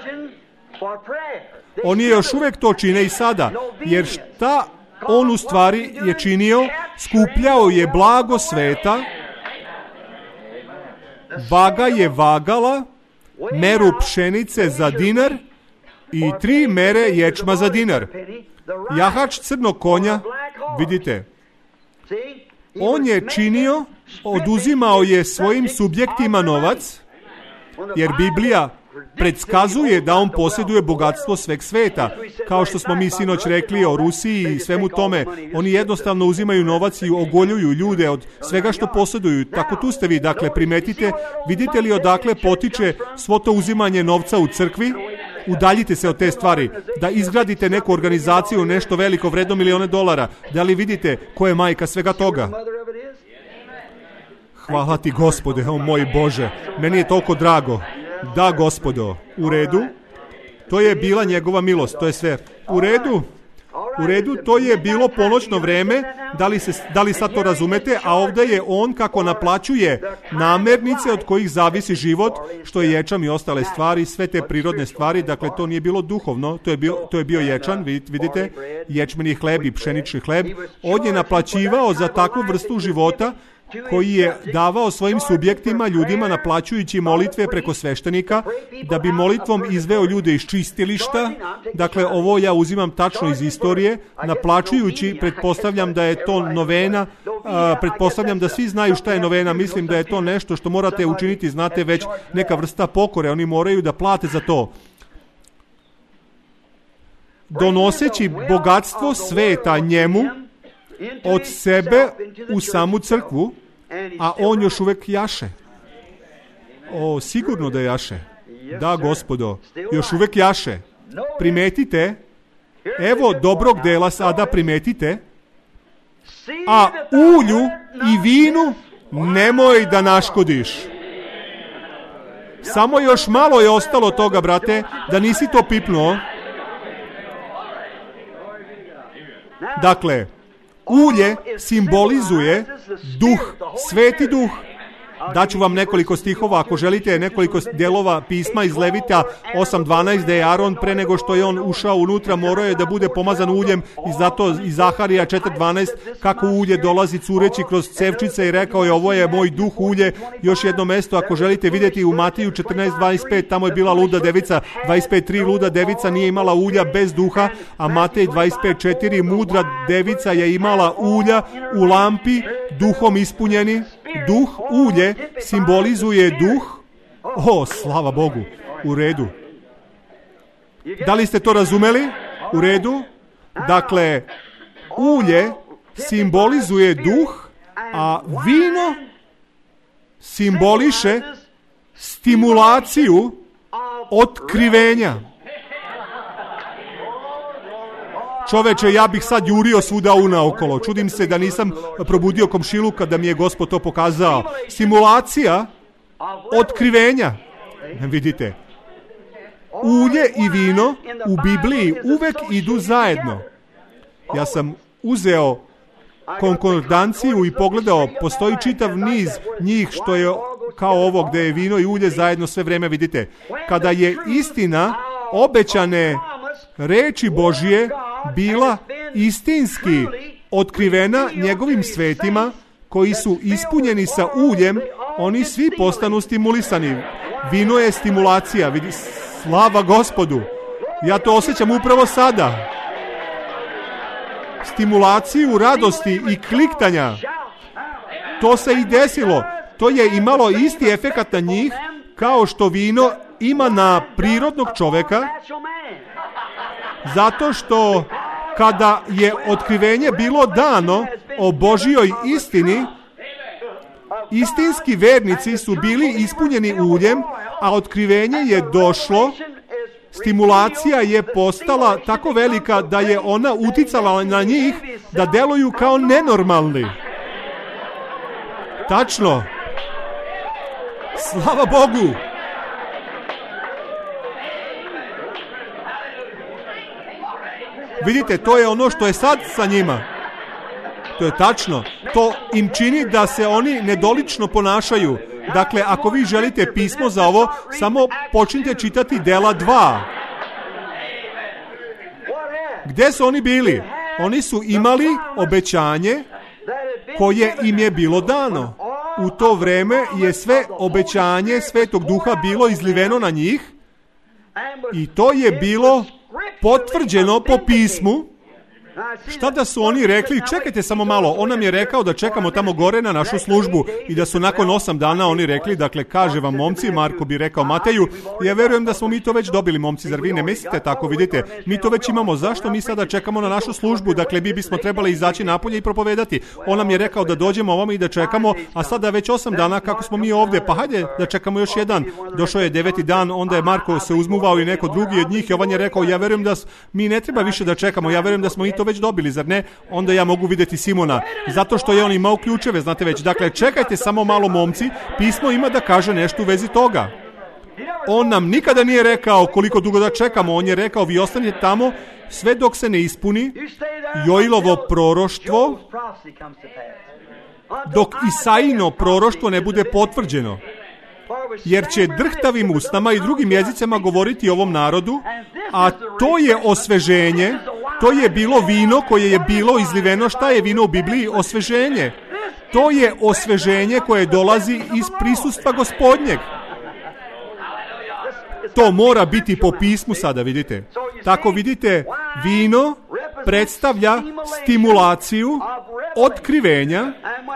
On je još uvijek to čine i sada, jer šta on u stvari je činio? Skupljao je blago sveta, vaga je vagala meru pšenice za dinar i tri mere ječma za dinar. Jahač crnog konja, vidite, on je činio, oduzimao je svojim subjektima novac, jer Biblija predskazuje da on posjeduje bogatstvo sveg sveta. Kao što smo mi sinoć rekli o Rusiji i svemu tome, oni jednostavno uzimaju novac i ogoljuju ljude od svega što posjeduju. Tako tu ste vi, dakle, primetite, vidite li odakle potiče svo to uzimanje novca u crkvi? Udaljite se od te stvari, da izgradite neku organizaciju, nešto veliko, vredno milione dolara. Da li vidite ko je majka svega toga? Hvala ti, Gospode, o moj Bože, meni je toliko drago. Da, Gospodo, u redu, to je bila njegova milost, to je sve. U redu, u redu, to je bilo ponoćno vreme, da li, se, da li sad to razumete, a ovdje je on kako naplaćuje namirnice od kojih zavisi život, što je ječam i ostale stvari, sve te prirodne stvari, dakle to nije bilo duhovno, to je bio, to je bio ječan, vidite, ječmeni hleb i pšenični hleb. On je naplaćivao za takvu vrstu života koji je davao svojim subjektima, ljudima, naplaćujući molitve preko sveštenika, da bi molitvom izveo ljude iz čistilišta. Dakle, ovo ja uzimam tačno iz istorije, naplaćujući, pretpostavljam da je to novena, a, pretpostavljam da svi znaju šta je novena, mislim da je to nešto što morate učiniti, znate već, neka vrsta pokore, oni moraju da plate za to. Donoseći bogatstvo sveta njemu od sebe u samu crkvu, a on još uvek jaše. O, sigurno da jaše. Da, Gospodo, još uvek jaše. Primetite, evo dobrog dela sada primetite, a ulju i vinu nemoj da naškodiš. Samo još malo je ostalo toga, brate, da nisi to pipnuo. Dakle, ulje simbolizuje duh, sveti duh. Daću vam nekoliko stihova, ako želite, nekoliko delova pisma iz Levita osam dvanaest, gde je Aron pre nego što je on ušao unutra morao je da bude pomazan uljem, i zato iz Zaharija četiri dvanaest kako ulje dolazi cureći kroz cevčice i rekao je ovo je moj duh ulje. Još jedno mesto, ako želite vidjeti, u Matiju četrnaest dvadeset pet, tamo je bila luda devica, dvadeset pet tri, luda devica nije imala ulja bez duha, a Matej dvadeset pet četiri, mudra devica je imala ulja u lampi, duhom ispunjeni. Duh, ulje, simbolizuje duh. O, slava Bogu. U redu. Da li ste to razumeli? U redu. Dakle, ulje simbolizuje duh, a vino simboliše stimulaciju otkrivenja. Čoveče, ja bih sad jurio svuda unaokolo. Čudim se da nisam probudio komšiluka da mi je Gospod to pokazao. Stimulacija otkrivenja. Vidite, ulje i vino u Bibliji uvek idu zajedno. Ja sam uzeo konkordanciju i pogledao, postoji čitav niz njih što je kao ovo gde je vino i ulje zajedno sve vreme, vidite. Kada je istina obećane reči Božije bila istinski otkrivena njegovim svetima koji su ispunjeni sa uljem, oni svi postanu stimulisani. Vino je stimulacija, vidi, slava Gospodu. Ja to osjećam upravo sada. Stimulaciju radosti i kliktanja. To se i desilo. To je imalo isti efekat na njih kao što vino ima na prirodnog čoveka, zato što kada je otkrivenje bilo dano o Božjoj istini, istinski vernici su bili ispunjeni uljem, a otkrivenje je došlo, stimulacija je postala tako velika da je ona uticala na njih da deluju kao nenormalni. Tačno. Slava Bogu. Vidite, to je ono što je sad sa njima. To je tačno. To im čini da se oni nedolično ponašaju. Dakle, ako vi želite pismo za ovo, samo počnite čitati Dela dva. Gde su oni bili? Oni su imali obećanje koje im je bilo dano. U to vreme je sve obećanje Svetog Duha bilo izliveno na njih i to je bilo potvrđeno po pismu. Šta da su oni rekli? Čekajte samo malo, on nam je rekao da čekamo tamo gore na našu službu i da su nakon osam dana oni rekli, dakle, kaže vam momci, Marko bi rekao Mateju, ja verujem da smo mi to već dobili, momci, zar vi ne mislite tako? Vidite, mi to već imamo, zašto mi sada čekamo na našu službu? Dakle, mi bismo trebali izaći napolje i propovedati. On nam je rekao da dođemo ovamo i da čekamo, a sada već osam dana kako smo mi ovdje, pa hajde da čekamo još jedan. Došao je deveti dan, onda je Marko se uzmuvao i neko drugi od njih, Jovan je rekao, ja verujem da mi ne treba više da čekamo, ja verujem da smo mi to već dobili, zar ne? Onda ja mogu vidjeti Simona, zato što je on imao ključeve, znate već. Dakle, čekajte samo malo, momci, pismo ima da kaže nešto u vezi toga. On nam nikada nije rekao koliko dugo da čekamo, on je rekao, vi ostanite tamo sve dok se ne ispuni Joilovo proroštvo, dok Isaino proroštvo ne bude potvrđeno. Jer će drhtavim usnama i drugim jezicama govoriti ovom narodu, a to je osveženje, to je bilo vino koje je bilo izliveno. Šta je vino u Bibliji? Osveženje. To je osveženje koje dolazi iz prisustva Gospodnjeg. To mora biti po pismu sada, vidite. Tako vidite, vino predstavlja stimulaciju otkrivenja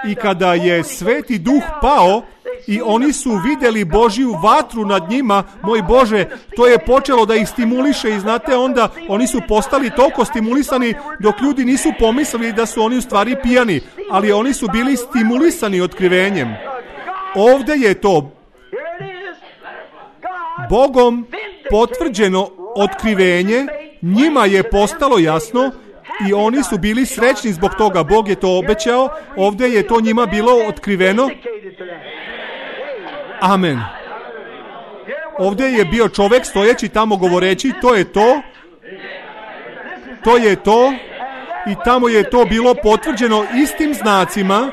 i kada je Sveti Duh pao i oni su vidjeli Božju vatru nad njima, moj Bože, to je počelo da ih stimuliše i znate onda oni su postali toliko stimulisani dok ljudi nisu pomislili da su oni u stvari pijani, ali oni su bili stimulisani otkrivenjem. Ovdje je to Bogom potvrđeno otkrivenje, njima je postalo jasno i oni su bili srećni zbog toga. Bog je to obećao, ovdje je to njima bilo otkriveno. Amen. Ovdje je bio čovjek stojeći tamo govoreći, to je to, to je to, i tamo je to bilo potvrđeno istim znacima.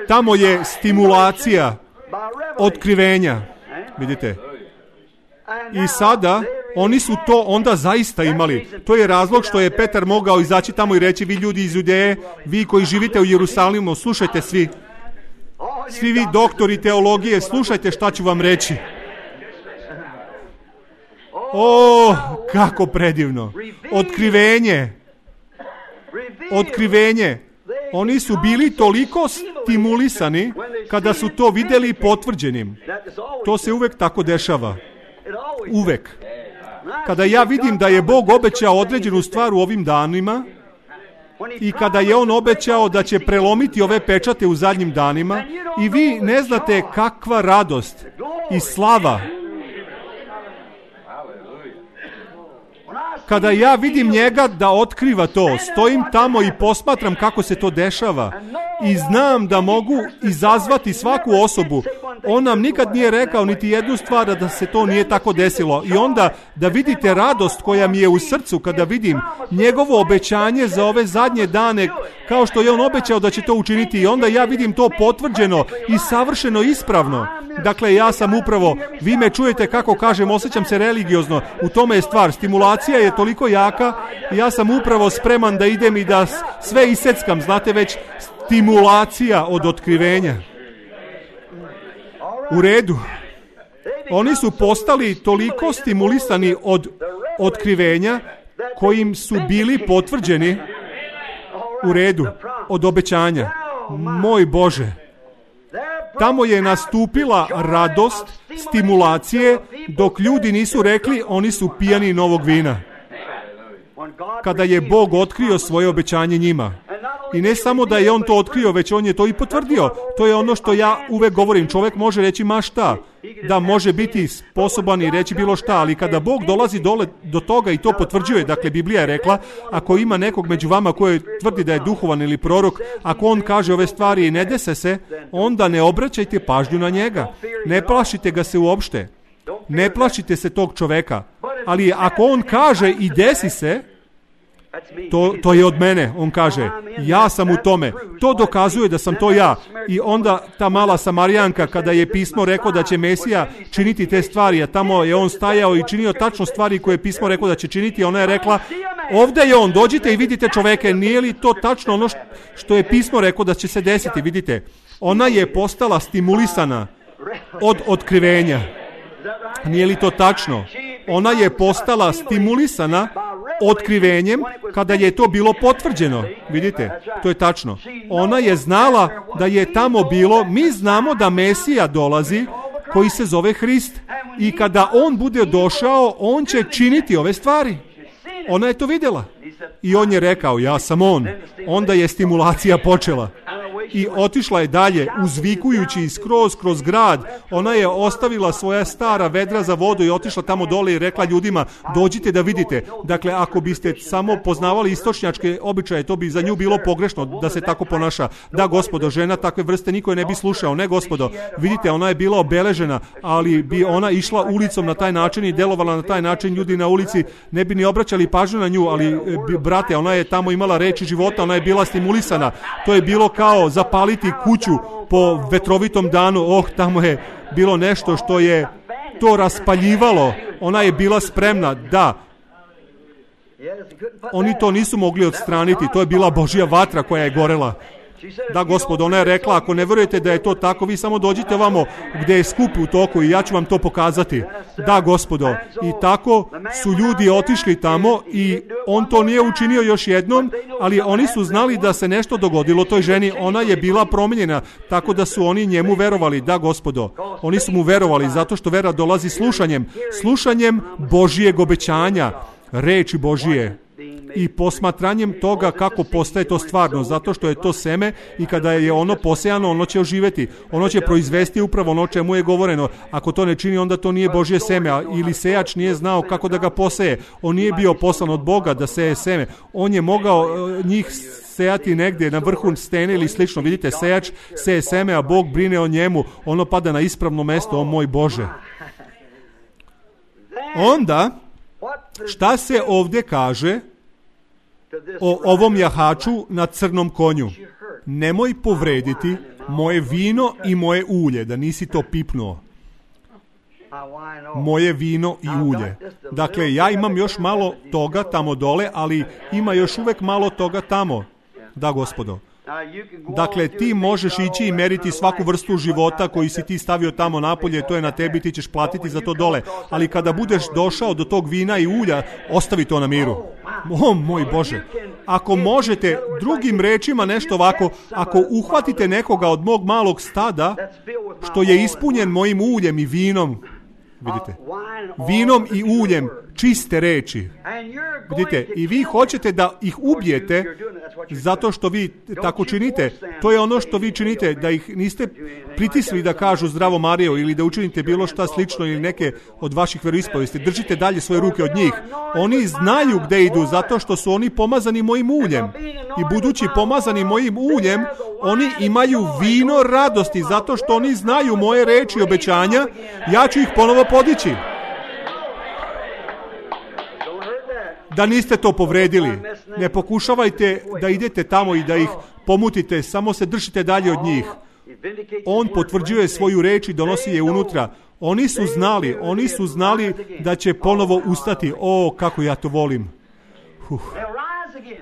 Tamo je stimulacija otkrivenja. Vidite. I sada oni su to onda zaista imali. To je razlog što je Petar mogao izaći tamo i reći, vi ljudi iz Judeje, vi koji živite u Jerusalimu, slušajte svi. Svi vi doktori teologije, slušajte šta ću vam reći. O, kako predivno. Otkrivenje. Otkrivenje. Oni su bili toliko stimulisani kada su to vidjeli potvrđenim. To se uvek tako dešava. Uvek. Kada ja vidim da je Bog obećao određenu stvar u ovim danima i kada je On obećao da će prelomiti ove pečate u zadnjim danima i vi ne znate kakva radost i slava. Kada ja vidim njega da otkriva to, stojim tamo i posmatram kako se to dešava i znam da mogu izazvati svaku osobu. On nam nikad nije rekao niti jednu stvar da se to nije tako desilo. I onda da vidite radost koja mi je u srcu kada vidim njegovo obećanje za ove zadnje dane, kao što je on obećao da će to učiniti, i onda ja vidim to potvrđeno i savršeno ispravno. Dakle, ja sam upravo, vi me čujete kako kažem, osjećam se religiozno, u tome je stvar, stimulacija je toliko jaka, ja sam upravo spreman da idem i da sve iseckam, znate već, stimulacija od otkrivenja. U redu. Oni su postali toliko stimulisani od otkrivenja kojim su bili potvrđeni, u redu, od obećanja. Moj Bože, tamo je nastupila radost, stimulacije, dok ljudi nisu rekli oni su pijani novog vina. Kada je Bog otkrio svoje obećanje njima. I ne samo da je on to otkrio, već on je to i potvrdio. To je ono što ja uvek govorim. Čovjek može reći ma šta, da može biti sposoban i reći bilo šta, ali kada Bog dolazi dole do toga i to potvrđuje, dakle Biblija je rekla, ako ima nekog među vama koji tvrdi da je duhovan ili prorok, ako on kaže ove stvari i ne dese se, onda ne obraćajte pažnju na njega. Ne plašite ga se uopšte. Ne plašite se tog čoveka. Ali ako on kaže i desi se, To, to je od mene, on kaže, ja sam u tome, to dokazuje da sam to ja. I onda ta mala Samarijanka, kada je pismo rekao da će Mesija činiti te stvari, a tamo je on stajao i činio tačno stvari koje je pismo rekao da će činiti, ona je rekla, ovdje je on, dođite i vidite čoveke, nije li to tačno ono što je pismo rekao da će se desiti, vidite. Ona je postala stimulisana od otkrivenja. Nije li to tačno? Ona je postala stimulisana otkrivenjem kada je to bilo potvrđeno. Vidite, to je tačno. Ona je znala da je tamo bilo, mi znamo da Mesija dolazi koji se zove Hrist i kada on bude došao, on će činiti ove stvari. Ona je to vidjela. I on je rekao, ja sam on. Onda je stimulacija počela. I otišla je dalje, uzvikujući skroz kroz grad. Ona je ostavila svoja stara vedra za vodu i otišla tamo dole i rekla ljudima, dođite da vidite. Dakle, ako biste samo poznavali istočnjačke običaje, to bi za nju bilo pogrešno da se tako ponaša. Da, gospodo, žena takve vrste niko je ne bi slušao. Ne, gospodo, vidite, ona je bila obeležena, ali bi ona išla ulicom na taj način i delovala na taj način, ljudi na ulici ne bi ni obraćali pažnju na nju, ali brate, ona je tamo imala reči života, ona je bila stimulisana. To je bilo kao zapaliti kuću po vetrovitom danu. Oh, tamo je bilo nešto što je to raspaljivalo. Ona je bila spremna, da. Oni to nisu mogli odstraniti, to je bila Božja vatra koja je gorela. Da, gospodo, ona je rekla, ako ne vjerujete da je to tako, vi samo dođite vamo gdje je skup u toku i ja ću vam to pokazati. Da, gospodo. I tako su ljudi otišli tamo i on to nije učinio još jednom, ali oni su znali da se nešto dogodilo toj ženi. Ona je bila promijenjena, tako da su oni njemu verovali. Da, gospodo. Oni su mu verovali zato što vera dolazi slušanjem. Slušanjem Božijeg obećanja, reči Božije. I posmatranjem toga kako postaje to stvarno, zato što je to seme i kada je ono posejano, ono će oživjeti. Ono će proizvesti upravo ono čemu je govoreno. Ako to ne čini, onda to nije Božje seme, ili sejač nije znao kako da ga poseje. On nije bio poslan od Boga da seje seme. On je mogao njih sejati negdje na vrhu stene ili slično. Vidite, sejač seje seme, a Bog brine o njemu. Ono pada na ispravno mesto, o moj Bože. Onda, šta se ovdje kaže o ovom jahaču na crnom konju? Nemoj povrediti moje vino i moje ulje, da nisi to pipnuo. Moje vino i ulje. Dakle, ja imam još malo toga tamo dole, ali ima još uvijek malo toga tamo. Da, gospodo. Dakle, ti možeš ići i meriti svaku vrstu života koji si ti stavio tamo napolje, to je na tebi, ti ćeš platiti za to dole. Ali kada budeš došao do tog vina i ulja, ostavi to na miru. O moj Bože, ako možete drugim rečima nešto ovako, ako uhvatite nekoga od mog malog stada što je ispunjen mojim uljem i vinom, vidite, vinom i uljem čiste reči, vidite, i vi hoćete da ih ubijete zato što vi tako činite. To je ono što vi činite, da ih niste pritisli da kažu zdravo Marijo ili da učinite bilo šta slično ili neke od vaših veroispovesti. Držite dalje svoje ruke od njih. Oni znaju gde idu zato što su oni pomazani mojim uljem. I budući pomazani mojim uljem, oni imaju vino radosti zato što oni znaju moje reči i obećanja. Ja ću ih ponovo podići. Da niste to povredili. Ne pokušavajte da idete tamo i da ih pomutite, samo se držite dalje od njih. On potvrđuje svoju reč i donosi je unutra. Oni su znali, oni su znali da će ponovo ustati. O, kako ja to volim. Huh.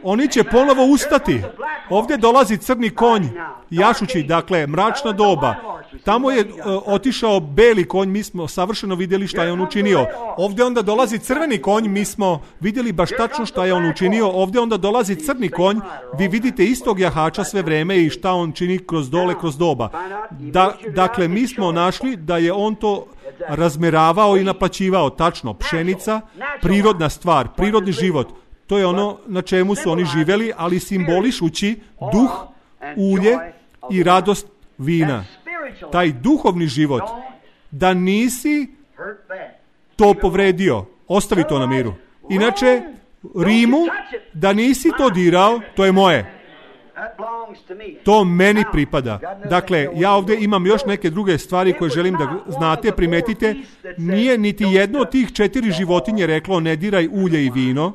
Oni će ponovo ustati. Ovdje dolazi crni konj, jašući, dakle, mračna doba. Tamo je uh, otišao beli konj, mi smo savršeno vidjeli šta je on učinio. Ovdje onda dolazi crveni konj, mi smo vidjeli baš tačno šta je on učinio. Ovdje onda dolazi crni konj, vi vidite istog jahača sve vreme i šta on čini kroz dole, kroz doba. Da, dakle, mi smo našli da je on to razmeravao i naplaćivao. Tačno, pšenica, prirodna stvar, prirodni život. To je ono na čemu su oni živjeli, ali simbolišući duh, ulje i radost vina. Taj duhovni život, da nisi to povredio, ostavi to na miru. Inače, Rimu, da nisi to dirao, to je moje. To meni pripada. Dakle, ja ovdje imam još neke druge stvari koje želim da znate, primetite. Nije niti jedno od tih četiri životinje reklo ne diraj ulje i vino.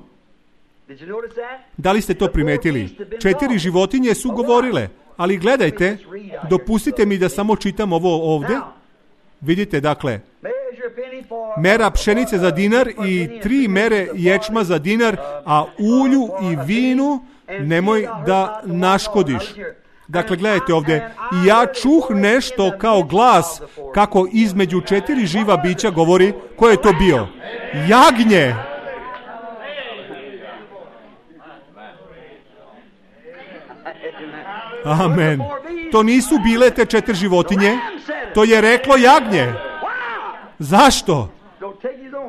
Da li ste to primetili? Četiri životinje su govorile, ali gledajte, dopustite mi da samo čitam ovo ovdje. Vidite, dakle, mera pšenice za dinar i tri mere ječma za dinar, a ulju i vinu nemoj da naškodiš. Dakle, gledajte ovdje, i ja čuh nešto kao glas kako između četiri živa bića govori, ko je to bio? Jagnje! Amen. To nisu bile te četiri životinje, to je reklo jagnje. Zašto?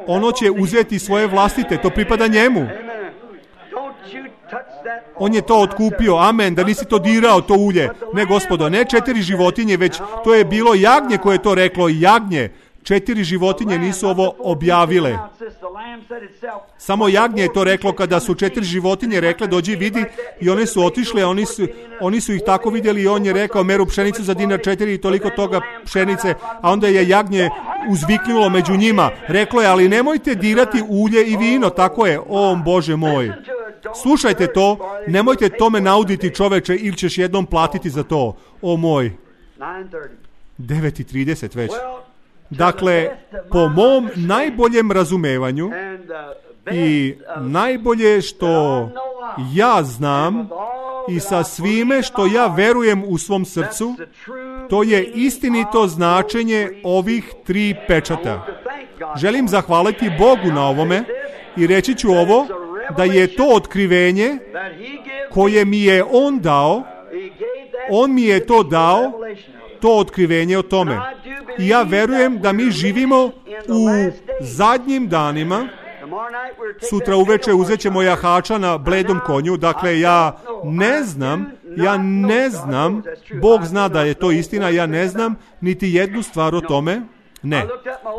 Ono će uzeti svoje vlastite, to pripada njemu. On je to otkupio, amen, da nisi to dirao, to ulje. Ne, gospodo, ne četiri životinje, već to je bilo jagnje koje je to reklo, jagnje. Četiri životinje nisu ovo objavile. Samo jagnje je to reklo kada su četiri životinje rekle dođi vidi i one su otišle, oni su, oni su ih tako vidjeli i on je rekao meru pšenicu za dinar četiri i toliko toga pšenice, a onda je jagnje uzviknulo među njima. Reklo je, ali nemojte dirati ulje i vino, tako je, o Bože moj. Slušajte to, nemojte tome nauditi čoveče ili ćeš jednom platiti za to, o moj. devet i trideset već. Dakle, po mom najboljem razumevanju I najbolje što ja znam i sa svime što ja verujem u svom srcu, to je istinito značenje ovih tri pečata. Želim zahvaliti Bogu na ovome i reći ću ovo, da je to otkrivenje koje mi je On dao, On mi je to dao, to otkrivenje o tome. I ja verujem da mi živimo u zadnjim danima. Sutra uveče uzet ćemo jahača na bledom konju, dakle ja ne znam, ja ne znam, Bog zna da je to istina, ja ne znam niti jednu stvar o tome. Ne.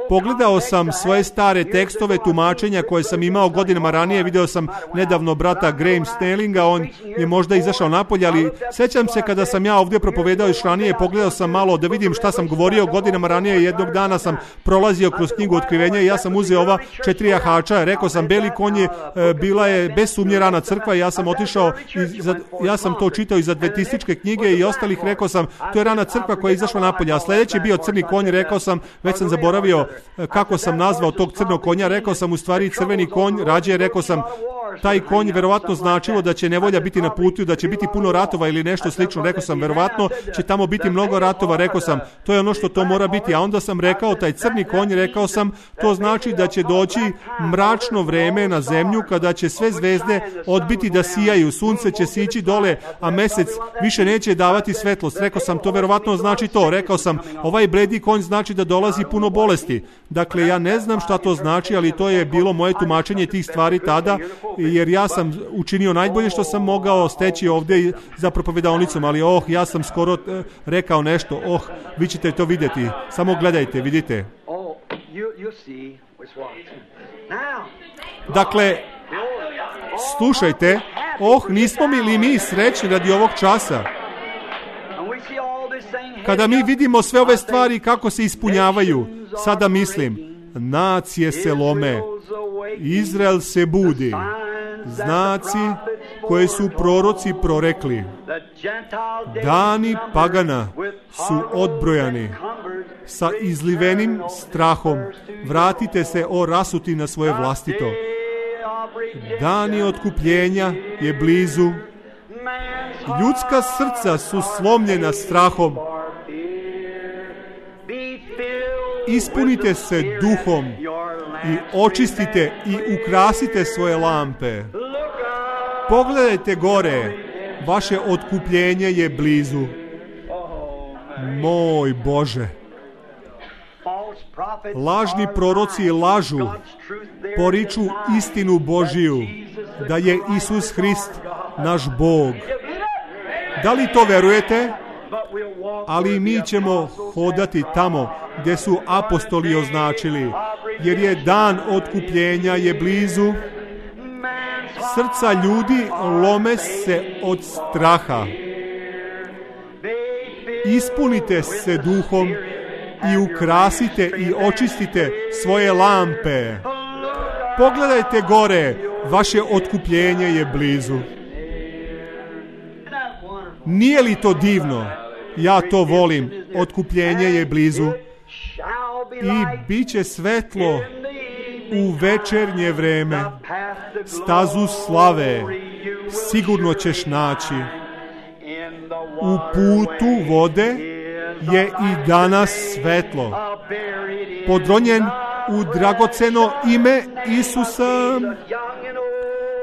Pogledao sam svoje stare tekstove tumačenja koje sam imao godinama ranije, video sam nedavno brata Graham Snellinga, on je možda izašao napolje, ali sećam se kada sam ja ovdje propovedao još ranije, pogledao sam malo da vidim šta sam govorio godinama ranije, jednog dana sam prolazio kroz knjigu Otkrivenja i ja sam uzeo ova četiri jahača, rekao sam beli konj je, bila je bez sumnje rana crkva i ja sam otišao, i za, ja sam to čitao iz adventističke knjige i ostalih, rekao sam to je rana crkva koja je izašla napolje, a sljedeći je bio crni konj, rekao sam, već sam zaboravio kako sam nazvao tog crnog konja, rekao sam u stvari crveni konj, rađe rekao sam taj konj verovatno značilo da će nevolja biti na putu, da će biti puno ratova ili nešto slično, rekao sam verovatno će tamo biti mnogo ratova, rekao sam to je ono što to mora biti, a onda sam rekao taj crni konj, rekao sam to znači da će doći mračno vreme na zemlju kada će sve zvezde odbiti da sijaju, sunce će sići dole, a mesec više neće davati svetlost, rekao sam to verovatno znači to, rekao sam ovaj bledi konj znači da dolazi puno bolesti, dakle ja ne znam šta to znači, ali to je bilo moje tumačenje tih stvari tada, jer ja sam učinio najbolje što sam mogao steći ovdje za propovedaonicom, ali oh, ja sam skoro uh, rekao nešto, oh, vi ćete to vidjeti, samo gledajte, vidite. Dakle, slušajte, oh, nismo mi li mi srećni radi ovog časa? Kada mi vidimo sve ove stvari kako se ispunjavaju, sada mislim, nacije se lome, Izrael se budi, znaci koje su proroci prorekli, dani pagana su odbrojani, sa izlivenim strahom, vratite se o rasuti na svoje vlastito. Dani otkupljenja je blizu, ljudska srca su slomljena strahom, ispunite se duhom i očistite i ukrasite svoje lampe. Pogledajte gore, vaše otkupljenje je blizu. Moj Bože, lažni proroci lažu, poriču istinu Božiju, da je Isus Hrist naš Bog. Da li to verujete? Ali mi ćemo hodati tamo gdje su apostoli označili, jer je dan otkupljenja je blizu. Srca ljudi lome se od straha. Ispunite se duhom i ukrasite i očistite svoje lampe. Pogledajte gore, vaše otkupljenje je blizu. Nije li to divno? Ja to volim. Otkupljenje je blizu. I bit će svetlo u večernje vreme. Stazu slave sigurno ćeš naći. U putu vode je i danas svetlo. Podronjen u dragoceno ime Isusa.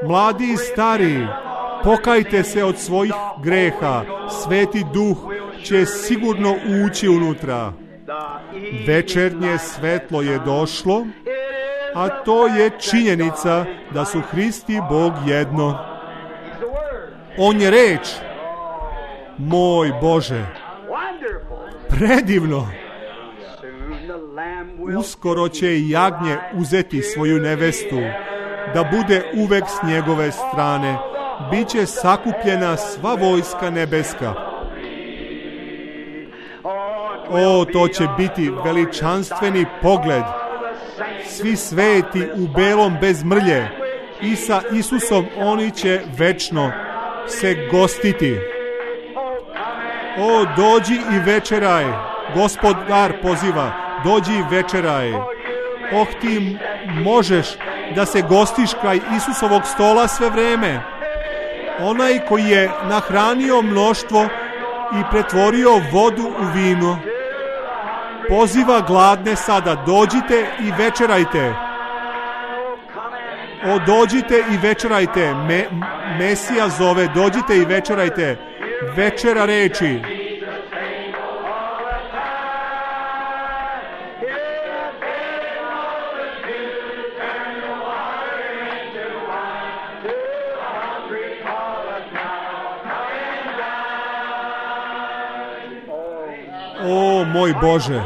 Mladi i stari, pokajte se od svojih greha. Sveti Duh će sigurno ući unutra. Večernje svetlo je došlo, a to je činjenica da su Hrist i Bog jedno. On je reč. Moj Bože, predivno. Uskoro će i jagnje uzeti svoju nevestu, da bude uvek s njegove strane. Biće sakupljena sva vojska nebeska. O, to će biti veličanstveni pogled. Svi sveti u belom bez mrlje i sa Isusom oni će večno se gostiti. O, dođi i večeraj. Gospodar poziva, dođi i večeraj. Oh, ti možeš da se gostiš kraj Isusovog stola sve vreme. Onaj koji je nahranio mnoštvo i pretvorio vodu u vino. Poziva gladne sada, dođite i večerajte. O, dođite i večerajte. Me, Mesija zove, dođite i večerajte. Večera reči. O, moj Bože,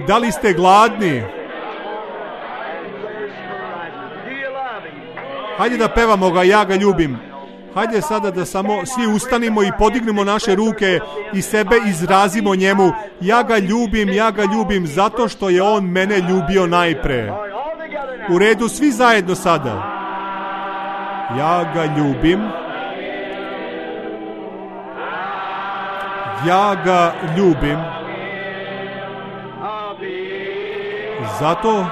da li ste gladni? Hajde da pevamo ga, ja ga ljubim. Hajde sada da samo svi ustanimo i podignemo naše ruke i sebe izrazimo njemu. Ja ga ljubim, ja ga ljubim, zato što je on mene ljubio najpre. U redu, svi zajedno sada. Ja ga ljubim. Ja ga ljubim. Zato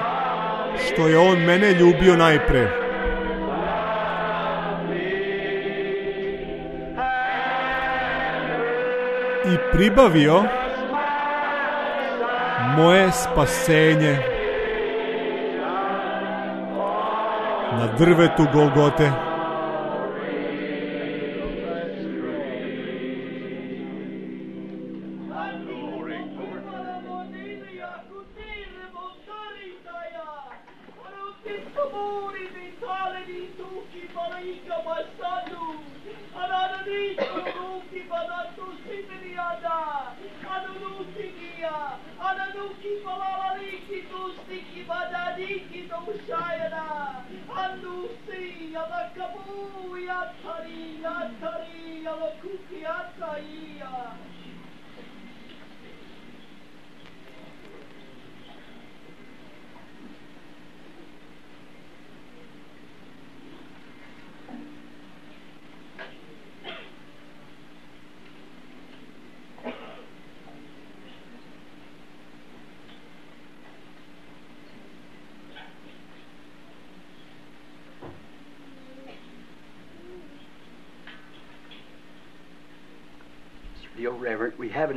što je on mene ljubio najpre. I pribavio moje spasenje na drvetu Golgote.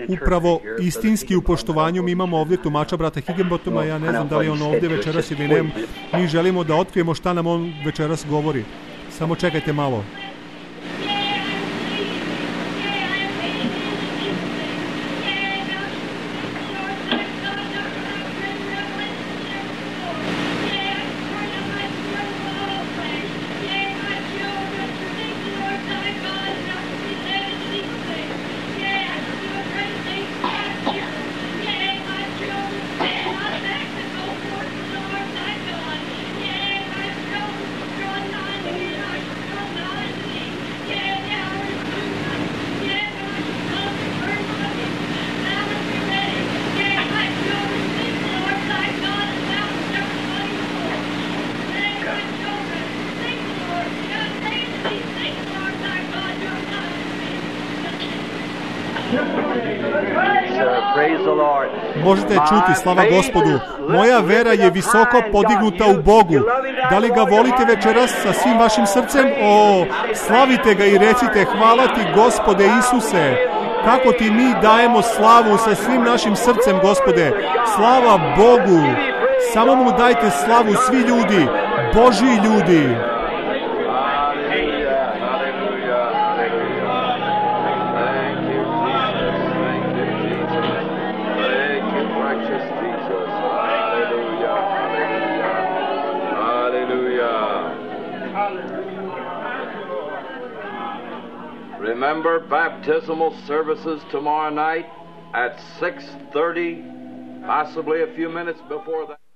Upravo istinski u poštovanju mi imamo ovdje tumača brata Higginbothama, ja ne znam da li on ovdje večeras ili ne. Mi želimo da otkrijemo šta nam on večeras govori. Samo čekajte malo. Možete čuti, slava Gospodu. Moja vera je visoko podignuta u Bogu. Da li ga volite večeras sa svim vašim srcem? O, slavite ga i recite, hvala ti Gospode Isuse. Kako ti mi dajemo slavu sa svim našim srcem, Gospode. Slava Bogu. Samo mu dajte slavu svi ljudi, Božji ljudi. Remember baptismal services tomorrow night at six thirty, possibly a few minutes before that.